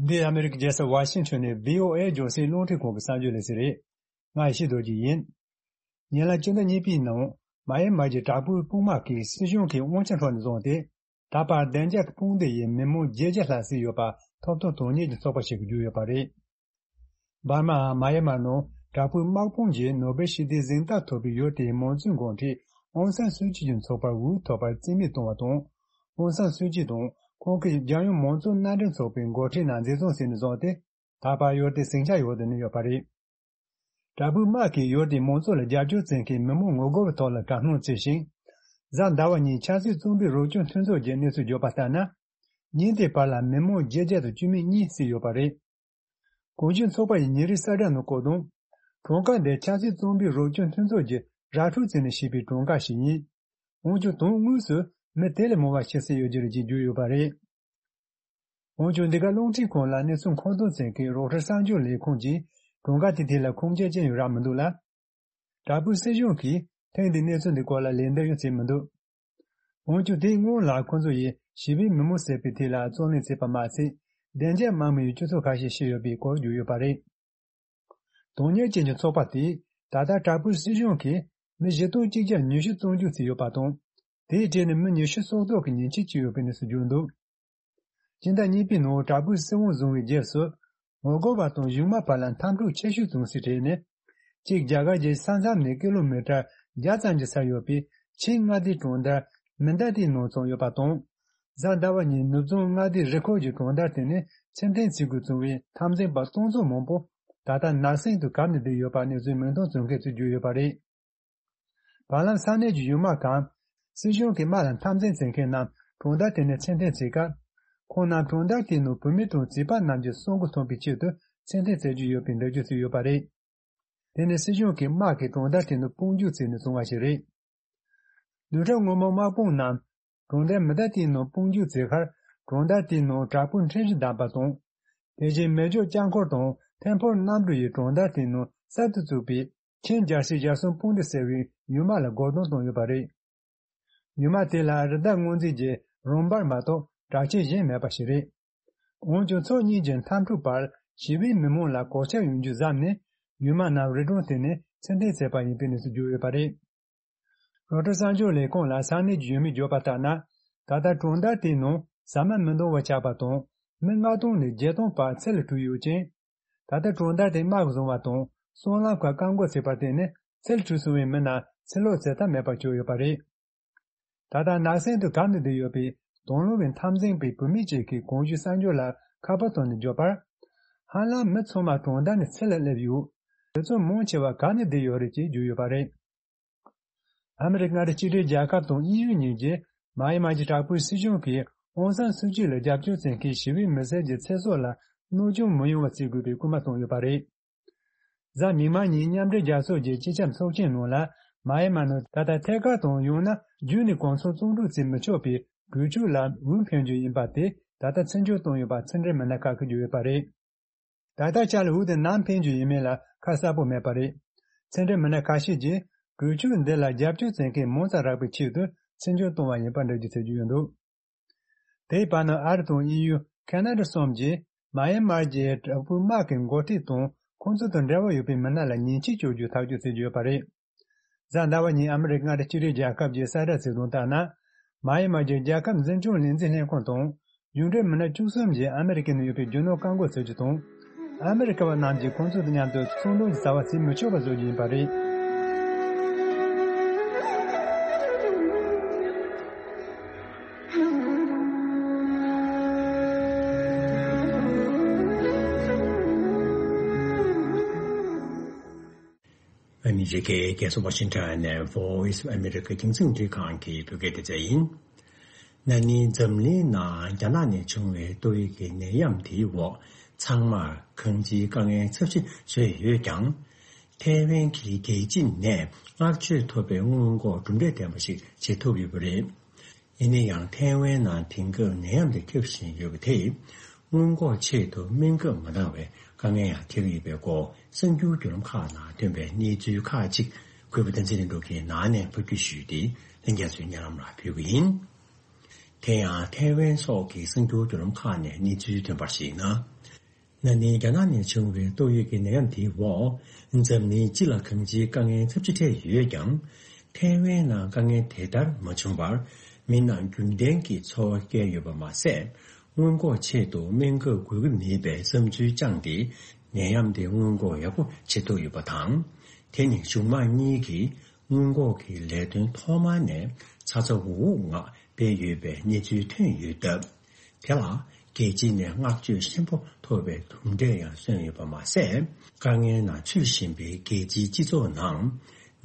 འདི་ཨ་མི་རི་ཀའི་རྒྱལ་ས་ཝ་ཤིང་ཊོན་ནས་བྷི་ཨོ་ཨེ་རྒྱང་སྲིང་རླུང་འཕྲིན་ཁང་གི་གསར་འགྱུར་ལས་ཚན་རེད། ང་ཡེ་ཤེས་རྡོ་རྗེ་ཡིན། ཉེ་ལམ་སྤྱི་ཟླ་གཉིས་པའི་ནང་མ་ཡན་མར་གྱི་དྲག་པོའི་དཔུང་དམག་གིས་སྲིད་གཞུང་གི་དབང་ཆ་འཕྲོག་ནས་བཟུང་སྟེ། ད་བར་བདེ་འཇགས་ཀྱི་དཔུང་སྡེ་ཡིས་མི་མང་བརྒྱད་བརྒྱ་ལྷག་བསད་ཡོད་པ་ཐོབ་ཐང་དོན་གཉེར་གྱི་ཚོགས་པ་ཞིག་གིས་བརྗོད་ཡོད་པ་རེད། འབར་མའམ་མ་ཡན་མར་ནང་དྲག་པོའི་དམག་དཔུང་གིས་ནོ་བེལ་ཞི་བདེའི་གཟེངས་རྟགས་ཐོབ་པའི་ཡུལ་དེའི་མང་གཙོའི་འགོ་ཁྲིད་ཨོང་སན་སུའུ་ཅི་གྱི་ཚོགས་པར་འུད་ཐོག་པར་རྩིས་མེད་བཏང་བ་དང་། ཨོང་སན་སུའུ་ཅི་དང་ཁོང་གི་རྒྱལ་ཡོངས་མང་གཙོ་མནའ་འབྲེལ་ཚོགས་པའི་འགོ་ཁྲིད་རྣམས་འཛིན་བཟུང་བྱས་ནས་བཟུང་སྟེ། ད་བར་ཡུལ་དེའི་ཟིང་ཆ་འོག་ཏུ་གནས་ཡོད་པ་རེད། དྲག་པོའི་དམག་གིས་ཡུལ་དེའི་མང་གཙོ་ལ་རྒྱབ་སྐྱོར་བྱེད་མཁན་མི་མང་ངོ་རྒོལ་བའི་ཐོག་ལ་དགྲ་སྣང་བྱས་ཤིང་། གཟའ་ཟླ་བ་ཉིན་ཆབ་སྲིད་བཙོན་པའི་རོགས་སྐྱོར་མཐུན་ཚོགས་ཀྱིས་གནས་ཚུལ་བརྗོད་པ་ལྟར་ན། ཉིན་དེའི་བར་ལ་མི་མང་བརྒྱད་བརྒྱ་དང་བཅུ་མེད་གཉིས་བསད་ཡོད་པ་རེད། གོང་ཞུས་ཚོགས་པ་ཡི་ཉིན་རེའི་གསལ་བསྒྲགས་ནང་བཀོད་དོན། གྲངས་ཀ་འདི་ཆབ་སྲིད་བཙོན་པའི་རོགས་སྐྱོར་མཐུན་ཚོགས་ཀྱིས་ར་འཕྲོད་བྱས་ནས་བཤིག་པའི་གྲངས་ཀ་ཞིག་ཡིན། འོན་ཀྱང་དོན་དངོས་སུ་མི་དེ་ལས་མང་བ་ཤི་གསོན་ཡོད་རྒྱུ་རེད་ཅེས་བརྗོད་ཡོད་པ་རེད། འོན་ཀྱང་འདི་ག་རླུང་འཕྲིན་ཁང་ལ་གནས་ཚུལ་མཁོ་འདོན་བྱེད་མཁན་རོའི་ཊར་གསར་འགྱུར་ལས་ཁུངས་ཀྱིས་གྲངས་ཀ་དེ་དེ་ལ་ཁུངས་སྐྱེལ་ཅི་ཡང་རག་མི་འདུག་ལ། དྲག་པོའི་སྲིད་གཞུང་གིས་ཐེངས་འདིའི་གནས་ཚུལ་འདི་སྐོར་ལ་ལན་འདེབས་ཡང་བྱས་མི་འདུག་འོན་ཀྱང་དེའི་སྔོན་ལ་ཁོ་ཚོ་ཡིས་ཞི་བའི་མི་མང་བསད་པའི་ཐད་ལ་རྩོད་ལེན་བྱས་པ་མ་ཟད། བདེ་འཇགས་དམག་མི་ཡི་སྤྱི་ཚོགས་ཁ་ཤས་ཤི་ཡོད་པའི་སྐོར་བརྗོད་ཡོད་པ་རེད། དོན་གཉེར་ཅན་གྱི་ཚོགས་པ་དེས་ད་ལྟ་དྲག་པོའི་སྲིད་གཞུང་གིས་མི་བཞི་སྟོང་གཅིག་བརྒྱ་ཉི་ཤུ་བཙོན་འཇུག་བྱས་ཡོད་པ་དང་། དེའི་གྲས་ནས་མི་ཉི་ཤུ་སྲོག་ཐོག་གི་ཉེན་ཆེ་བྱུང་ཡོད་པའི་གནས་ཚུལ་བརྗོད་འདུག་སྤྱི་ཟླ་གཉིས་པའི་ནང་དྲག་པོའི་སྲིད་དབང་བཟུང་བའི་རྗེས་སུ། ངོ་རྒོལ་བ་དང་གཞུང་དམག་བར་ལ་འཐབ་འཁྲུག་ཆེ་ཤོས་བྱུང་སའི་གྲས་ནི། གཅིག་རྒྱ་གར་གྱི་ས་མཚམས་ནས་ཀི་ལོ་མི་ཊར་བརྒྱ་ཙམ་གྱི་སར་ཡོད་པའི་ཆིང་མངའ་སྡེའི་གྲོང་རྡལ་མི་འདའ་ཏིའི་ནང་ཚང་ཡོད་པ་དང་། གཟའ་ཟླ་བ་ཉིན་ནུབ་བྱང་མངའ་སྡེའི་རི་ཁུལ་གྱི་གྲོང་རྡལ་དེ་ནས་ཕྱིར་འཐེན་བྱེད་དགོས་བྱུང་བའི་འཐབ་འཛིང་པ་སྟོང་ཚོ་མང་པོ་ད་ལྟ་ནགས་གསེང་དུ་གབ་ནས་བསྡད་ཡོད་པ་གནས་ཚུལ་མིང་མཐོང་བྱུང་མཁན་ཚོས་བརྗོད་ཡོད་པ་རེད། བར་ལམ་ས་གནས་ཀྱི་གཞུང་དམག་གམ། སྲིད་གཞུང་གི་དམག་ལ་འཐབ་འཛིང་བྱེད་མཁན་རྣམས་གྲོང་རྡལ་དེ་ནས་ཕྱིར་འཐེན་བྱེད་སྐབས། ཁོང་རྣམས་གྲོང་རྡལ་དེའི་ནང་བུད་མེད་དང་བྱིས་པ་རྣམས་ཀྱི་གསོན་ཁུངས་ཐོབ་པའི་ཆེད་དུ་ཚུལ་འཐེན་བྱེད་ཀྱི་ཡོད་པའི་འགྲེལ་བརྗོད་བྱས་ཡོད་པ་རེད། དེ་ནི་སྲིད་གཞུང་གིས་དམག་གིས་གྲོང་རྡལ་དེའི་ནང་དཔུང་འཇུག་བྱས་ནས་བཟུང་བ་ཞིག་རེད། བདུན་ཕྲག་སྔོན་མ་དམག་དཔུང་རྣམས་གྲོང་རྡལ་མི་ད་ཏིའི་ནང་དཔུང་འཇུག་བྱས་ཁར། གྲོང་རྡལ་དེའི་ནང་བྲག་ཕུག་ཕྲན་བཞི་བསྡམས་པ་དང་། དེ་བཞིན་མེ་སྒྱོགས་ལྕགས་འཁོར་དང་ཐེམ་ཕོར་གནམ་གྲུ་ཡིས་གྲོང་རྡལ་དེའི་ནང་གསར་དུ་བཙུགས་པའི་ཆིང་བརྒྱ་ཞེ་གསུམ་དཔུང་སྡེ་ཟེར་བའི་ཡུལ་དམག་ལ་རྒོལ་རྡུང་བཏང་ཡོད་པ་རེད། ཡུལ་དམག་དེ་ལ་རི་དྭགས་རྔོན་རྩིས་ཀྱི་རོགས་འབར་མ་གཏོགས་དྲག་ཆས་གཞན་མེད་པ་ཞིག་རེད། འོན་ཀྱང་ཕྱོགས་གཉིས་ཀྱི་འཐབ་འཁྲུག་བར་ཞི་བའི་མི་མང་ལ་གོད་ཆག་ཡོང་རྒྱུ་བཟབས་ནས། ཡུལ་དམག་རྣམས་རི་གྲོང་དེ་ནས་ཕྱིར་འཐེན་བྱས་པ་ཡིན་པའི་གནས་ཚུལ་བརྗོད་ཡོད་པ་རེད། རོའི་ཊར་གསར་འགྱུར་ལས་ཁུངས་ལ་ས་གནས་ཀྱི་ཡུལ་མིས་བརྗོད་པ་ལྟར་ན། ད་ལྟ་གྲོང་རྡལ་དེའི་ནང་ཟ་མ་མི་འདང་བ་ཆགས་པ་དང་། མི་ལྔ་སྟོང་ནས་བརྒྱད་སྟོང་བར་ཚུར་ལ་བྲོས་ཡོད་ཅིང་། ད་ལྟ་གྲོང་རྡལ་དེ་དམག་གིས་བཟུང་བ་དང་། སྲང་ལམ་ཁག་བཀག་འགོག་བྱས་པར་བརྟེན་ནས། ཚུར་བྲོས་སོང་བའི་མི་རྣམས་ཕྱིར་ལོག་བྱེད་ཐབས་མེད་པར་གྱུར་ཡོད་པ་རེད། ད་ལྟ་ནགས་གསེང་དུ་གབ་ནས་བསྡད་ཡོད་པའི་དང་བླངས་པའི་འཐབ་འཛིང་པའི་བུད་མེད་ཅིག་གིས་གོང་ཞུས་གསར་འགྱུར་ལ་ཁ་པར་བཏང་ནས་བརྗོད་པར། ཧ་ལམ་མི་ཚང་མ་གྲོང་རྡལ་ནས་ཚུར་ལ་སླེབས་ཡོད། དེ་ཚོ་མང་ཆེ་བ་གབ་ནས་བསྡད་ཡོད་རེད་ཅེས་བརྗོད་ཡོད་པ་རེད། ཨ་མི་རི་ཀ་མངའ་སྡེ་གཅིག་སྒྲིལ་རྒྱལ་ཁབ་དང་དབྱིན་ཡུལ་གཉིས་ཀྱིས་མཱ་ཡན་མཱ་གྱི་དྲག་པོའི་སྲིད་གཞུང་གིས་ཨོང་སན་སུའུ་ཅི་ལ་རྒྱབ་སྐྱོར་བྱེད་མཁན་ཞི་བའི་མི་སེར་གྱི་ཚེ་སྲོག་ལ་གནོད་སྐྱོན་མི་ཡོང་བ་བྱེད་དགོས་པའི་སྐུལ་མ་བཏང་ཡོད་པ་རེད། གཟའ་མིག་དམར་ཉིན་མཉམ་འབྲེལ་རྒྱལ་ཚོགས་ཀྱི་སྤྱི་ཁྱབ་ཚོགས་ཆེན་ནང་ལ། མཱ་ཡན་མཱ་ནང་ད་ལྟ་ཐད་ཀར་དང་ཡང་ན་བརྒྱུད་ནས་གོ་མཚོན་བཙོན་འཇུག་བྱེད་མི་ཆོག་པའི་གོས་ཆོད་ལ་འོས་འཕེན་རྒྱུ་ཡིན་པ་དེ་ད་ལྟ་ཚིག་སྦྱོར་བཏང་ཡོད་པ་ཕྱི་འབྲེལ་མི་སྣ་ཁག་གིས་བརྗོད་ཡོད་པ་རེད། ད་ལྟ་ཆར་ལ་འོས་དེ་ནམ་འཕེན་རྒྱུ་ཡིན་མིན་ལ་ཁ་གསལ་པོ་མེད་པ་རེད། ཕྱི་འབྲེལ་མི་སྣ་ཁ་ཤས་ཀྱིས་གོས་ཆོད་འདི་ལ་རྒྱབ་སྐྱོར་བྱེད་མཁན་མང་ཙམ་རག་པའི་ཆེད་དུ་ཚིག་སྦྱོར་བཏང་བ་ཡིན་པ་འགྲེལ་བརྗོད་བྱེད་ཀྱི་ཡོད་འདུག་དེའི་བར་ན་ཨ་རི་དང་དབྱིན་ཡུལ། ཁེ་ན་ཌ་སོགས་ཀྱིས་མཱ་ཡན་མར་གྱི་དྲག་པོའི་དམག་གི་འགོ་ཁྲིད་དང་ཁོང་ཚོ་དང་འབྲེལ་བ་ཡོད་པའི་མི་སྣ་ལ་ཉེས་ཆད་གཅོད་རྒྱུ་ཐག་གཅོད་བྱེད་ཀྱི་ཡོད་པ་རེད། གཟའ་ཟླ་བ་ཉིན་ཨ་མི་རི་ཀ་མངའ་སྡེ་གཅིག་སྒྲིལ་རྒྱལ་ཁབ་ཀྱི་གསལ་བསྒྲགས་བྱས་དོན་ལྟར་ན། མཱ་ཡན་མར་གྱི་རྒྱལ་ཁབ་འཛིན་སྐྱོང་ལས་འཛིན་ལྷན་ཁང་དང་། གཞུང་འབྲེལ་མི་སྣ་བཅུ་གསུམ་གྱིས་ཨ་མི་རི་ཀའི་ནང་ཡོད་པའི་རྒྱུ་ནོར་བཀག་འགོག་བྱེད་རྒྱུ་དང་། ཨ་མི་རི་ཀ་བ་རྣམས་ཀྱིས་ཁོང་ཚོ་དང་མཉམ་དུ་ཚོང་དོན་གྱི་བྱ་བ་བྱེད་མི་ཆོག་པ་བཟོ་རྒྱུ་ཡིན་པ་རེད། ཨ་མི་རི་ཀའི་རྒྱལ་ས་ཝ་ཤིང་ཊོན་ནས་Voice of America་རྒྱང་སྲིང་འཕྲིན་ཁང་གི་བོད་སྐད་སྡེ་ཚན་ཡིན། ན་ནིང་འཛམ་གླིང་ནང་རྒྱ་ནག་ནས་བྱུང་བའི་ཏོག་དབྱིབས་ཀྱི་ནད་ཡམས་དེའི་འོག་ཚང་མར་གང་ཅིའི་དཀའ་ངལ་ཚབས་ཆེ་བཟོས་ཡོད་ཀྱང་། ཐའེ་ཝན་གྱིས་རྒྱལ་སྤྱི་ནས་བསྔགས་བརྗོད་ཐོབ་པའི་སྔོན་འགོག་གྲུབ་འབྲས་ལྡན་པ་ཞིག་བྱེད་ཐུབ་ཡོད་པ་རེད། ཡིན་ན་ཡང་ཐའེ་ཝན་ནང་དེང་སྐབས་ནད་ཡམས་དེ་ཁྱབ་བཞིན་ཡོད་པ་དེས། སྔོན་འགོག་ཆེད་དུ་སྨན་ཁབ་མ་འདང་བའི་དཀའ་ངལ་ཡང་འཕྲད་ཀྱི་ཡོད་པའི་སྐོར་གསར་འགྱུར་བརྒྱུད་ལམ་ཁག་ནང་ཐོན་པའི་གནས་ཚུལ་ཁག་ཅིག་གུས་པ་བསྟན་འཛིན་ལྷུན་གྲུབ་ཀྱིས་ནང་ནས་ཕབ་སྒྱུར་ཞུས་ཏེ་ལྷན་རྒྱས་ཚོའི་སྙན་ལམ་ལ་ཕུལ་གྱི་ཡིན། དེ་ཡང་ཐའེ་ཝན་སོགས་ཀྱི་གསར་འགྱུར་བརྒྱུད་ལམ་ཁག་ནས་གནས་ཚུལ་ཐོན་པར་གཞིགས་ན། ན་ནིང་རྒྱ་ནག་ནས་བྱུང་བའི་ཏོག་དབྱིབས་ཀྱི་ནད་ཡམས་དེའི་འོག་འཛམ་གླིང་སྤྱི་ལ་གང་ཅིའི་དཀའ་ངལ་ཚབས་ཆེ་འཕྲད་ཡོད་ཀྱང་། ཐའེ་ཝན་ནང་དཀའ་ངལ་དེ་ལྟར་མ་བྱུང་བར། མི་རྣམས་རྒྱུན་ལྡན་གྱི་འཚོ་བ་སྐྱེལ་ཡོད་པ་མ་ཟད། སྔོན་འགོག་ཆེད་དུ་སྨན་ཁབ་དགོས་ཀྱི་མེད་པའི་བསམ་ཚུལ་བཅངས་ཏེ། ནད་ཡམས་དེ་སྔོན་འགོག་ཡག་པོ་བྱེད་ཐུབ་ཡོད་པ་དང་། དེ་ནི་གཞུང་དམངས་གཉིས་ཀྱིས་སྔོན་འགོག་གི་ལས་དོན་ཐོག་མ་ནས་ཚ་ཚ་འུར་འུར་ངང་སྤེལ་ཡོད་པའི་གནས་ཚུལ་ཐོན་ཡོད་སྟབས། དེ་ལ་རྒྱལ་སྤྱི་ནས་བསྔགས་བརྗོད་ཆེན་པོ་ཐོབ་པའི་གྲུབ་འབྲས་ཡང་སོན་ཡོད་པ་མ་ཟད། དཀའ་ངལ་ནང་ཚུད་བཞིན་པའི་རྒྱལ་སྤྱིའི་སྤྱི་ཚོགས་ནང་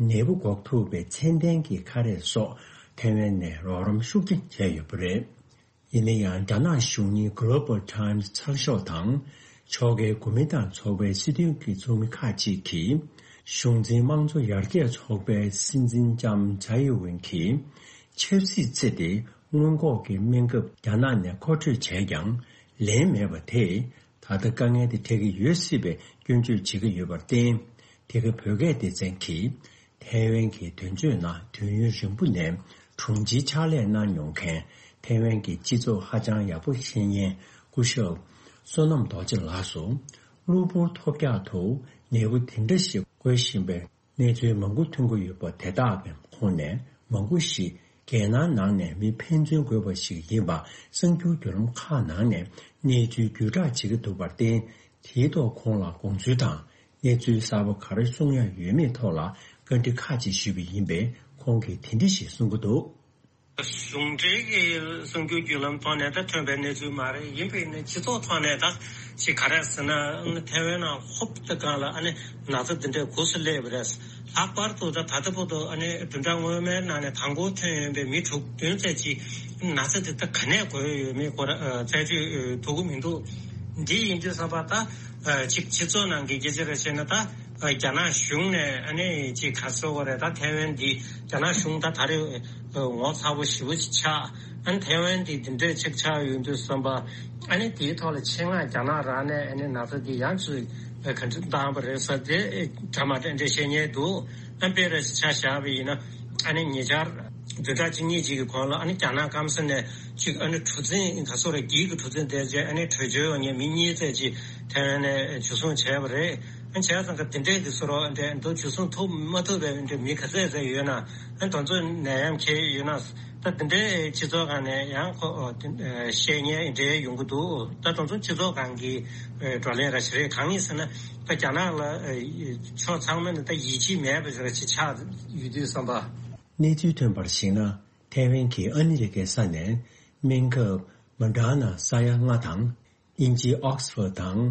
ནད་འབུ་འགོག་ཐུབ་པའི་ཚད་ལྡན་གྱི་ཁ་རས་སོགས་ཐའེ་ཝན་ནས་རོགས་རམ་ཤུགས་ཆེན་བྱས་ཡོད་པ་རེད། ཡིན་ན་ཡང་། རྒྱ་ནག་གཞུང་གཉེར་Global Times་ཚགས་ཤོག་དང་། ཕྱོགས་འགལ་གོ་མིན་ཏང་ཚོགས་པའི་སྲིད་དོན་གྱི་ཚོགས་མི་ཁག་ཅིག་གིས། གཞུང་འཛིན་དམངས་གཙོ་ཡར་རྒྱས་ཚོགས་པའི་སྲིད་འཛིན་ལྕམ་ཇའི་ཝུན་གྱིས། ཆབ་སྲིད་བརྩིས་ཏེ། སྔོན་འགོག་གི་སྨན་ཁབ་རྒྱ་ནག་ནས་མཁོ་སྤྲོད་བྱས་ཀྱང་། ལན་མེད་པ་དེས། ད་ལྟ་དཀའ་ངལ་དེ་འཕྲད་ཀྱི་ཡོད་སྲིད་པའི་སྐྱོན་བརྗོད་བྱེད་ཀྱི་ཡོད་པར་བརྟེན། དེ་གའི་བོད་སྐད་སྡེ་ཚན་གྱིས། ཐའེ་ཝན་གྱི་དོན་གཅོད་ནང་དུས་ཡུན་རིང་པོ་ནས་དྲུང་ཆེའི་ཕྱག་ལས་གནང་མྱོང་མཁན། ཐའེ་ཝན་གྱི་སྤྱི་ཚོགས་ཧ་ཅང་ཡག་པོ་ཤེས་མཁན་སྐུ་ཞབས་བསོད་ནམས་རྡོ་རྗེ་ལགས་སུ། གློ་བུར་ཐོལ་རྒྱག་ཏུ་ནད་འབུ་དེ་འདྲ་ཞིག་འགོས་བཞིན་པའི་གནས་ཚུལ་མང་པོ་ཐོན་གྱི་ཡོད་པ་དེ་དག་གི་ཁོངས་ནས་མང་པོ་ཞིག་རྒྱལ་ནང་ནང་ནས་མི་ཕན་ཚུན་འགོས་པ་ཞིག་ཡིན་པ་གསར་འགྱུར་བརྒྱུད་ལམ་ཁག་ནང་ནས་གནས་ཚུལ་བརྒྱུད་བསྒྲགས་བྱེད་ཀྱི་འདུག་པར་བརྟེན། དེའི་ཐོག་ཁོང་ལ་དགོངས་ཚུལ་དང་། གནས་ཚུལ་གསར་པ་ག་རེ་གསུང་ཡ་ཡོད་མེད་ཐོག་ལ་བཀའ་འདྲི་ཁག་ཅིག་ཞུས་པ་ཡིན་པས། ཁོང་གིས་དེ་འདྲ་ཞིག་གསུང་གི་འདུག་གཞུང་འབྲེལ་གྱི་གསར་འགྱུར་བརྒྱུད་ལམ་ཐོག་ནས་ད་ཐོན་པའི་གནས་ཚུལ་མ་རེད། ཡིན་པས་ནི་སྤྱི་ཚོགས་ཐོག་ནས་ད་ཅིག་ག་རེ་ཟེར་ན། ཨ་ནི་ཐའེ་ཝན་ནང་ཧོབ་ཏེ་སྒང་ལ་ཨ་ནི་ན་ཚ་འདི་འདྲའི་འགོས་སུ་སླེབས་པ་རེད། ལྷག་པར་དུ་ད་ད་ལྟ་བར་དུ་ཨ་ནི་བདུན་ཕྲག་སྔོན་མའི་ནང་ནས་དང་པོ་ཐོན་ཡོང་པའི་མི་དྲུག་བདུན་ཙམ་ཅིག་ན་ཚ་འདི་ད་ག་ནས་འགོས་ཡོད་མེད་སྐོར་ཨ་རྩད་གཅོད་ཐུབ་ཀྱི་མི་འདུག་འདི་ཡིན་དུས་ཙམ་པ་ད་ཨ་ཅིག་སྤྱི་ཚོགས་ནང་གི་སྐད་ཆ་རེ་བཤད་ན། ད་ཨ་རྒྱ་ནག་གཞུང་ནས་ཨ་ནི་ཅིག་ག་ཟེར་དགོས་རེད། ད་ཐའེ་ཝན་འདི་རྒྱ་ནག་གཞུང་ད་ད་རེས་ངོ་ཚ་པོ་ཞེ་པོ་ཅིག་ཆགས། ཨ་ནི་ཐའེ་ཝན་འདི་འདི་འདྲས་ཅིག་ཆགས་ཡོང་དུས་ཙམ་པ། ཨ་ནི་དེའི་ཐོག་ལ་ཆེད་མངགས་རྒྱ་ནག་རང་ནས་ཨ་ནི་ན་ཚ་འདི་ཡང་ཅིག་ག་འདྲ་བཏང་བ་རེད་ཟེར། དེ་འདྲ་མ་འདྲ་འདྲ་བཤད་མཁན་འདུག་ཨ་དཔེ་རེ་ཆ་བཞག་པ་ཡིན་ན། ཨ་ནི་ཉེ་ཆར་བདུན་ཕྲག་གཅིག་གཉིས་ཅིག་གི་གོང་ལ་ཨ་ནི་རྒྱ་ནག་སྐམ་ས་ནས་ཅིག་ཨ་ནི་གྲུ་གཟིངས་ག་ཟེར་རེད། འགྱིག་གི་གྲུ་གཟིངས་དེ་ཅིག་ཨ་ནི་བྲོས་བྱོལ་ཡོང་མཁན་མི་གཉིས་ཙམ་ཅིག་ཐའེ་ཝན་ནས་འཇུ་བཟུང་བྱས་པ་རེད། ཨ་ནི་བྱས་ཙང་ག་དེ་འདྲས་ཀྱི་བཟོ་འདྲ་འདྲ་འདུག་འཇུ་བཟུང་ཐུབ་མ་ཐུབ་པའི་འདྲ་མི་ག་ཚད་ཙམ་ཡོད་ན། ཨ་ནི་དེ་ཚོ་ནད་ཡམས་ཁྱེར་ཡོད་ན། ད་དེ་འདྲའི་སྤྱི་ཚོགས་སྒང་ནས་ཡང་ཁོ་ཨོ་དེ་ཨ་བཤད་མཁན་འདྲ་ཡོང་གི་འདུག་ད་དེ་ཚོ་སྤྱི་ཚོགས་སྒང་གི་ཨ་བགྲོ་གླེང་ར་ཞིག་རེད། གང་ཡིན་ཟེར་ན། ད་རྒྱ་ནག་ལ་ཨ་ཕྱོགས་ཚང་མ་ནས་ད་ཡིད་ཆེས་མེད་པ་ཞིག་ར་ཅིག་ཆགས་ཡོད་དུས་ཙམ་པ། གནས་ཚུལ་ཐོན་པར་གཞིགས་ན། ཐའེ་ཝན་གྱིས་ཨ་མི་རི་ཀའི་ས་ནས་སྨན་ཁབ་མོ་ཌར་ན་ས་ཡ་ལྔ་དང་། དབྱིན་ཇིའི་ཨོག་སི་ཕོར་དང་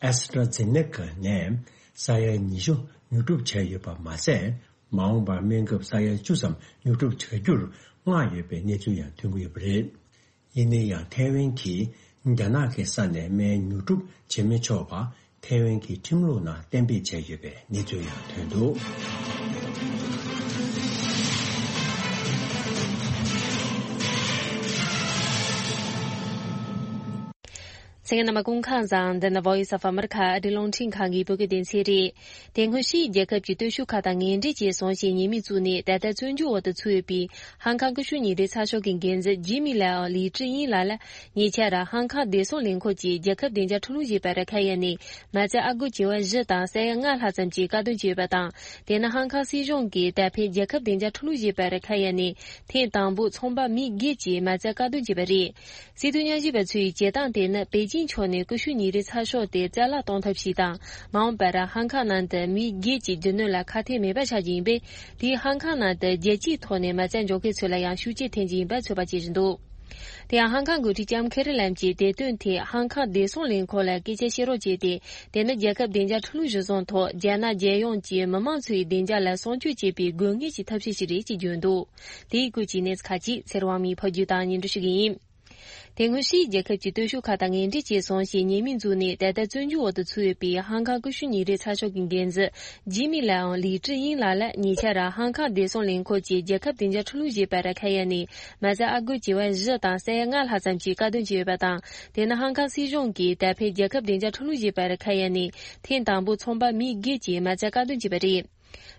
ཨེ་སི་ཊ་ར་ཛེ་ནེ་ཀ་ནས་ས་ཡ་ཉི་ཤུ་ཉོ་སྒྲུབ་བྱས་ཡོད་པ་མ་ཟད། མ་འོངས་པར་སྨན་ཁབ་ས་ཡ་བཅུ་ཙམ་ཉོ་སྒྲུབ་བྱ་རྒྱུར་མངགས་ཡོད་པའི་གནས་ཚུལ་ཡང་ཐོན་གྱི་ཡོད་པ་རེད། ཡིན་ན་ཡང་ཐའེ་ཝན་གྱིས་རྒྱ་ནག་གི་ས་ནས་སྨན་ཉོ་སྒྲུབ་བྱེད་མི་ཆོག་པ་ཐའེ་ཝན་གྱི་ཁྲིམས་ལུགས་ནང་གཏན་འབེབས་བྱས་ཡོད་པའི་གནས་ཚུལ་ཡང་ཐོན་འདུག་གསན་མཁན་རྣམ་པ་སྐུ་ཁམས་བཟང་། འདི་ནི་Voice of America ཨ་རིའི་རླུང་འཕྲིན་ཁང་གི་བོད་སྐད་སྡེ་ཚན་རེད། དེ་སྔོན་ཕྱིའི་རྒྱལ་ཁབ་ཀྱི་སྟོབས་ཤུགས་ཁག་དང་ངན་འབྲེལ་བྱས་སོང་ཞེས་ཉེས་མིང་བཙུགས་ནས་ད་ལྟ་བཙོན་འཇུག་འོག་ཏུ་ཚུད་ཡོད་པའི་ཧང་ཀང་ཀུ་ཤུ་ཉིན་རེའི་ཚགས་ཤོག་གི་འགན་འཛིན་ཇི་མི་ལའོ་ལི་ཀྲི་དབྱིན་ལགས་ལ་ཉེ་ཆར་ཧང་ཀང་བདེ་སྲུང་ལས་ཁུངས་ཀྱིས་རྒྱལ་ཁབ་བདེ་འཇགས་ཁྲིམས་ལུགས་ཞེས་པར་ཁ་གཡར་ནས་མ་རྩ་ཨ་སྒོར་བྱེ་བ་བཞི་དང་ས་ཡ་ལྔ་ལྷག་ཙམ་གྱི་དཀར་འདོན་བྱས་ཡོད་པ་དང་། དེ་ནི་ཧང་ཀང་སྲིད་གཞུང་གིས་ད་ཕན་རྒྱལ་ཁབ་བདེ་འཇགས་ཁྲིམས་ལུགས་ཞེས་པར་ཁ་གཡར་ནས་ཐེངས་དང་པོ་ཚོང་པ་མི་བརྒྱད་ཀྱིས་མ་རྩ་དཀར་འདོན་བྱས་པ་རེད། སྲིད་དོན་ཉམས་ཞིབ་པ་ཚོས་བྱེད་སྟངས་དེ་ནི་པེ་ཅིང་ཕྱོགས་ནས་ཀུ་ཤུ་ཉིན་རེའི་ཚགས་ཤོག་དེ་རྩ་བརླག་གཏོང་ཐབས་ཤིག་དང་། མ་འོངས་པར་ཧང་ཀང་ནང་དུ་མི་བརྒྱད་ཀྱི་རྒྱུ་ནོར་ལ་ཁ་གཏད་མེད་པ་ཆགས་རྒྱུ་ཡིན་པས། དེས་ཧང་ཀང་ནང་དུ་རྒྱལ་སྤྱིའི་ཐོག་ནས་མ་རྩ་འཇོག་མཁན་ཚོ་ལ་ཡང་ཤུགས་རྐྱེན་ཐེབས་རྒྱུ་ཡིན་པ་ཚོད་དཔག་བྱེད་བཞིན་འདུག་དེ་ཡང་ཧང་ཀང་འགོ་ཁྲིད་ལྕམ་ཁེ་རི་ལམ་གྱིས་དེ་དོན་ཐད་ཧང་ཀང་བདེ་སྲུང་ལས་ཁུངས་ལ་སྐད་ཆ་བཤད་རོགས་བྱས་ཏེ། དེ་ནི་རྒྱལ་ཁབ་བདེ་འཇགས་ཁྲིམས་ལུགས་གཞིར་བཟུང་ཐོག་རྒྱ་ནག་རྒྱལ་ཡོངས་ཀྱི་མི་མང་ཚོའི་བདེ་འཇགས་ལ་སྲུང་སྐྱོབ་བྱེད་པའི་དགོས་ངེས་ཀྱི་ཐབས་ཤེས་ཤིག་རེད་ཅེས་བརྗོད་འདུག་དེའི་སྐོར་གྱི་གནས་ཚུལ་ཁག་ཅིག་ཚེ་རིང་དབང་མོས་ཕབ་སྒྱུར་དང་སྙན་སྒྲོན་ཞུ་གི་ཡིན། དེ་སྔོན་ཕྱིའི་རྒྱལ་ཁབ་ཀྱི་སྟོབས་ཤུགས་ཁག་དང་ངན་འབྲེལ་བྱས་སོང་ཞེས་ཉེས་མིང་བཙུགས་ནས་ད་ལྟ་བཙོན་འཇུག་འོག་ཏུ་ཚུད་ཡོད་པའི་ཧང་ཀང་ཀུ་ཤུ་ཉིན་རེའི་ཚགས་ཤོག་གི་འགན་འཛིན་ཇི་མི་ལའོ་ལི་ཀྲི་དབྱིན་ལགས་ལ་ཉེ་ཆར་ཧང་ཀང་བདེ་སྲུང་ལས་ཁུངས་ཀྱིས་རྒྱལ་ཁབ་བདེ་འཇགས་ཁྲིམས་ལུགས་ཞེས་པར་ཁ་གཡར་ནས་མ་རྩ་ཨ་སྒོར་བྱེ་བ་བཞི་དང་ས་ཡ་ལྔ་ལྷག་ཙམ་གྱི་དཀར་འདོན་བྱས་ཡོད་པ་དང་། དེ་ནི་ཧང་ཀང་སྲིད་གཞུང་གིས་ད་ཕན་རྒྱལ་ཁབ་བདེ་འཇགས་ཁྲིམས་ལུགས་ཞེས་པར་ཁ་གཡར་ནས་ཐེངས་དང་པོ་ཚོང་པ་མི་བརྒྱད་ཀྱིས་མ་རྩ་དཀར་འདོན་བྱས་པ་རེད།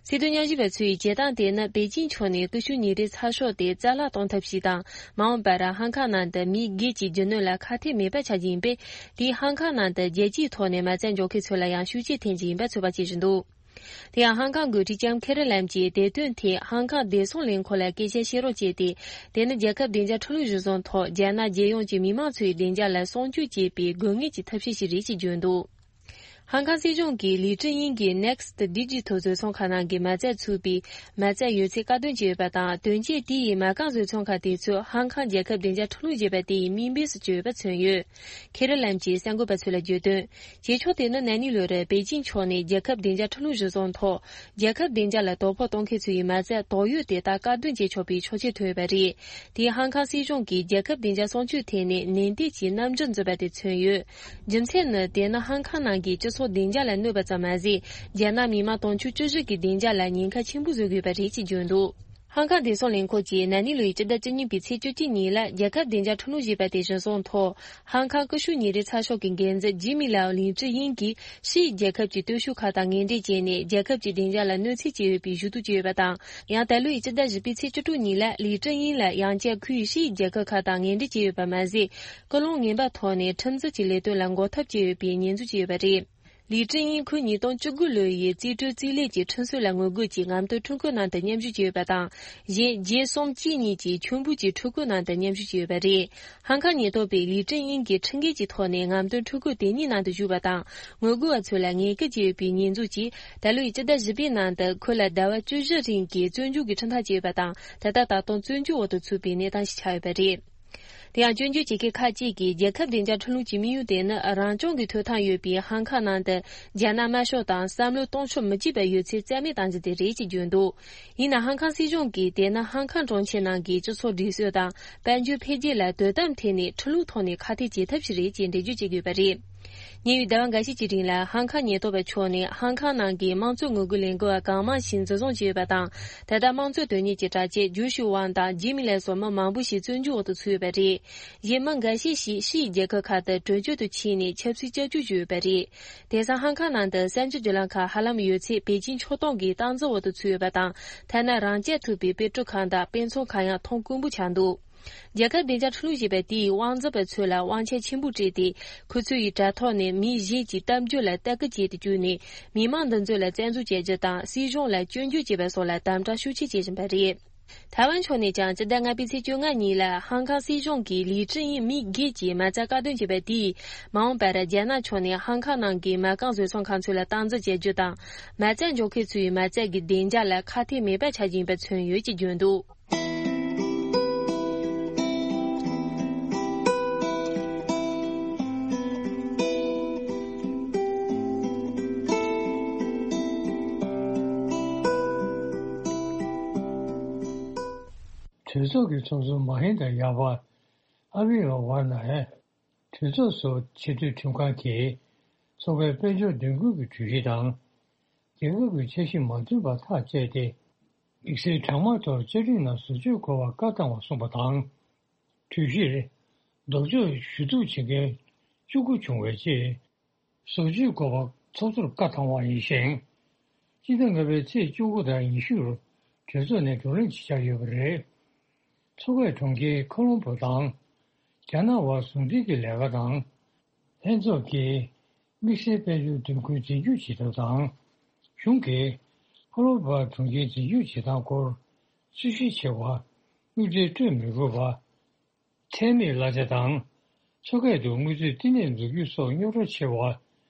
སྲིད་དོན་ཉམས་ཞིབ་པ་ཚོས་བྱེད་སྟངས་དེ་ནི་པེ་ཅིང་ཕྱོགས་ནས་ཀུ་ཤུ་ཉིན་རེའི་ཚགས་ཤོག་དེ་རྩ་བརླག་གཏོང་ཐབས་ཤིག་དང་། མ་འོངས་པར་ཧང་ཀང་ནང་དུ་མི་སྒེར་གྱི་རྒྱུ་ནོར་ལ་ཁ་གཏད་མེད་པ་ཆགས་རྒྱུ་ཡིན་པས། དེས་ཧང་ཀང་ནང་དུ་རྒྱལ་སྤྱིའི་ཐོག་ནས་མ་རྩ་འཇོག་མཁན་ཚོ་ལ་ཡང་ཤུགས་རྐྱེན་ཐེབས་རྒྱུ་ཡིན་པ་ཚོད་དཔག་བྱེད་བཞིན་འདུག་དེ་ཡང་ཧང་ཀང་འགོ་ཁྲིད་ལྕམ་ཁེ་རི་ལམ་གྱིས་དེ་དོན་ཐད་ཧང་ཀང་བདེ་སྲུང་ལས་ཁུངས་ལ་སྐད་ཆ་བཤད་རོགས་བྱས་ཏེ། དེ་ནི་རྒྱལ་ཁབ་བདེ་འཇགས་ཁྲིམས་ལུགས་གཞིར་བཟུང་ཐོག་རྒྱ་ནག་རྒྱལ་ཡོངས་ཀྱི་མི་མང་ཚོའི་བདེ་འཇགས་ལ་སྲུང་སྐྱོབ་བྱེད་པའི་དགོས་ངེས་ཀྱི་ཐབས་ཤེས་ཤིག་རེད་ཅེས་བརྗོད་འདུག་ཧང་ཀང་སྲིད་གཞུང་གིས་ལི་ཀྲི་དབྱིན་གྱི་Next Digital བཟོ་ཚོང་ཁང་ནང་གི་མ་རྩ་ཚུད་པའི་མ་རྩ་ཡོད་ཚད་བཀག་སྡོམ་བྱས་ཡོད་པ་དང་། དོན་རྐྱེན་དེ་ཡིས་མ་རྐང་བཟོ་ཚོང་ཁང་དེ་ཚོས་ཧང་ཀང་རྒྱལ་ཁབ་བདེ་འཇགས་ཁྲིམས་ལུགས་ཞེས་པ་དེ་ཡི་དམིགས་འབེན་སུ་གྱུར་ཡོད་པ་མཚོན་ཡོད། ཁེ་རི་ལམ་གྱིས་གསར་འགོད་པ་ཚོ་ལ་བརྗོད་དོན། བྱེད་ཕྱོགས་དེ་ནི་ན་ནིང་ལོར་པེ་ཅིང་ཕྱོགས་ནས་རྒྱལ་ཁབ་བདེ་འཇགས་ཁྲིམས་ལུགས་གཞིར་བཟུང་ཐོག་རྒྱལ་ཁབ་བདེ་འཇགས་ལ་དོ་ཕོག་གཏོང་མཁན་ཚོ་ཡི་མ་རྩ་དོགས་ཡོད་དེ་དག་བཀག་སྡོམ་བྱེད་ཆོག་པའི་ཆོག་མཆན་ཐོན་ཡོད་པ་རེད། དེས་ཧང་ཀང་སྲིད་གཞུང་གིས་རྒྱལ་ཁབ་བདེ་འཇགས་སྲུང་སྐྱོབ་ཐད་ནས་ནན་ཏན་གྱིས་རྣམ་འགྱུར་འཛིན་པ་དེ་མཚོན་ཡོད། རྒྱུ་མཚན་ནི་དེ་ནི་ཧང་ཀང་ནང་གི་སྤྱི་ཚོགས་བདེ་འཇགས་ལ་གནོད་པ་ཙམ་མ་ཟད། རྒྱ་ནག་མི་དམངས་དུང་ཕྱུར་བཅུ་བཞི་གི་བདེ་འཇགས་ལ་ཉེན་ཁ་ཆེན་པོ་བཟོ་དགོས་པ་རེད་ཅེས་བརྗོད་འདུག་ཧང་ཀང་བདེ་སྲུང་ལས་ཁུངས་ཀྱིས་ན་ནིང་ལོའི་སྤྱི་ཟླ་བཅུ་གཉིས་པའི་ཚེས་བཅུ་གཅིག་ཉིན་ལ་རྒྱལ་ཁབ་བདེ་འཇགས་ཁྲིམས་ལུགས་ཞེས་པ་དེ་གཞིར་བཟུང་ཐོག་ཧང་ཀང་ཀུ་ཤུ་ཉིན་རེའི་ཚགས་ཤོག་གི་འགན་འཛིན་ཇི་མི་ལའོ་ལིན་ཀྲི་དབྱིན་གྱིས་ཕྱིའི་རྒྱལ་ཁབ་ཀྱི་སྟོབས་ཤུགས་ཁག་དང་ངན་འབྲེལ་བྱས་ནས་རྒྱལ་ཁབ་ཀྱི་བདེ་འཇགས་ལ་གནོད་འཚེ་བྱས་ཡོད་པའི་ཞུ་གཏུག་བྱས་ཡོད་པ་དང་། ཡང་ད་ལོའི་སྤྱི་ཟླ་བཞི་པའི་ཚེས་བཅུ་དྲུག་ཉིན་ལ་ལིན་ཀྲི་དབྱིན་ལ་ཡང་བསྐྱར་ཁོས་ཕྱིའི་རྒྱལ་ཁབ་ཁག་དང་ངན་འབྲེལ་བྱས་ཡོད་པ་མ་ཟད། སྐུལ་སློང་ངན་པ་ཐོག་ནས་ཁྲིམས་འཛིན་གྱི་ལས་དོན་ལ་འགོག་ཐབས་བྱས་ཡོད་པའི་ཉེས་འཛུགས་བྱས་ཡོད་པ་རེད། ལི་ཀྲིན་དབྱིན་ཁོས་ཉིས་སྟོང་བཅུ་དགུ་ལོ་ཡི་རྩིས་སྤྲོད་རྩིས་ལེན་གྱི་ཁྲིམས་སྲོལ་ལ་ངོ་རྒོལ་གྱིས་རྔམ་སྟོན་ཁྲོམ་སྐོར་ནང་དུ་མཉམ་ཞུགས་བྱས་ཡོད་པ་དང་། གཞན་རྒྱལ་གསུམ་གཅིག་གཉིས་ཀྱིས་ཁྱུང་པོ་གྱི་ཁྲོམ་སྐོར་ནང་དུ་མཉམ་ཞུགས་བྱས་ཡོད་པ་རེད། ཧང་ཁང་ཉེན་རྟོག་པས་ལི་ཀྲིན་དབྱིན་གྱིས་ཁྲིམས་འགལ་གྱི་ཐོག་ནས་རྔམ་སྟོན་ཁྲོམ་སྐོར་དེ་གཉིས་ནང་དུ་ཞུགས་པ་དང་། ངོ་རྒོལ་བ་ཚོ་ལ་ངན་སྐུལ་བྱས་ཡོད་པའི་ཉེས་འཛུགས་ཀྱིས། ད་ལོའི་སྤྱི་ཟླ་བཞི་པའི་ནང་དུ་ཁོ་ལ་ཟླ་བ་བཅུ་བཞི་རིང་གི་བཙོན་འཇུག་གི་ཁྲིམས་ཐག་བཅད་ཡོད་པ་དང་། ད་ལྟ་ད་དུང་བཙོན་འཇུག་འོག་ཏུ་ཚུད་པའི་གནས་སྟངས་ཤིག་ཆགས་ཡོད་པ་རེད། དེ་ཡང་སྐྱོན་བརྗོད་བྱེད་མཁན་ཁག་ཅིག་གིས། རྒྱལ་ཁབ་བདེ་འཇགས་ཁྲིམས་ལུགས་ཀྱི་དམིགས་ཡུལ་དེ་ནི། རང་སྐྱོང་གི་ཐོབ་ཐང་ཡོད་པའི་ཧང་ཁང་ནང་དུ་རྒྱ་ནག་དམར་ཤོག་དང་བསམ་བློ་གཏོང་ཕྱོགས་མི་གཅིག་པ་ཡོད་ཚད་རྩ་མེད་གཏང་རྒྱུ་དེ་རེད་ཅེས་བརྗོད་འདུག་ཡིན་ནའང་། ཧང་ཁང་སྲིད་གཞུང་གིས་དེ་ནི་ཧང་ཁང་གྲོང་ཁྱེར་ནང་གི་སྤྱི་ཚོགས་སྒྲིག་སྲོལ་དང་། དཔལ་འབྱོར་འཕེལ་རྒྱས་ལ་དོ་དམ་ཐད་ནས་ཁྲིམས་ལུགས་ཐོག་ནས་ཁག་ཐེག་བྱེད་ཐབས་ཤིག་རེད་ཅེས་འགྲེལ་བརྗོད་བྱེད་ཀྱི་ཡོད་པ་རེད། ཉེ་བའི་ཟླ་བ་འགའ་ཤས་ཀྱི་རིང་ལ། ཧང་ཁང་ཉེན་རྟོག་པ་ཕྱོགས་ནས་ཧང་ཁང་ནང་གི་དམངས་གཙོའི་ངོ་རྒོལ་ལས་འགུལ་བ་གང་མང་ཞིག་འཛིན་བཟུང་བྱས་ཡོད་པ་དང་། ད་ལྟ་དམངས་གཙོའི་དོན་གཉེར་གྱི་དྲ་ཆས་ཇུ་ཤུ་ཝང་དང་ཇི་མི་ལེ་སོགས་མི་མང་པོ་ཞིག་བཙོན་འཇུག་འོག་ཏུ་ཚུད་ཡོད་པ་རེད། གཞན་མི་འགའ་ཤས་ཤིག་ཕྱིའི་རྒྱལ་ཁབ་ཁག་ཏུ་བྲོས་བྱོལ་དུ་ཕྱིན་ནས་ཆབ་སྲིད་སྐྱབས་བཅོལ་ཞུས་ཡོད་པ་རེད། དེང་སང་ཧང་ཁང་ནང་དུ་གསར་འགྱུར་བརྒྱུད་ལམ་ཁག་ཧ་ལམ་ཡོད་ཚད་པེ་ཅིན་ཕྱོགས་གཏོགས་ཀྱི་སྟངས་འཛིན་འོག་ཏུ་ཚུད་ཡོད་པ་དང་། ཐ་ན་རང་རྐྱ་ཐུབ་པའི་དཔེ་སྐྲུན་ཁང་དང་དཔེ་ཚོང་ཁང་ཡང་མཐོང་དཀོན་པོ་ཆགས་འདུག་རྒྱལ་ཁབ་བདེ་འཇགས་ཁྲིམས་ལུགས་ཞེས་པ་དེས་དབང་འཛིན་པ་ཚོ་ལ་དབང་ཆ་ཆེན་པོ་སྤྲད་དེ། ཁོ་ཚོ་ཡི་དྲ་ཐོག་ནས་མི་གཞན་གྱི་གཏམ་རྒྱུད་ལ་ལྟ་སྐུལ་བྱེད་དུ་བཅུག་ནས། མི་མང་འདི་ཚོ་ལ་བཙན་འཛུལ་བྱེད་རྒྱུ་དང་། སྲིད་གཞུང་ལ་སྐྱོན་བརྗོད་བྱེད་པ་སོགས་ལ་དམ་དྲག་ཤུགས་ཆེ་བྱེད་བཞིན་པ་རེད། ཐའེ་ཝན་ཕྱོགས་ནས་ཀྱང་སྤྱི་ཟླ་ལྔ་པའི་ཚེས་བཅོ་ལྔ་ཉིན་ལ་ཧང་ཁང་སྲིད་གཞུང་གིས་ལི་ཀྲིན་དབྱིན་མི་སྒེར་གྱི་མ་རྩ་བཀག་སྡོམ་བྱས་པ་དེས། མ་འོངས་པར་རྒྱ་ནག་ཕྱོགས་ནས་ཧང་ཁང་ནང་གི་མ་རྐང་བཟོ་ཚོང་ཁང་ཚོ་ལ་སྟངས་འཛིན་བྱེད་རྒྱུ་དང་། མ་རྩ་འཇོག་མཁན་ཚོའི་མ་རྩ་གི་བདེ་འཇགས་ལ་ཁག་ཐེག་མེད་པ་ཆགས་ཀྱི་ཡིན་པ་མཚོན་ཡོད་ཅེས་བརྗོད་འདུག་གྲོས་ཚོགས་ཀྱི་ཚོགས་གཙོ་མ་ཧིན་དཱ་ཡ་པ་ཨ་བི་ཡ་ཝར་ནཱ་ཡིས། གྲོས་ཚོགས་སུ་ཆེས་མཐོའི་ཁྲིམས་ཁང་གིས་མཚོ་ཁའི་དཔལ་འབྱོར་གདེང་འཁོད་ཀྱི་གྲོས་གཞི་དང་། རྒྱལ་ཁབ་ཀྱི་འཆར་གཞི་མ་མཐུན་པ་ཐག་བཅད་དེ། དམིགས་བསལ་གྲང་དམག་ཐོག་བཅའ་ཁྲིམས་ནང་བཟོ་བཅོས་དགོས་པར་བཀའ་བཏང་བ་གསུངས་པ་དང་། གྲོས་གཞིར་ལྡོག་ཕྱོགས་ཞུ་གཏུག་བྱེད་མཁན་བཅུ་དགུ་བྱུང་བའི་རྗེས། བཟོ་བཅོས་དགོས་པ་ཚོགས་གཙོར་བཀའ་བཏང་བ་ཡིན་ཞིང་། སྤྱི་ཟླ་ལྔ་པའི་ཚེས་བཅུ་དགུ་དང་ཉི་ཤུར་གྲོས་ཚོགས་ནས་བགྲོ་གླེང་བྱེད་འཆར་ཡོད་པ་རེད། མཚོ་ཁའི་གྲོང་ཁྱེར་ཁོ་ལོམ་བྷོ་དང་། རྒྱ་ནག་དབར་ཟུང་འབྲེལ་གྱི་ལས་ཀ་དང་། ལྷན་ཚོགས་ཀྱིས་དམིགས་བསལ་དཔལ་འབྱོར་གདེང་འཁོད་འཛིན་སྐྱོང་བྱེད་ཐབས་དང་། གཞུང་གིས་ཁོ་ལོམ་བྷོ་གྲོང་ཁྱེར་འཛིན་སྐྱོང་བྱེད་སྟངས་སྐོར་རྩོད་གཞི་ཆེ་བ། དངུལ་འབྲེལ་སྤྲོད་མི་དགོས་པ། ཁྲལ་མེད་གླ་ཆ་དང་། མཚོ་ཁ་དུ་དངུལ་རྩིས་བསྟི་གནས་འཛུགས་རྒྱུ་སོགས་རྙོག་དྲ་ཆེ་བ།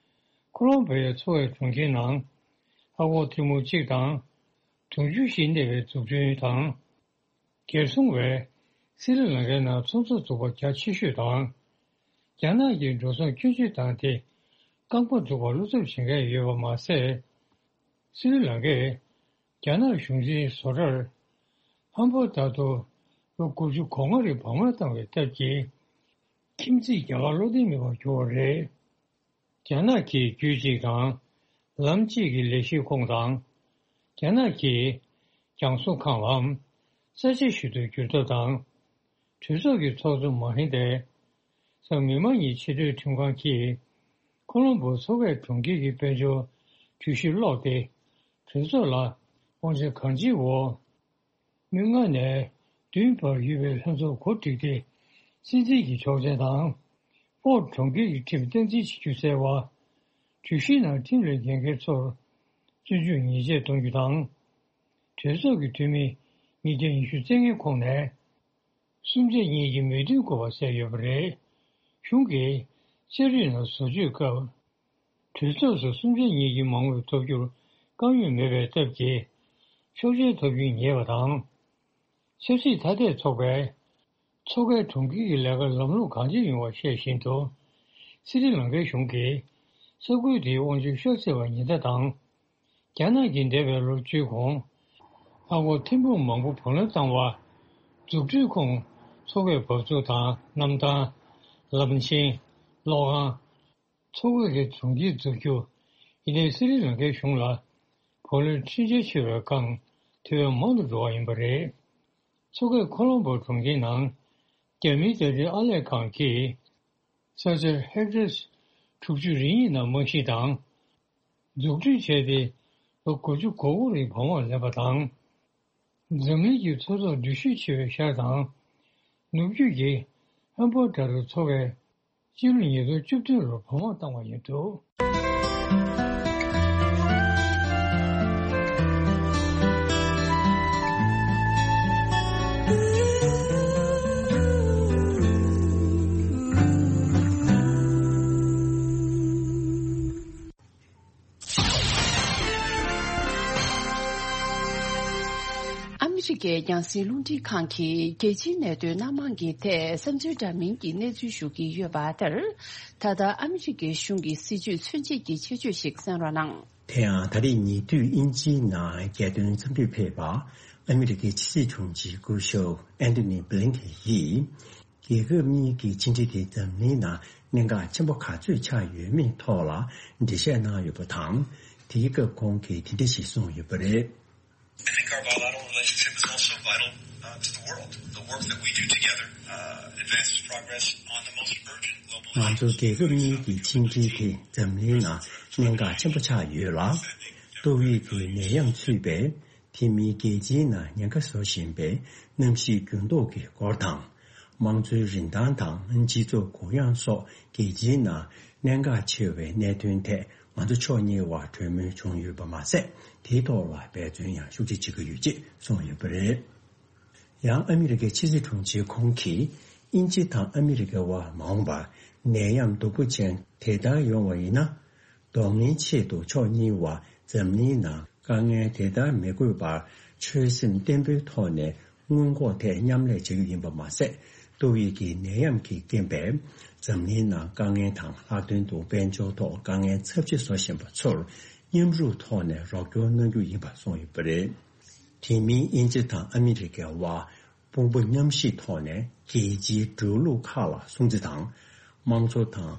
ཁོ་ལོམ་བྷོའི་མཚོ་ཁའི་གྲོང་ཁྱེར་ནང་ཨ་སྒོར་ཐེར་འབུམ་གཅིག་དང་། དུང་ཕྱུར་བཞི་གནས་པའི་འཛུགས་སྐྲུན་དང་། སྒེར་སྲུང་བས་སི་རི་ལང་ཀའི་ནང་ཚོང་རྫས་འཛུགས་པ་རྒྱ་ཆེ་ཤོས་དང་། རྒྱ་ནག་གི་འགྲོ་སོང་སྐྱོན་བརྗོད་བཏང་སྟེ། རྐང་པ་འཛུགས་པར་བློ་འཚབ་བྱེད་མཁན་ཡོད་པ་མ་ཟད། སི་རི་ལང་ཀས་རྒྱ་ནག་གཞུང་འཛིན་བཟོ་གྲྭར་ཧམ་པ་ལྟར་དུ་ལོ་དགུ་བཅུ་གོ་ལྔ་རིང་བག་མར་བཏང་བའི་སྟབས་ཀྱིས། ཁྱིམ་མཚེས་རྒྱ་གར་བློ་བདེ་མེད་པར་གྱུར་བ་རེད། རྒྱ་ནག་གིས་རྒྱུད་གཅིག་དང་། ལམ་གཅིག་གི་ལས་གཞིའི་ཁོངས་དང་། རྒྱ་ནག་གིས་རྒྱང་སྲུང་ཁང་ལམ་ས་ཆ་ཞིག་ཏུ་བསྒྱུར་ཐབས་དང་། གྲོས་ཚོགས་ཀྱི་ཚོགས་གཙོ་མ་ཧིན་དཱས་གཟའ་མིག་དམར་ཉིན་ཆེས་མཐོའི་ཁྲིམས་ཁང་གིས་ཁོ་ལོམ་བྷོ་མཚོ་ཁའི་གྲོང་ཁྱེར་གྱི་དཔལ་འབྱོར་གྲོས་གཞི་ཀློག་སྟེ། གྲོས་ཚོགས་ལ་དབང་ཆ་གང་ཅིའི་འོག་མི་ལྔ་ནས་བདུན་བར་ཡོད་པའི་ལྷན་ཚོགས་གོ་སྒྲིག་སྟེ། སྲིད་འཛིན་གྱི་ཆོག་མཆན་དང་། སྤོག་གྲོང་ཁྱེར་གྱི་ཁྲིམས་སྟངས་འཛིན་བྱེད་རྒྱུ་གསལ་བ། གྲོས་གཞིའི་ནང་ཁྲིམས་ལས་འགལ་མཁན་ཚོར་བཙོན་འཇུག་ཉེས་ཆད་གཏོང་རྒྱུ་དང་། གྲོས་ཚོགས་ཀྱི་འཐུས་མི་ཉིས་བརྒྱ་ཉི་ཤུ་རྩ་ལྔའི་ཁོངས་ནས་གསུམ་ཆ་གཉིས་ཀྱིས་མོས་མཐུན་དགོས་པ་གསལ་ཡོད་པ་རེད། གཞུང་གིས་ཕྱི་རོལ་ནང་བཟོ་བཅོས་སྐབས། གྲོས་ཚོགས་སུ་གསུམ་ཆ་གཉིས་ཀྱི་མང་མོས་ཐོབ་རྒྱུར་དཀའ་ངལ་མེད་པའི་སྟབས་ཀྱིས། ཆོག་མཆན་ཐོབ་རྒྱུ་ཉེ་བ་དང་། ཆབ་སྲིད་ཐ་དད་ཚོགས་པས་མཚོ་ཁའི་གྲོང་ཁྱེར་གྱི་ལས་ཀར་ལམ་ལྷོང་གང་ཆེ་ཡོང་བ་ཤེས་བཞིན་དུ། སི་རི་ལང་ཀའི་གཞུང་གིས་ས་ཁུལ་དེའི་དབང་ཆ་ཤོར་སྲིད་པ་ཉེན་བརྡ་དང་། རྒྱ་ནག་གིས་འདས་པའི་ལོ་བཅུའི་གོང་ཨ་སྒོར་ཐེར་འབུམ་མང་པོ་བགོ་ལེན་བཏང་བ། འཛུགས་སྐྲུན་ཁོངས་མཚོ་ཁའི་འབབ་ཚུགས་དང་གནམ་ཐང་། ལམ་ཆེན། གློག་ཁང་། མཚོ་ཁ་གི་གྲོང་ཁྱེར་འཛུགས་རྒྱུ། ཡིན་ནའི་སི་རི་ལང་ཀའི་གཞུང་ལ་བུ་ལོན་ཁྲིམས་འཆར་ཆེ་བའི་སྒང་དེ་བས་མང་དུ་འགྲོ་བ་ཡིན་པ་རེད། མཚོ་ཁའི་ཁོ་ལོམ་བྷོ་གྲོང་ཁྱེར་ནང་རྒྱ་མིའི་ལྟ་བསྒྲགས་ཨར་ལས་ཁང་གིས་ས་ཆ་ཧེག་ཊར་དྲུག་ཅུ་རེ་གཉིས་ནང་རྨང་གཞི་དང་འཛུགས་སྐྲུན་བྱས་ཏེ་ལོ་དགུ་བཅུ་གོ་དགུ་རིང་བག་མར་ལེན་པ་དང་། འཛམ་གླིང་གི་མཚོ་ཐོག་འགྲུལ་བཞུད་ཆེ་བའི་ཤར་དང་ནུབ་རྒྱུད་ཀྱི་ཧམ་ཕོ་ཏྲ་རུ་མཚོ་བའི་སྤྱི་ལོ་ཉིས་སྟོང་བཅུ་བདུན་ལོར་བག་མར་བཏང་བ་ཡིན་འདུག་ཨ་མི་རི་ཀའི་རྒྱང་སྲིང་རླུང་འཕྲིན་ཁང་གིས་རྒྱལ་སྤྱིའི་གནད་དོན་སྣ་མང་གི་ཐད་བསམ་ཚུལ་འདྲ་མིན་གྱི་གནས་ཚུལ་ཞུ་གི་ཡོད་པ་ལྟར། ད་ལྟ་ཨ་མི་རི་ཀའི་གཞུང་གི་སྲིད་བྱུས་མཚོན་བྱེད་ཀྱི་ཁྱད་ཆོས་ཤིག་གསན་རོགས་གནང་། དེ་ཡང་ད་རེས་ཉེ་དུས་དབྱིན་ཇིའི་ནང་རྒྱལ་དོན་འཚམས་འདྲིར་ཕེབས་པ་ཨ་མི་རི་ཀའི་ཕྱི་སྲིད་དྲུང་ཆེ་སྐུ་ཞབས་ཨན་ཐོ་ནི་བྷི་ལིན་ཁེན་ཡིས། རྒྱལ་ཁབ་གཉིས་ཀྱི་ཕྱི་འབྲེལ་དེ་འཛམ་གླིང་ནང་གནད་འགག་ཆེན་པོ་ག་ཚོད་ཆགས་ཡོད་མེད་ཐོག་ལ་འགྲེལ་བཤད་གནང་ཡོད་པ་དང་། དེའི་སྐབས་ཁོང་གིས་དེ་འདྲ་ཞིག་གསུངས་ཡོད་པ་རེད། I think our bilateral relationship is also vital, uh, to the world. The work that we do together, uh, advances progress on the most urgent global issues. ང་ཚོ་རྒྱལ་ཁབ་གཉིས་ཀྱི་ཕྱི་འབྲེལ་དེ་འཛམ་གླིང་ནང་གནད་འགག་ཆེན་པོ་ཆགས་ཡོད་ལ། ཏོག་དབྱིབས་ཀྱི་ནད་ཡམས་ཚུད་པས། དེ་མིན་རྒྱལ་སྤྱིའི་ནང་ཉེན་ཁ་བཟོ་བཞིན་པའི་གནམ་གཤིས་འགྱུར་ལྡོག་གི་སྐོར་དང་། དམངས་གཙོའི་རིན་ཐང་དང་སྤྱི་ཚོགས་གུ་ཡངས་སོགས་རྒྱལ་སྤྱིའི་ནང་གནད་འགག་ཆེ་བའི་གནད་དོན་ཐད་ང་ཚོ་ཕྱོགས་གཉིས་བར་གྲོས་མོལ་བྱུང་ཡོད་པ་མ་ཟད། དེའི་ཐོག་ལ་འབད་བརྩོན་ཡང་ཤུགས་ཆེ་བྱེད་ཀྱི་ཡོད་ཅེས་གསུངས་ཡོད་པ་རེད། ཡང་ཨ་མི་རི་ཀའི་ཕྱི་སྲིད་དྲུང་ཆེ་ཁོང་གིས་དབྱིན་ཇི་དང་ཨ་མི་རི་ཀའི་དབར་མ་འོངས་པར་ནད་ཡམས་སྡུག་པོ་ཅན་དེ་ལྟར་ཡོང་བ་ཡིན་ན། གདོང་ལེན་ཆེད་དུ་ཕྱོགས་གཉིས་བར་འཛམ་གླིང་ནང་དཀའ་ངལ་དེ་ལྟར་མི་དགོས་པར་ཆོད་སེམས་བརྟན་པོའི་ཐོག་ནས་སྔོན་འགོག་ཐད་མཉམ་ལས་བྱ་རྒྱུ་ཡིན་པ་མ་ཟད། ཏོག་དབྱིབས་ཀྱི་ནད་ཡམས་ཀྱི་རྐྱེན་པས་འཛམ་གླིང་ནང་དཀའ་ངལ་དང་ལྷག་དོན་དུ་དཔལ་འབྱོར་ཐོག་དཀའ་ངལ་ཚབས་ཆེ་བཟོ་བཞིན་པ་ཚོར་མཉམ་རུབ་ཐོག་ནས་རོགས་སྐྱོར་གནང་རྒྱུ་ཡིན་པ་གསུངས་ཡོད་པ་རེད། དེ་མིན་དབྱིན་ཇི་དང་ཨ་མི་རི་ཀའི་དབར་དཔུང་པ་མཉམ་གཤིབ་ཐོག་ནས་རྒྱལ་སྤྱིའི་འགྲོ་ལུགས་ཁག་ལ་སྲུང་བརྩི་དང་། དམངས་གཙོ་དང་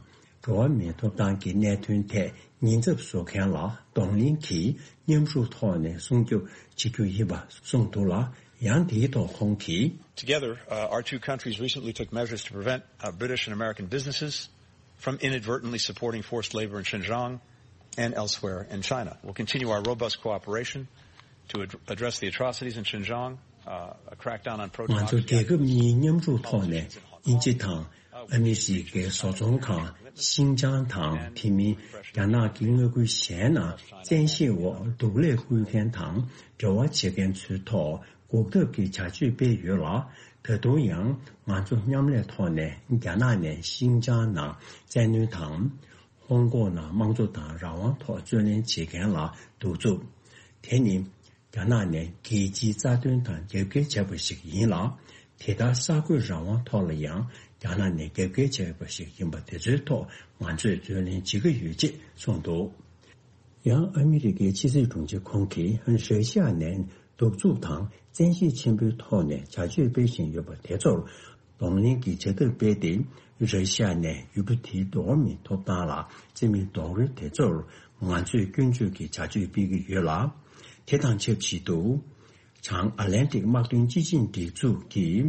འགྲོ་བ་མིའི་ཐོབ་ཐང་གི་གནད་དོན་ཐད་ཉེན་ཚབས་བཟོ་མཁན་ལ་གདོང་ལེན་གྱིས་མཉམ་རུབ་ཐོག་ནས་སྲུང་སྐྱོབ་བྱེད་རྒྱུ་ཡིན་པ་གསུངས་འདུག་ལ། ཡང་དེའི་ཐོག་ཁོང་གིས། Together, uh, our two countries recently took measures to prevent, uh, British and American businesses from inadvertently supporting forced labor in Xinjiang and elsewhere in China. We'll continue our robust cooperation to ad- address the atrocities in Xinjiang, uh, a crackdown on ང་ཚོ་རྒྱལ་ཁབ་གཉིས་མཉམ་རུབ་ཐོག་ནས་དབྱིན་ཇི་དང་ཨ་མི་རི་ཀའི་བཟོ་ཚོང་ཁང་ཤིང་ཅང་དང་དེ་མིན་རྒྱ་ནག་གི་མངའ་ཁུལ་གཞན་ནང་བཙན་ཤེད་འོག་སྡུག་ལས་ཁུར་མཁན་དང་འབྲེལ་བ་བྱེད་མཁན་ཚོའི་ཐོག་འགོག་ཐབས་ཀྱི་བྱ་སྤྱོད་སྤེལ་ཡོད་ལ། ད་དུང་ཡང་ང་ཚོ་མཉམ་ལས་ཐོག་ནས་རྒྱ་ནག་ནས་ཤིང་ཅང་ནང་བཙན་གནོན་དང་། ཧོང་ཀོང་ནང་དམངས་གཙོ་དང་རང་དབང་ཐོག་རྩོད་ལེན་བྱེད་མཁན་ལ་གདུག་རྩུབ། དེ་ནི་རྒྱ་ནག་ནས་རྒྱལ་སྤྱིའི་རྩ་དོན་དང་རྒྱབ་འགལ་བྱས་པ་ཞིག་ཡིན་ལ། དེ་ལྟར་གསར་འགོད་རང་དབང་ཐོག་ལ་ཡང་རྒྱ་ནག་ནས་རྒྱབ་འགལ་བྱས་པ་ཞིག་ཡིན་པ་དེ་ཚོའི་ཐོག་ང་ཚོས་རྩོད་ལེན་བྱེད་ཀྱི་ཡོད་ཅེས་གསུངས་འདུག་ཡང་ཨ་མི་རི་ཀའི་ཕྱི་སྲིད་དྲུང་ཆེ་ཁོང་གིས་ར་ཤི་ཡ་ནས་གདུག་རྩུབ་དང་བཙན་ཤེད་ཆེན་པོའི་ཐོག་ནས་བྱ་སྤྱོད་སྤེལ་བཞིན་ཡོད་པ་དེ་ཚོར་གདོང་ལེན་གྱི་བྱ་ཐབས་སྤེལ་ཏེ། ར་ཤི་ཡ་ནས་ཡུལ་གྲུ་དེའི་འགྲོ་བ་མིའི་ཐོབ་ཐང་ལ་བརྩི་མེད་རྡོག་རོལ་དེ་ཚོར་ང་ཚོས་སྐྱོན་བརྗོད་ཀྱི་བྱ་སྤྱོད་སྤེལ་གྱི་ཡོད་ལ། དེ་དང་ཆབས་ཅིག་ཏུ། བྱང་ཨ་ལན་ཏིག་དམག་དོན་སྤྱི་ཆིངས་སྒྲིག་འཛུགས་ཀྱིས་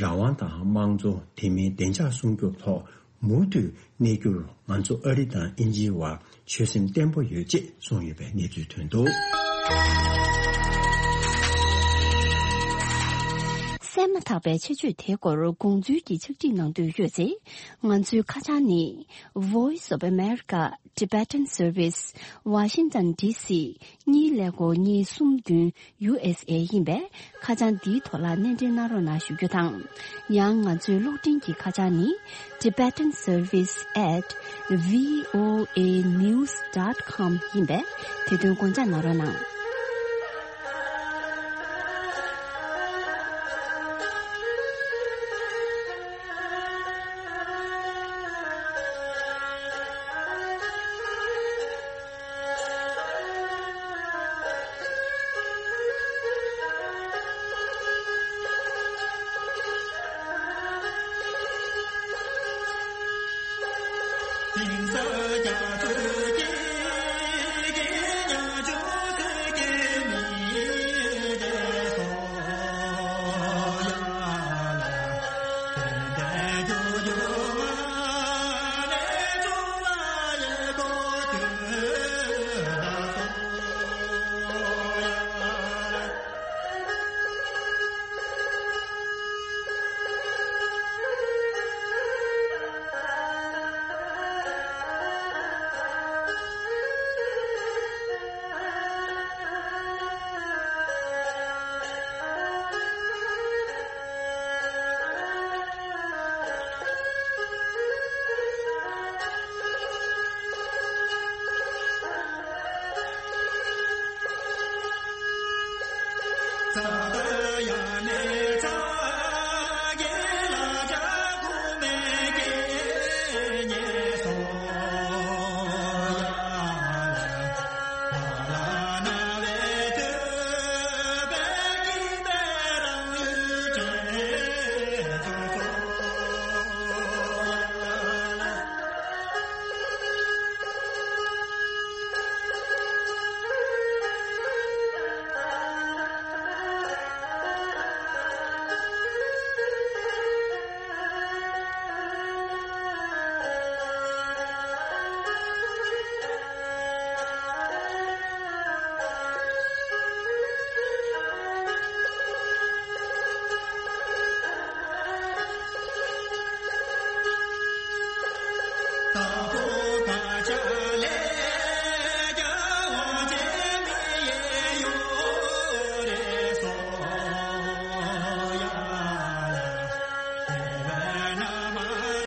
རང་དབང་དང་དམངས་གཙོ། དེ་མིན་བདེ་འཇགས་སྲུང་སྐྱོབ་ཐོག་མུ་མཐུད་གནས་རྒྱུར་ང་ཚོ་ཨ་རི་དང་དབྱིན་ཇིའི་བར་ཆོད་སེམས་བརྟན་པོ་ཡོད་ཅེས་གསུངས་ཡོད་པའི་གནས་ཚུལ་ཐོན་འདུག་གསན་མ་ཐག་པའི་ཆེད་བརྗོད་དེའི་སྐོར་དགོངས་ཚུལ་གྱི་ཕྱག་བྲིས་གནང་འདོད་ཡོད་ཚེ། ང་ཚོའི་ཁ་བྱང་ནི། Voice of America Tibetan Service, Washington D C གཉིས་ཀླད་ཀོར་གཉིས་གསུམ་བདུན། ཡུ་ཨེས་ཨེ་ཡིན་པས། ཁ་བྱང་འདིའི་ཐོག་ལ་སྣེ་འདྲེན་གནང་རོགས་གནང་ཞུ་རྒྱུ་དང་། ཡང་ང་ཚོའི་གློག་འཕྲིན་གྱི་ཁ་བྱང་ནི། Tibetan Service at V O A news dot com ཡིན་པས། དེ་དོན་དགོངས་འཇགས་གནང་རོགས་གནང་།